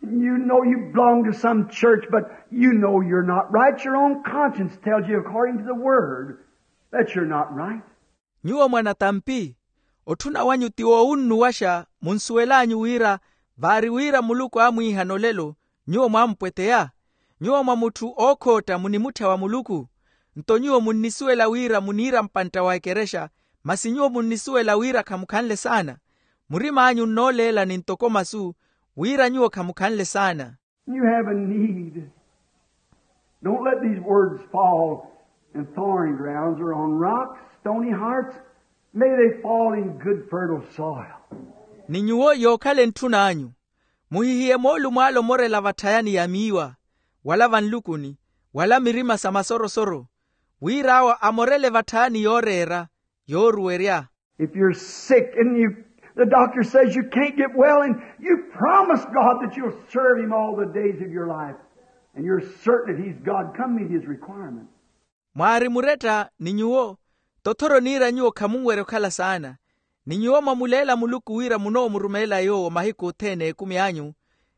You know you belong to some church, but you know you're not right. Your own conscience tells you, according to the Word, that you're not right. Nyuwo mwanatampi, otthuna wanyu ti woowunnuwaxa, munsuwel'anyu wira vaari wira muluku aamwiihana olelo, nyuwo mwampweteya? Nyuwo mwa mutthu ookhootta munimutthya wa muluku? Nto nyuwo munnisuwela wira muniira mpantta wa ekerexa, masi nyuwo munnisuwela wira khamukhanle saana. Murim'anyu nnooleelani ntoko masu, wira nyuwo khamukhanle saana. You have a need. Don't let these words fall in thorny grounds or on rocks, stony hearts. May they fall in good fertile soil. Ni nyuwo yookhala entthun'anyu, muhihiye moolumo ale omorela vatthayani ya miiwa, wala vanlukuni, wala mirima sa masorosoro, wira awo amorele vatthayani yooreera, yooruwerya. If you're sick and you, the doctor says you can't get well, and you promise God that you'll serve Him all the days of your life, and you're certain that He's God, come meet His requirement. Mwaari muretta ni nyuwo, tothoro oniira nyuwo khamunwerya okhala saana, ni nyuwo mwamuleela muluku wira munoomurumeela yoowo mahiku othene ekumi anyu,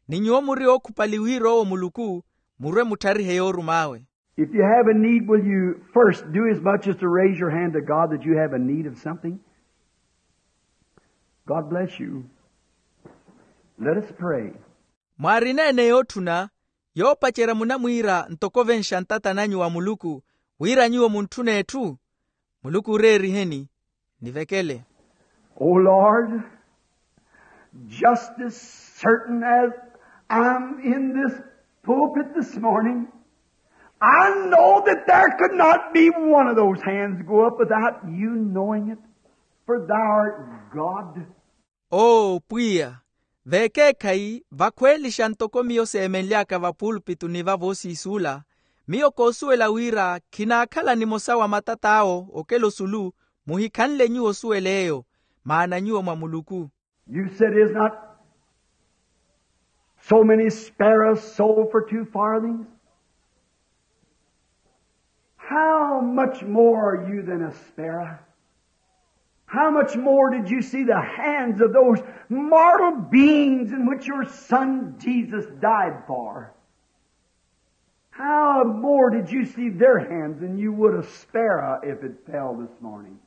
ni nyuwo muri ookhupali wira owo muluku, murwe muttharihe yoorum'awe. If you have a need, will you first do as much as to raise your hand to God that you have a need of something? God bless you. Let us pray. Mwaarina ene yootthuna, yoopacerya munamwiira ntoko ovenxa ntata nanyu wa muluku, wira nyuwo muntthune etthu? Muluku oreeriheni, nivekele. O Lord, just as certain as I'm in this pulpit this morning, I know that there could not be one of those hands go up without you knowing it, for thou art God. Oo pwiya, vekeekhayi vakhweelixa ntoko miyo seemenly'aka vapuulupituni va voosiisuula, Miyo koosuwela wira khinaakhala nimosa wa matat'awo okela osulu. Muhikhanle nyuwo osuwela eyo, maana nyuwo mwa muluku. You said, is not so many sparrows sold for two farthings? How much more are you than a sparrow? How much more did you see the hands of those mortal beings in which your son Jesus died for? How more did you see their hands than you would a sparrow if it fell this morning?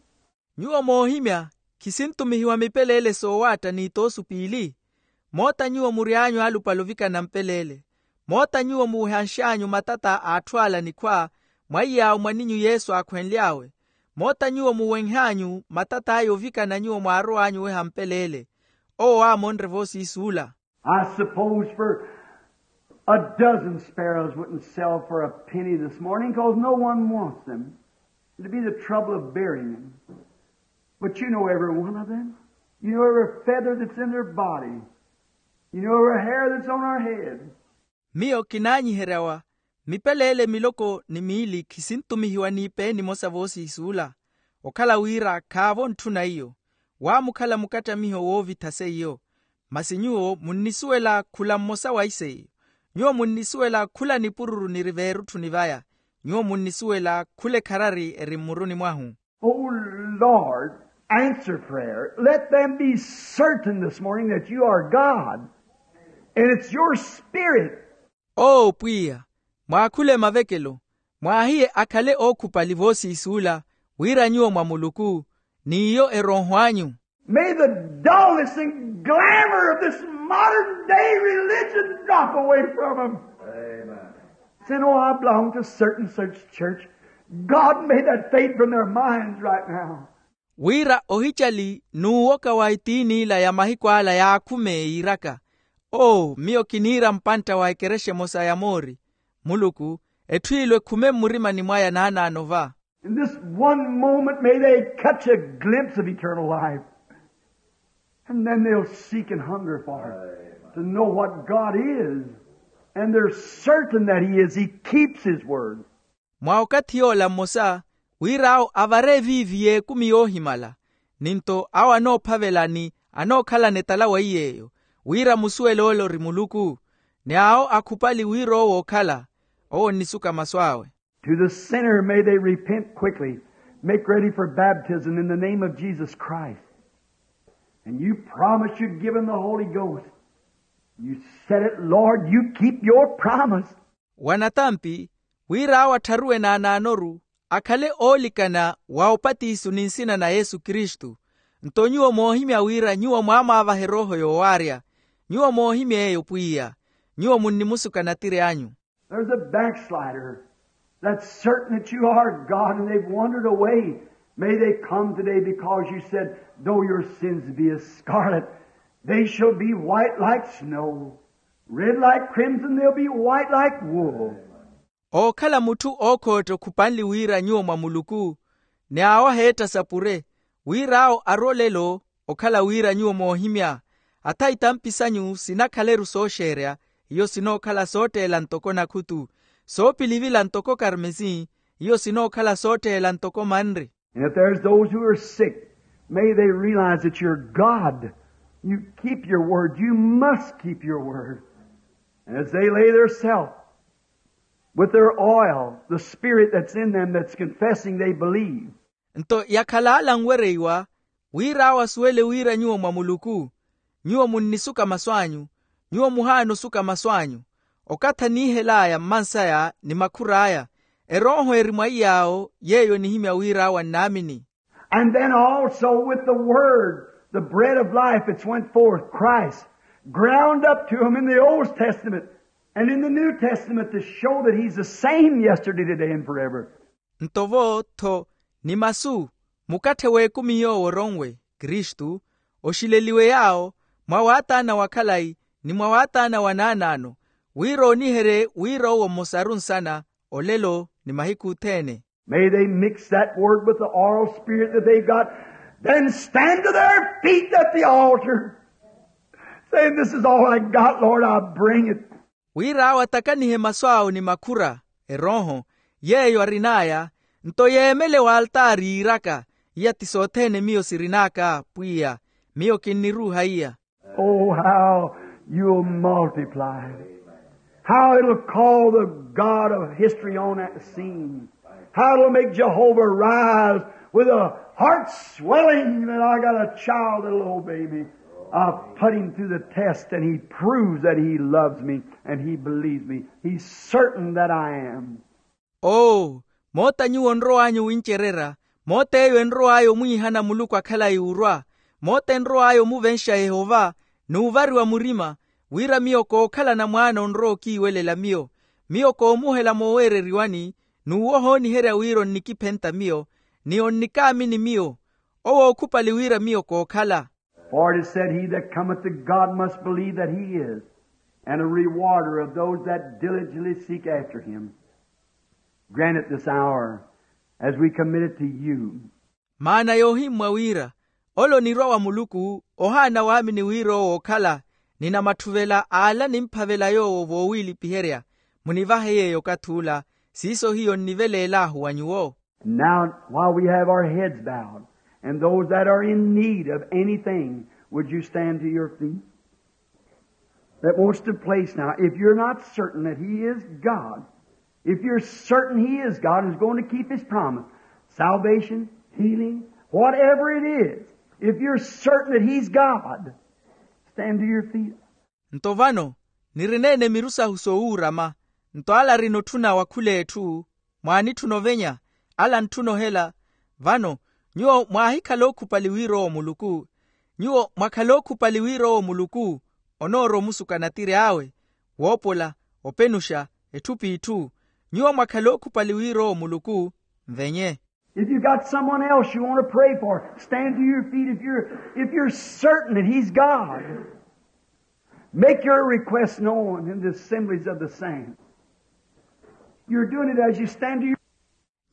Nyuwo moohimya, khisintumihiwa mipeleele soowaatta n'itoosu piili? Moota nyuwo mury'anyu alupale ovikana mpeleele. Moota nyuwo muuhanx'anyu matata a atthu ala nikhwa, mwaiy'awo mwaninyu yesu aakhwenly'awe. Moota nyuwo muwenh'anyu matata aya ovikana nyuwo mwaarow'anyu oweha mpeleele. Owo aamonre voosiisi ula. I suppose for a dozen sparrows wouldn't sell for a penny this morning, 'cause no one wants them. It'd be the trouble of burying them. But you know every one of them. You know every feather that's in their body. You know every hair that's on our head. Miyo kinaanyiheryawa, mipeleele miloko ni miili khisintumihiwa n'ipe nimosa voosiisi ula. Okhala wira khaavo ntthuna iyo, waamukhala mukattamiho woovitha seiyo. Masi nyuwo munnisuwela khula mmosa wa iseiyo. Nyuwo munnisuwela khula nipururu niri veerutthuni vaya. Nyuwo munnisuwela khula ekharari eri mmuruni mwahu. O Lord, answer prayer. Let them be certain this morning that you are God, and it's your Spirit. Oo pwiya, mwaakhule mavekelo, mwaahiye akhale ookhupali voosiisi ula, wira nyuwo mwa muluku, n'iyo erooho anyu. May the dullness and glamour of this modern day religion drop away from them. Amen. Say, no, I belong to certain such church. God, may that fade from their minds right now. Wira ohicali n'uwoka wa etiini ila ya mahiku ala yaakhume yiiraka. Oo miyo kiniira mpantta wa ekerexa emosa ya moori. Muluku, etthu ilo ekhume mmurimani mwaya naanaano va. In this one moment may they catch a glimpse of eternal life. And then they'll seek and hunger for it, to know what God is. And they're certain that He is. He keeps His word. Mwa okathi yoola mmosa, wira awo avare eviivi y'ekumi yoohimala. Ni nto awo anoophavela ni anookhalana etala weiy'eyo, wira musuwele ole ori muluku. Ni awo akhupali wira owo okhala, owo onnisuka masu awe. To the sinner, may they repent quickly, make ready for baptism in the name of Jesus Christ. And you promised you'd given the Holy Ghost. You said it, Lord, you keep your promise. Wa natampi, wira awo attharuwe naanaanoru, akhale oolikana wa opatisu ni nsina na yesu kristu. Nto nyuwo moohimya wira nyuwo mwaamaavaha erooho yoowaarya. Nyuwo moohimya eyo pwiya. Nyuwo munnimusuka natiri anyu. There's a backslider that's certain that you are God, and they've wandered away. May they come today, because you said, though your sins be as scarlet, they shall be white like snow. Red like crimson, they'll be white like wool. Ookhala mutthu ookhootta okhupanli wira nyuwo mwa muluku, ni awo aheetta sapure, wira awo ari olelo. Okhala wira nyuwo moohimya, atha itampi sanyu sinakhaleru sooxeerya, iyo sinookhala sootteela ntoko nakhutu, soopilivila ntoko karmesi, iyo sinookhala sootteela ntoko manri. And if there's those who are sick, may they realize that you're God. You keep your word. You must keep your word. And as they lay their self with their oil, the spirit that's in them that's confessing they believe. Nto yakhala ala anwereiwa, wira awo asuwele wira nyuwo mwa muluku. Nyuwo munnisuka masu anyu. Nyuwo muhaana osuka masu anyu. Okathi aniihel'aya mmans'aya ni makhur'aya, erooho eri mwa iy'awo, yeeyo enihimya wira awo annaamini. And then also with the word, the bread of life that's went forth, Christ, ground up to him in the Old Testament and in the New Testament to show that he's the same yesterday, today, and forever. Nto vo tho, ni masu, mukatthe w'ekumi yoowo oronwe kristu, oxileliwe yaawo, mwa waataana wa khalayi, ni mwa waataana wa naanaano, wira ooniherye wira owo mmosaru nsana, olelo ni mahiku othene. May they mix that word with the oral spirit that they've got, then stand to their feet at the altar, saying, this is all I got, Lord, I bring it. Wira awo atakanihe masu awo ni makhura, erooho, yeeyo arin'aya. Nto yeemele w'altaari yiiraka, iya ti sothene miyo sirin'aka pwiya, miyo kinniruuha iya. Oh, how you'll multiply. How it'll call the God of history on that scene. How it'll make Jehovah rise with a heart swelling that I got a child that'll obey me. I've put him through the test and he proves that he loves me and he believes me. He's certain that I am. Oo, moota nyuwo onrow'anyu wincererya, moota eyo enrow'aya omwiihana muluku akhalayi orwa, moota enrow'aya omuvenxa yehova, n'uvariwa murima, wira miyo kookhalana mwaana onrowa okiiwelela miyo. Miyo koomuhela mooweereriwani, n'uwo ohooniherya wira onnikiphenta miyo, ni onnikaamini miyo. Owo ookhupali wira miyo kookhala. For it is said, he that cometh to God must believe that he is, and a rewarder of those that diligently seek after him. Grant it this hour as we commit it to you. Maana yoohimmwa wira, ole onirwa wa muluku, ohaana waamini wira owo ookhala, ni namattuvela aala nimphavela yoowo voowiilipiherya. Munivahe yeeyo okathi ula. Siiso hiyo nniveleel'ahu wa nyuwo. Now, while we have our heads bowed, and those that are in need of anything, would you stand to your feet? That wants to place now. If you're not certain that he is God, if you're certain he is God and is going to keep his promise, salvation, healing, whatever it is, if you're certain that he's God, stand to your feet. Nto vano, nirineene miru sahu soowuurama, nto ala arina otthuna wa khul'etthu, mwaanitthuna ovenya, ala antthuna ohela. Vano, nyuwo mwaahikhala ookhupali wira owo muluku. Nyuwo mwakhala ookhupali wira owo muluku, onoorwa omusuka natir'awe, woopola, openuxa, etthu p'itthu. Nyuwo mwakhala ookhupali wira owo muluku, nvenye. If you got someone else you want to pray for, stand to your feet. If you're, if you're certain that he's God, make your request known in the assemblies of the saints. You're doing it as you stand to your...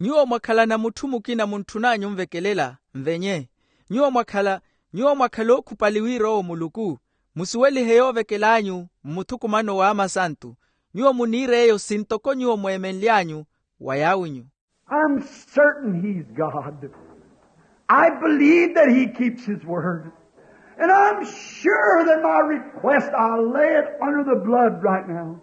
Nyuwo mwakhalana mutthu mukina muntthun'anyu onvekelela, nvenye. Nyuwo mwakhala, nyuwo mwakhala ookhupali wira owo muluku, musuwelihe yoovekel'anyu mmuthukumano w'amasantu. Nyuwo muniir'eyo sintoko nyuwo mweemenly'anyu wa yaawinyu. I'm certain he's God. I believe that he keeps his word. And I'm sure that my request, I'll lay it under the blood right now.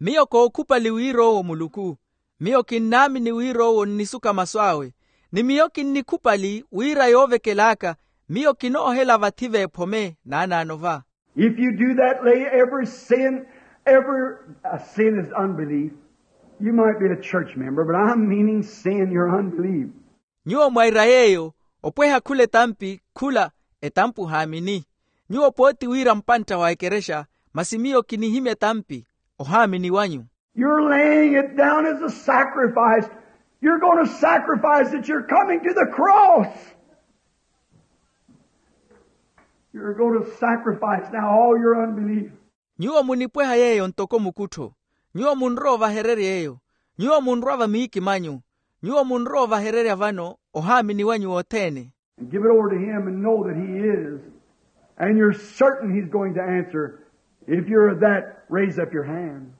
Miyo kookhupali wira owo muluku. Miyo kinnaamini wira owo onnisuka masu awe. Ni miyo kinnikhupali wira yoovekel'aka, miyo kinoohela vathi v'ephome naanaano va. If you do that, lay every sin, every, uh, sin is unbelief. You might be a church member, but I'm meaning sin, your unbelief. Nyuwo mwaira yeeyo, opweha khula etampi, khula etampi ohaamini. Nyuwo pooti wira mpantta wa ekerexa, masi miyo kinihimya etampi, ohaamini wanyu. You're laying it down as a sacrifice. You're going to sacrifice that you're coming to the cross. You're going to sacrifice now all your unbelief. Nyuwo munipweha yeeyo ntoko mukuttho. Nyuwo munrowa ovahererya eyo. Nyuwo munrwa va miikimanyu. Nyuwo munrowa ovahererya vano ohaamini wanyu wothene. And give it over to him and know that he is. And you're certain he's going to answer. If you're that, raise up your hand.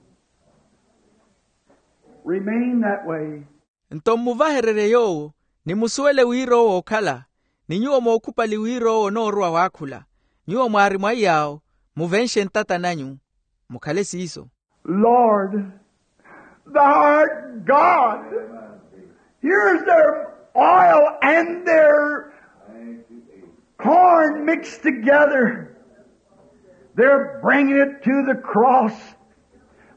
Remain that way. Nto mmuvahererye yoowo, ni musuwele wira owo ookhala, ni nyuwo mookhupali wira owo onoorowa waakhula. Nyuwo mwaari mwa iy'awo, muvenxe ntata nanyu, mukhale siiso. Lord, thou art God. Here's their oil and their corn mixed together. They're bringing it to the cross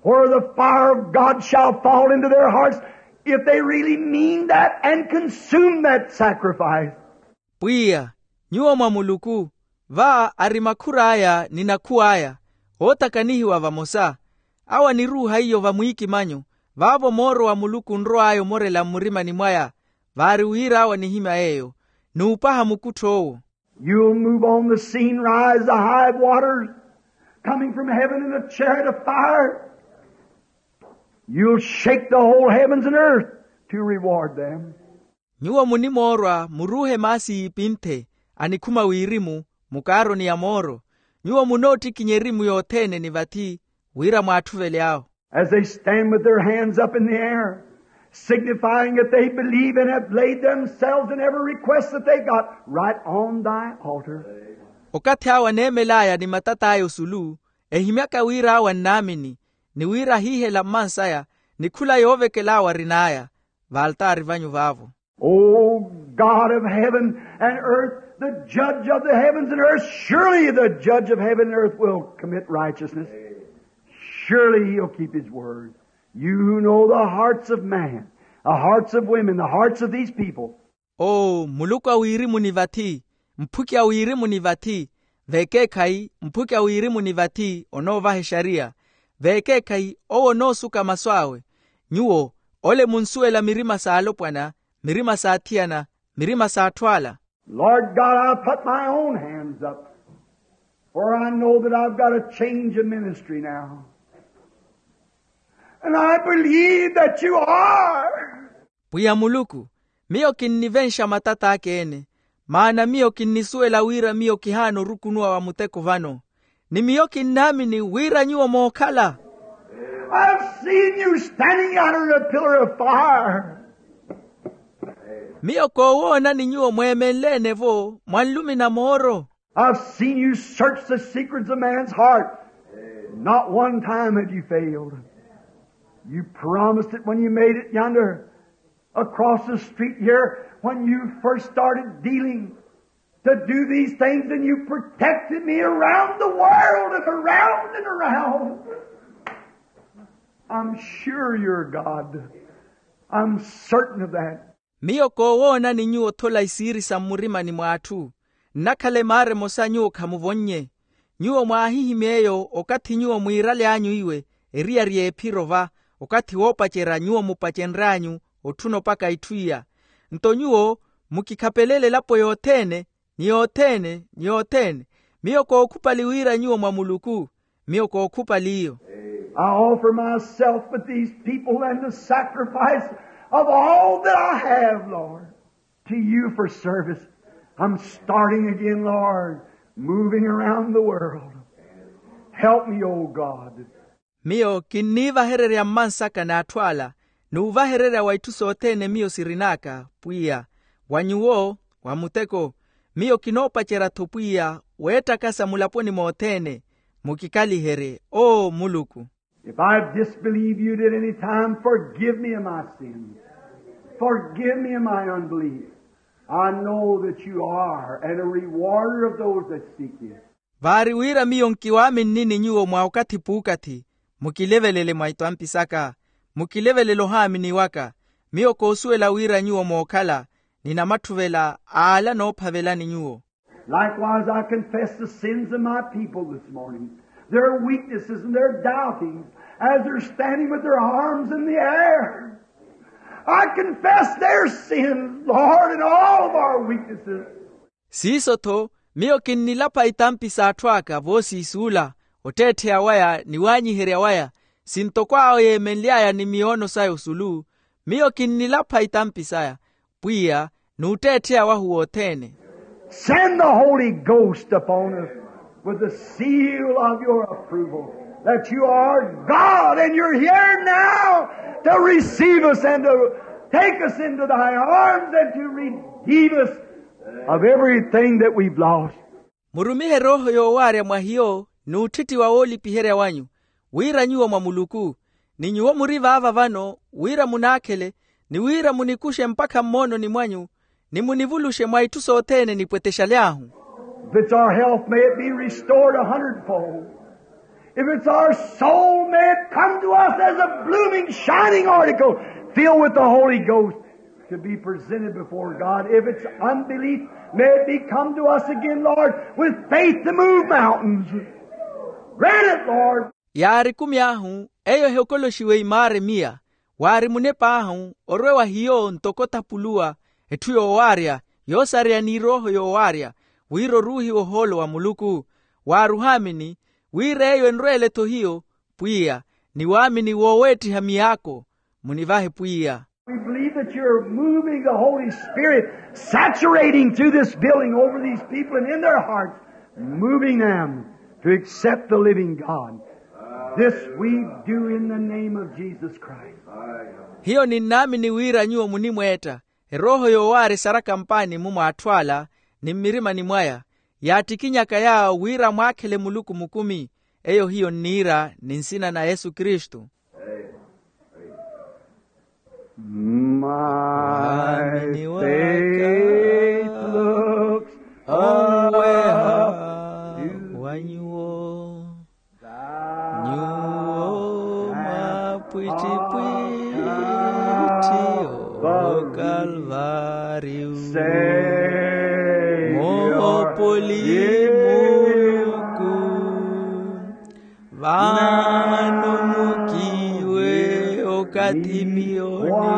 where the fire of God shall fall into their hearts if they really mean that and consume that sacrifice. Pwiya, nyuwo mwa muluku, va ari makhur'aya ni nakhuw'aya, ootakanihiwa vamosa. Awo aniruuha iyo va mwiikimanyu, vaavo mooro wa muluku onrow'aya omorela mmurimani mwaya. Vaari wira awo anihimya yeeyo, n'upaha mukuttho owo. You'll move on the scene, rise the high waters, coming from heaven in a chariot of fire. You'll shake the whole heavens and earth to reward them. Nyuwo munimoorwa muruuhe maasi y'ipinthe, anikhuma wirimu, mukaaroni ya mooro. Nyuwo munoottikinya erimu yothene ni vathi, wira mwaatthuvel'awo. As they stand with their hands up in the air, signifying that they believe and have laid themselves and every request that they got right on thy altar. Okathi awo aneemel'aya ni matat'aya osulu, ehimyaka wira awo annaamini, ni wira ahiihela mmans'aya, ni khula yoovekel'awo arin'aya, vaaltaari vanyu vaavo. O God of heaven and earth, the judge of the heavens and earth, surely the judge of heaven and earth will commit righteousness. Surely he'll keep his word. You who know the hearts of man, the hearts of women, the hearts of these people. O muluku a wirimu ni vathi, mphuki a wirimu ni vathi, veekeekhayi mphuki a wirimu ni vathi onoovaha exariya, veekeekhayi owo onoosuka masu awe. Nyuwo ole munsuwela mirima s'alopwana, mirima s'athiyana, mirima s'atthu ala. Lord God, I put my own hands up, for I know that I've got a change of ministry now. And I believe that you are. Pwiya muluku, miyo kinnivenxa matat'aka ene, maana miyo kinnisuwela wira miyo kihaana orukunuwa wa muteko vano. Ni miyo kinnaamini wira nyuwo mookhala. I've seen you standing under a pillar of fire. Miyo koowoonani nyuwo mweemenle-ene-vo mwa nlumi na mooro. I've seen you search the secrets of man's heart. Not one time have you failed. You promised it when you made it yonder across the street here when you first started dealing to do these things, and you protected me around the world and around and around. I'm sure you're God. I'm certain of that. Miyo koowoonani nyuwo othola isiiri sa mmurimani mw'atthu. Nnakhala emaara emosa nyuwo khamuvonnye. Nyuwo mwaahihimya eyo okathi nyuwo mwiiraly'anyu iwe eriyari ephiro va, okathi woopacerya nyuwo mupacenry'anyu otthuna opaka itthu iya. Nto nyuwo mukikhapelele elapo yothene, ni yothene, ni yothene. Miyo kookhupali wira nyuwo mwa muluku. Miyo kookhupali iyo. I offer myself with these people and the sacrifice of all that I have, Lord, to you for service. I'm starting again, Lord, moving around the world. Help me, O God. Miyo kinniivahererya mmansaka n'atthu ala, n'uvahererya wa itthu sothene miyo sirin'aka, pwiya, wa nyuwo, wa muteko. Miyo kinoopacerya-tho pwiya weettakasa mulaponi mothene. Mukikaliherye, o muluku. If I've disbelieved you at any time, forgive me of my sins. Forgive me of my unbelief. I know that you are and a rewarder of those that seek you. Vaari wira miyo nkiwaaminnini nyuwo mwa okathi p'ukathi, mukilevelele mwa itampi saka. Mukilevelele ohaamini waka. Miyo koosuwela wira nyuwo mookhala, ni namattuvela ala noophavelani nyuwo. Likewise I confess the sins of my people this morning, their weaknesses and their doubtings, as they're standing with their arms in the air. I confess their sins, Lord, and all of our weaknesses. Siiso-tho, miyo kinnilapha itampi s'atthu aka voosiisuula, otteettheya waya ni waanyiherya waya, sintoko awo yeemenly'aya ni miyoono saya osulu. Miyo kinnilapha itampi saya, pwiya, n'utteettheya wahu wothene. Send the Holy Ghost upon us with the seal of your approval, that you are God and you're here now to receive us and to take us into thy arms and to redeem us of everything that we've lost. Murumihe erooho yoowaarya mwa hiyo, n'utthittiwa woolipiherya wanyu, wira nyuwo mwa muluku, ni nyuwo muri vaava vano wira munaakhele, ni wira munikuxe mpakha mmoononi mwanyu, ni munivuluxe mwa itthu sothene nipwetexaly'ahu. If it's our health, may it be restored a hundredfold. If it's our soul, may it come to us as a blooming, shining article filled with the Holy Ghost, to be presented before God. If it's unbelief, may it be come to us again, Lord, with faith to move mountains. Grant it, Lord. Yaari ekumi ahu, eyo ehokoloxiwe imaara emiya. Waari munep'ahu orwe wa hiyo ntoko othapuluwa, etthu yoowaarya, yoosareya n'irooho yoowaarya, wira oruuhiwe ohoolo wa muluku. Waari ohaamini, wira eyo enrweele-tho hiyo, pwiya, ni waamini wooweettiha miyaako. Munivahe pwiya. We believe that you're moving the Holy Spirit, saturating through this building over these people and in their hearts, moving them to accept the living God. This we do in the name of Jesus Christ. Hiyo ninnaamini wira nyuwo munimweetta erooho yoowaari esaraka mpaani-mu mwa atthu ala, ni mmirimani mwaya yaattikinyaka yaawo wira mwaakhele muluku mukumi. Eyo hiyo nniira ni nsina na yesu kristu. My faith looks onweha wa nyuwo, nyuwo mapwittipwitthi o kalvariu. Moopoli muluku, vano mukiwe okathi miyo nilompaka,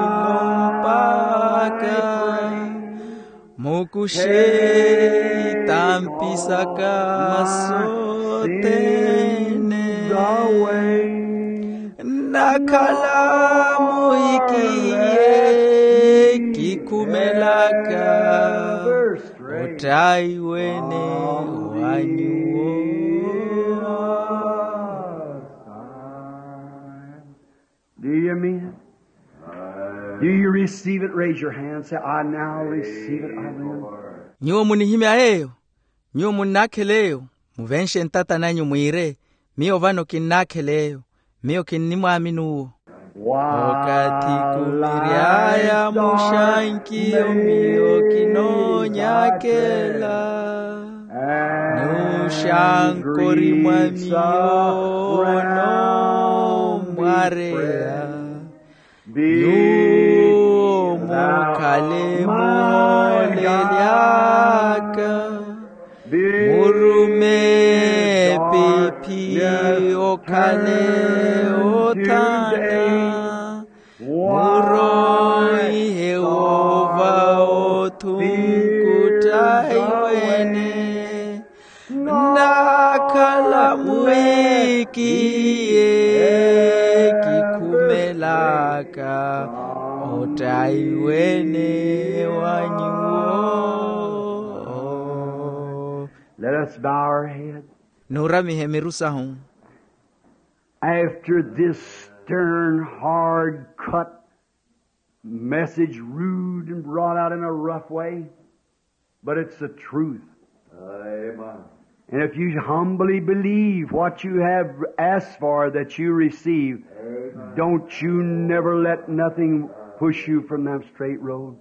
mukushe itampi saka sothene. Nnakhala muhikiye kikhumelaka ottaiwene wa nyuwo. Do you mean it? Do you receive it? Raise your hand. Say, "I now receive it. I believe." Nyuwo munihimya yeeyo? Nyuwo munnaakhela eyo? Muvenxe ntata nanyu mwiire, miyo vano kinnaakhela eyo. Miyo kinnimwaamini uwo. Okathi kumiry'aya muxankiyo miyo kinoonyakela, nuxankori mwa miyo onoomwareya. Nyuwo mukhale muhoolely'aka, murume epiphi okhale othana, muroihe woova othunkuttha iwene. Nnakhala muhikiye kikhumelaka ottaiwene wa nyuwo. Let us bow our heads. Nuuramihe miru sahu. After this stern, hard cut message, rude and brought out in a rough way, but it's the truth. Amen. And if you humbly believe what you have asked for that you receive, amen, don't you never let nothing push you from that straight road.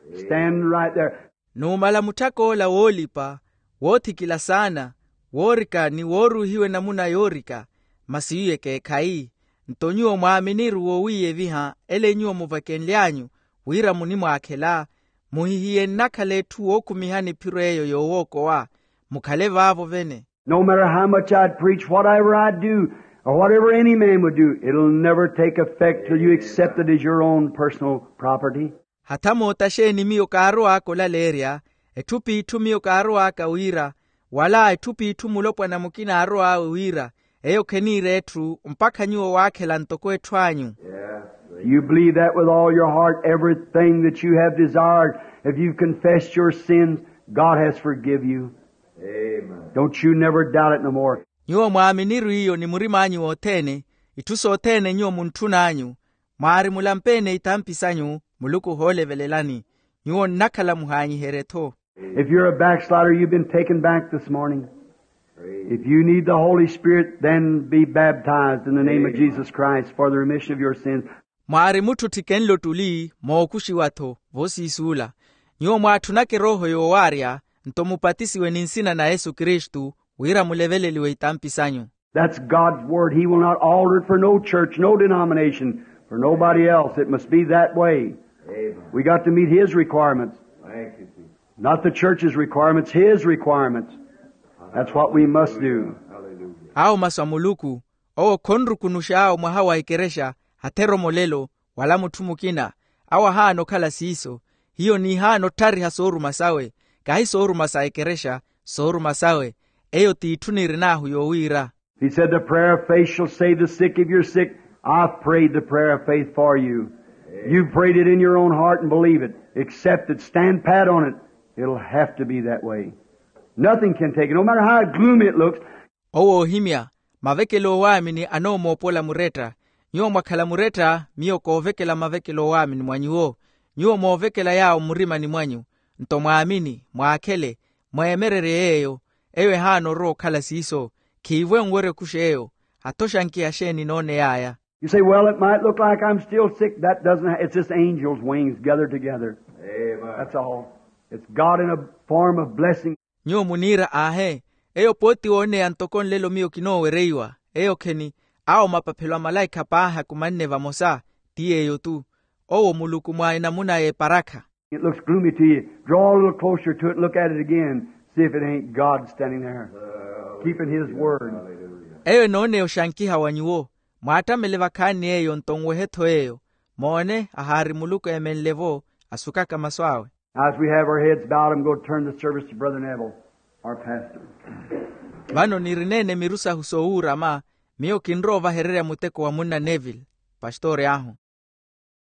Amen. Stand right there. Numala mutthak'ola woolipa, woothikila saana, woorika ni wooruuhiwe namuna yoorika, masi iye ekeekhayi. Nto nyuwo mwaaminiru wowiiyeviha ele nyuwo muvakenly'anyu, wira munimwaakhela, muhihiye nnakhala etthu wookhumihani ephiro eyo yoowookowa. Mukhale vaavo vene. No matter how much I'd preach, whatever I'd do, or whatever any man would do, it'll never take effect till you accept it as your own personal property. Hatha moota xeeni miyo kaarow'aka olaleerya, etthu p'itthu miyo kaarowaaka wira, wala etthu p'itthu mulopwana mukina aarow'awe wira, eyo kheniira etthu mpakha nyuwo waakhela ntoko etthu anyu. You believe that with all your heart, everything that you have desired, if you've confessed your sins, God has forgive you. Amen. Don't you never doubt it no more. Nyuwo mwaaminiru iyo ni murim'anyu wothene, itthu sothene nyuwo muntthun'anyu, mwaari mulampeene itampi sanyu, muluku ohoolevelelani. Nyuwo nnakhala muhaanyiherye-tho. If you're a backslider, you've been taken back this morning. If you need the Holy Spirit, then be baptized in the name of Jesus Christ for the remission of your sins. Mwaari mutthu ottikenle ottuli, mookuxiwa-tho voosiisuula. Nyuwo mwaatthunaka erooho yoowaarya, nto mupatisiwe ni nsina na yesu kristu, wira muleveleliwe itampi sanyu. That's God's word. He will not alter it for no church, no denomination, for nobody else. It must be that way. Amen. We got to meet His requirements. Thank you, Jesus. Not the church's requirements, His requirements. That's what we must do. Hallelujah. Awo masu a muluku, owo khonrukunuxa awo mwaha wa ekerexa, hatheromolelo, wala mutthu mukina. Awo ahaana okhala siiso. Hiyo niihaana otthariha sooruma sawe, kahi sooruma sa ekerexa, sooruma sawe. Eyo t'itthu niirin'ahu yoowiira. He said, "The prayer of faith shall save the sick. If you're sick, I've prayed the prayer of faith for you. You've prayed it in your own heart and believe it. Accept it. Stand pat on it. It'll have to be that way. Nothing can take it, no matter how gloomy it looks." Owo oohimya, Mavekelo oowaamini anoomoopola muretta. Nyuwo mwakhala muretta, miyo koovekela mavekelo oowaamini mwa nyuwo. Nyuwo moovekela yaawo mmurimani mwanyu, nto mwaamini, mwaakhele, mweemererye yeeyo. Eyo ehaana orowa okhala siiso. Khiivwe nwerye okuxa eyo. Hatho xankiha xeeni nooney'aya? You say, well, it might look like I'm still sick. That doesn't, it's just angels' wings gathered together. That's all. It's God in a form of blessing. Nyuwo muniira, aahe, eyo pooti wooneya ntoko nlelo miyo kinoowereiwa. Eyo kheni, awo mapaphelo a malaikha paahi akumanne vamosa. Ti yeeyo-tu. Owo muluku mwa enamuna y'eparakha. It looks gloomy to you. Draw a little closer to it and look at it again. See if it ain't God standing there, keeping his word. Eyo enooneya oxankiha wa nyuwo. Mwaattamele vakhaani eyo nto nwehe-tho eyo. Moone, ahaari muluku eemenle-vo, asukaka masu awe. As we have our heads bowed, I'm going to turn the service to Brother Neville, our pastor. Vano nirineene miru sahu soowuurama. Miyo kinrowa ovahererya muteko wa munna neville, pastori ahu.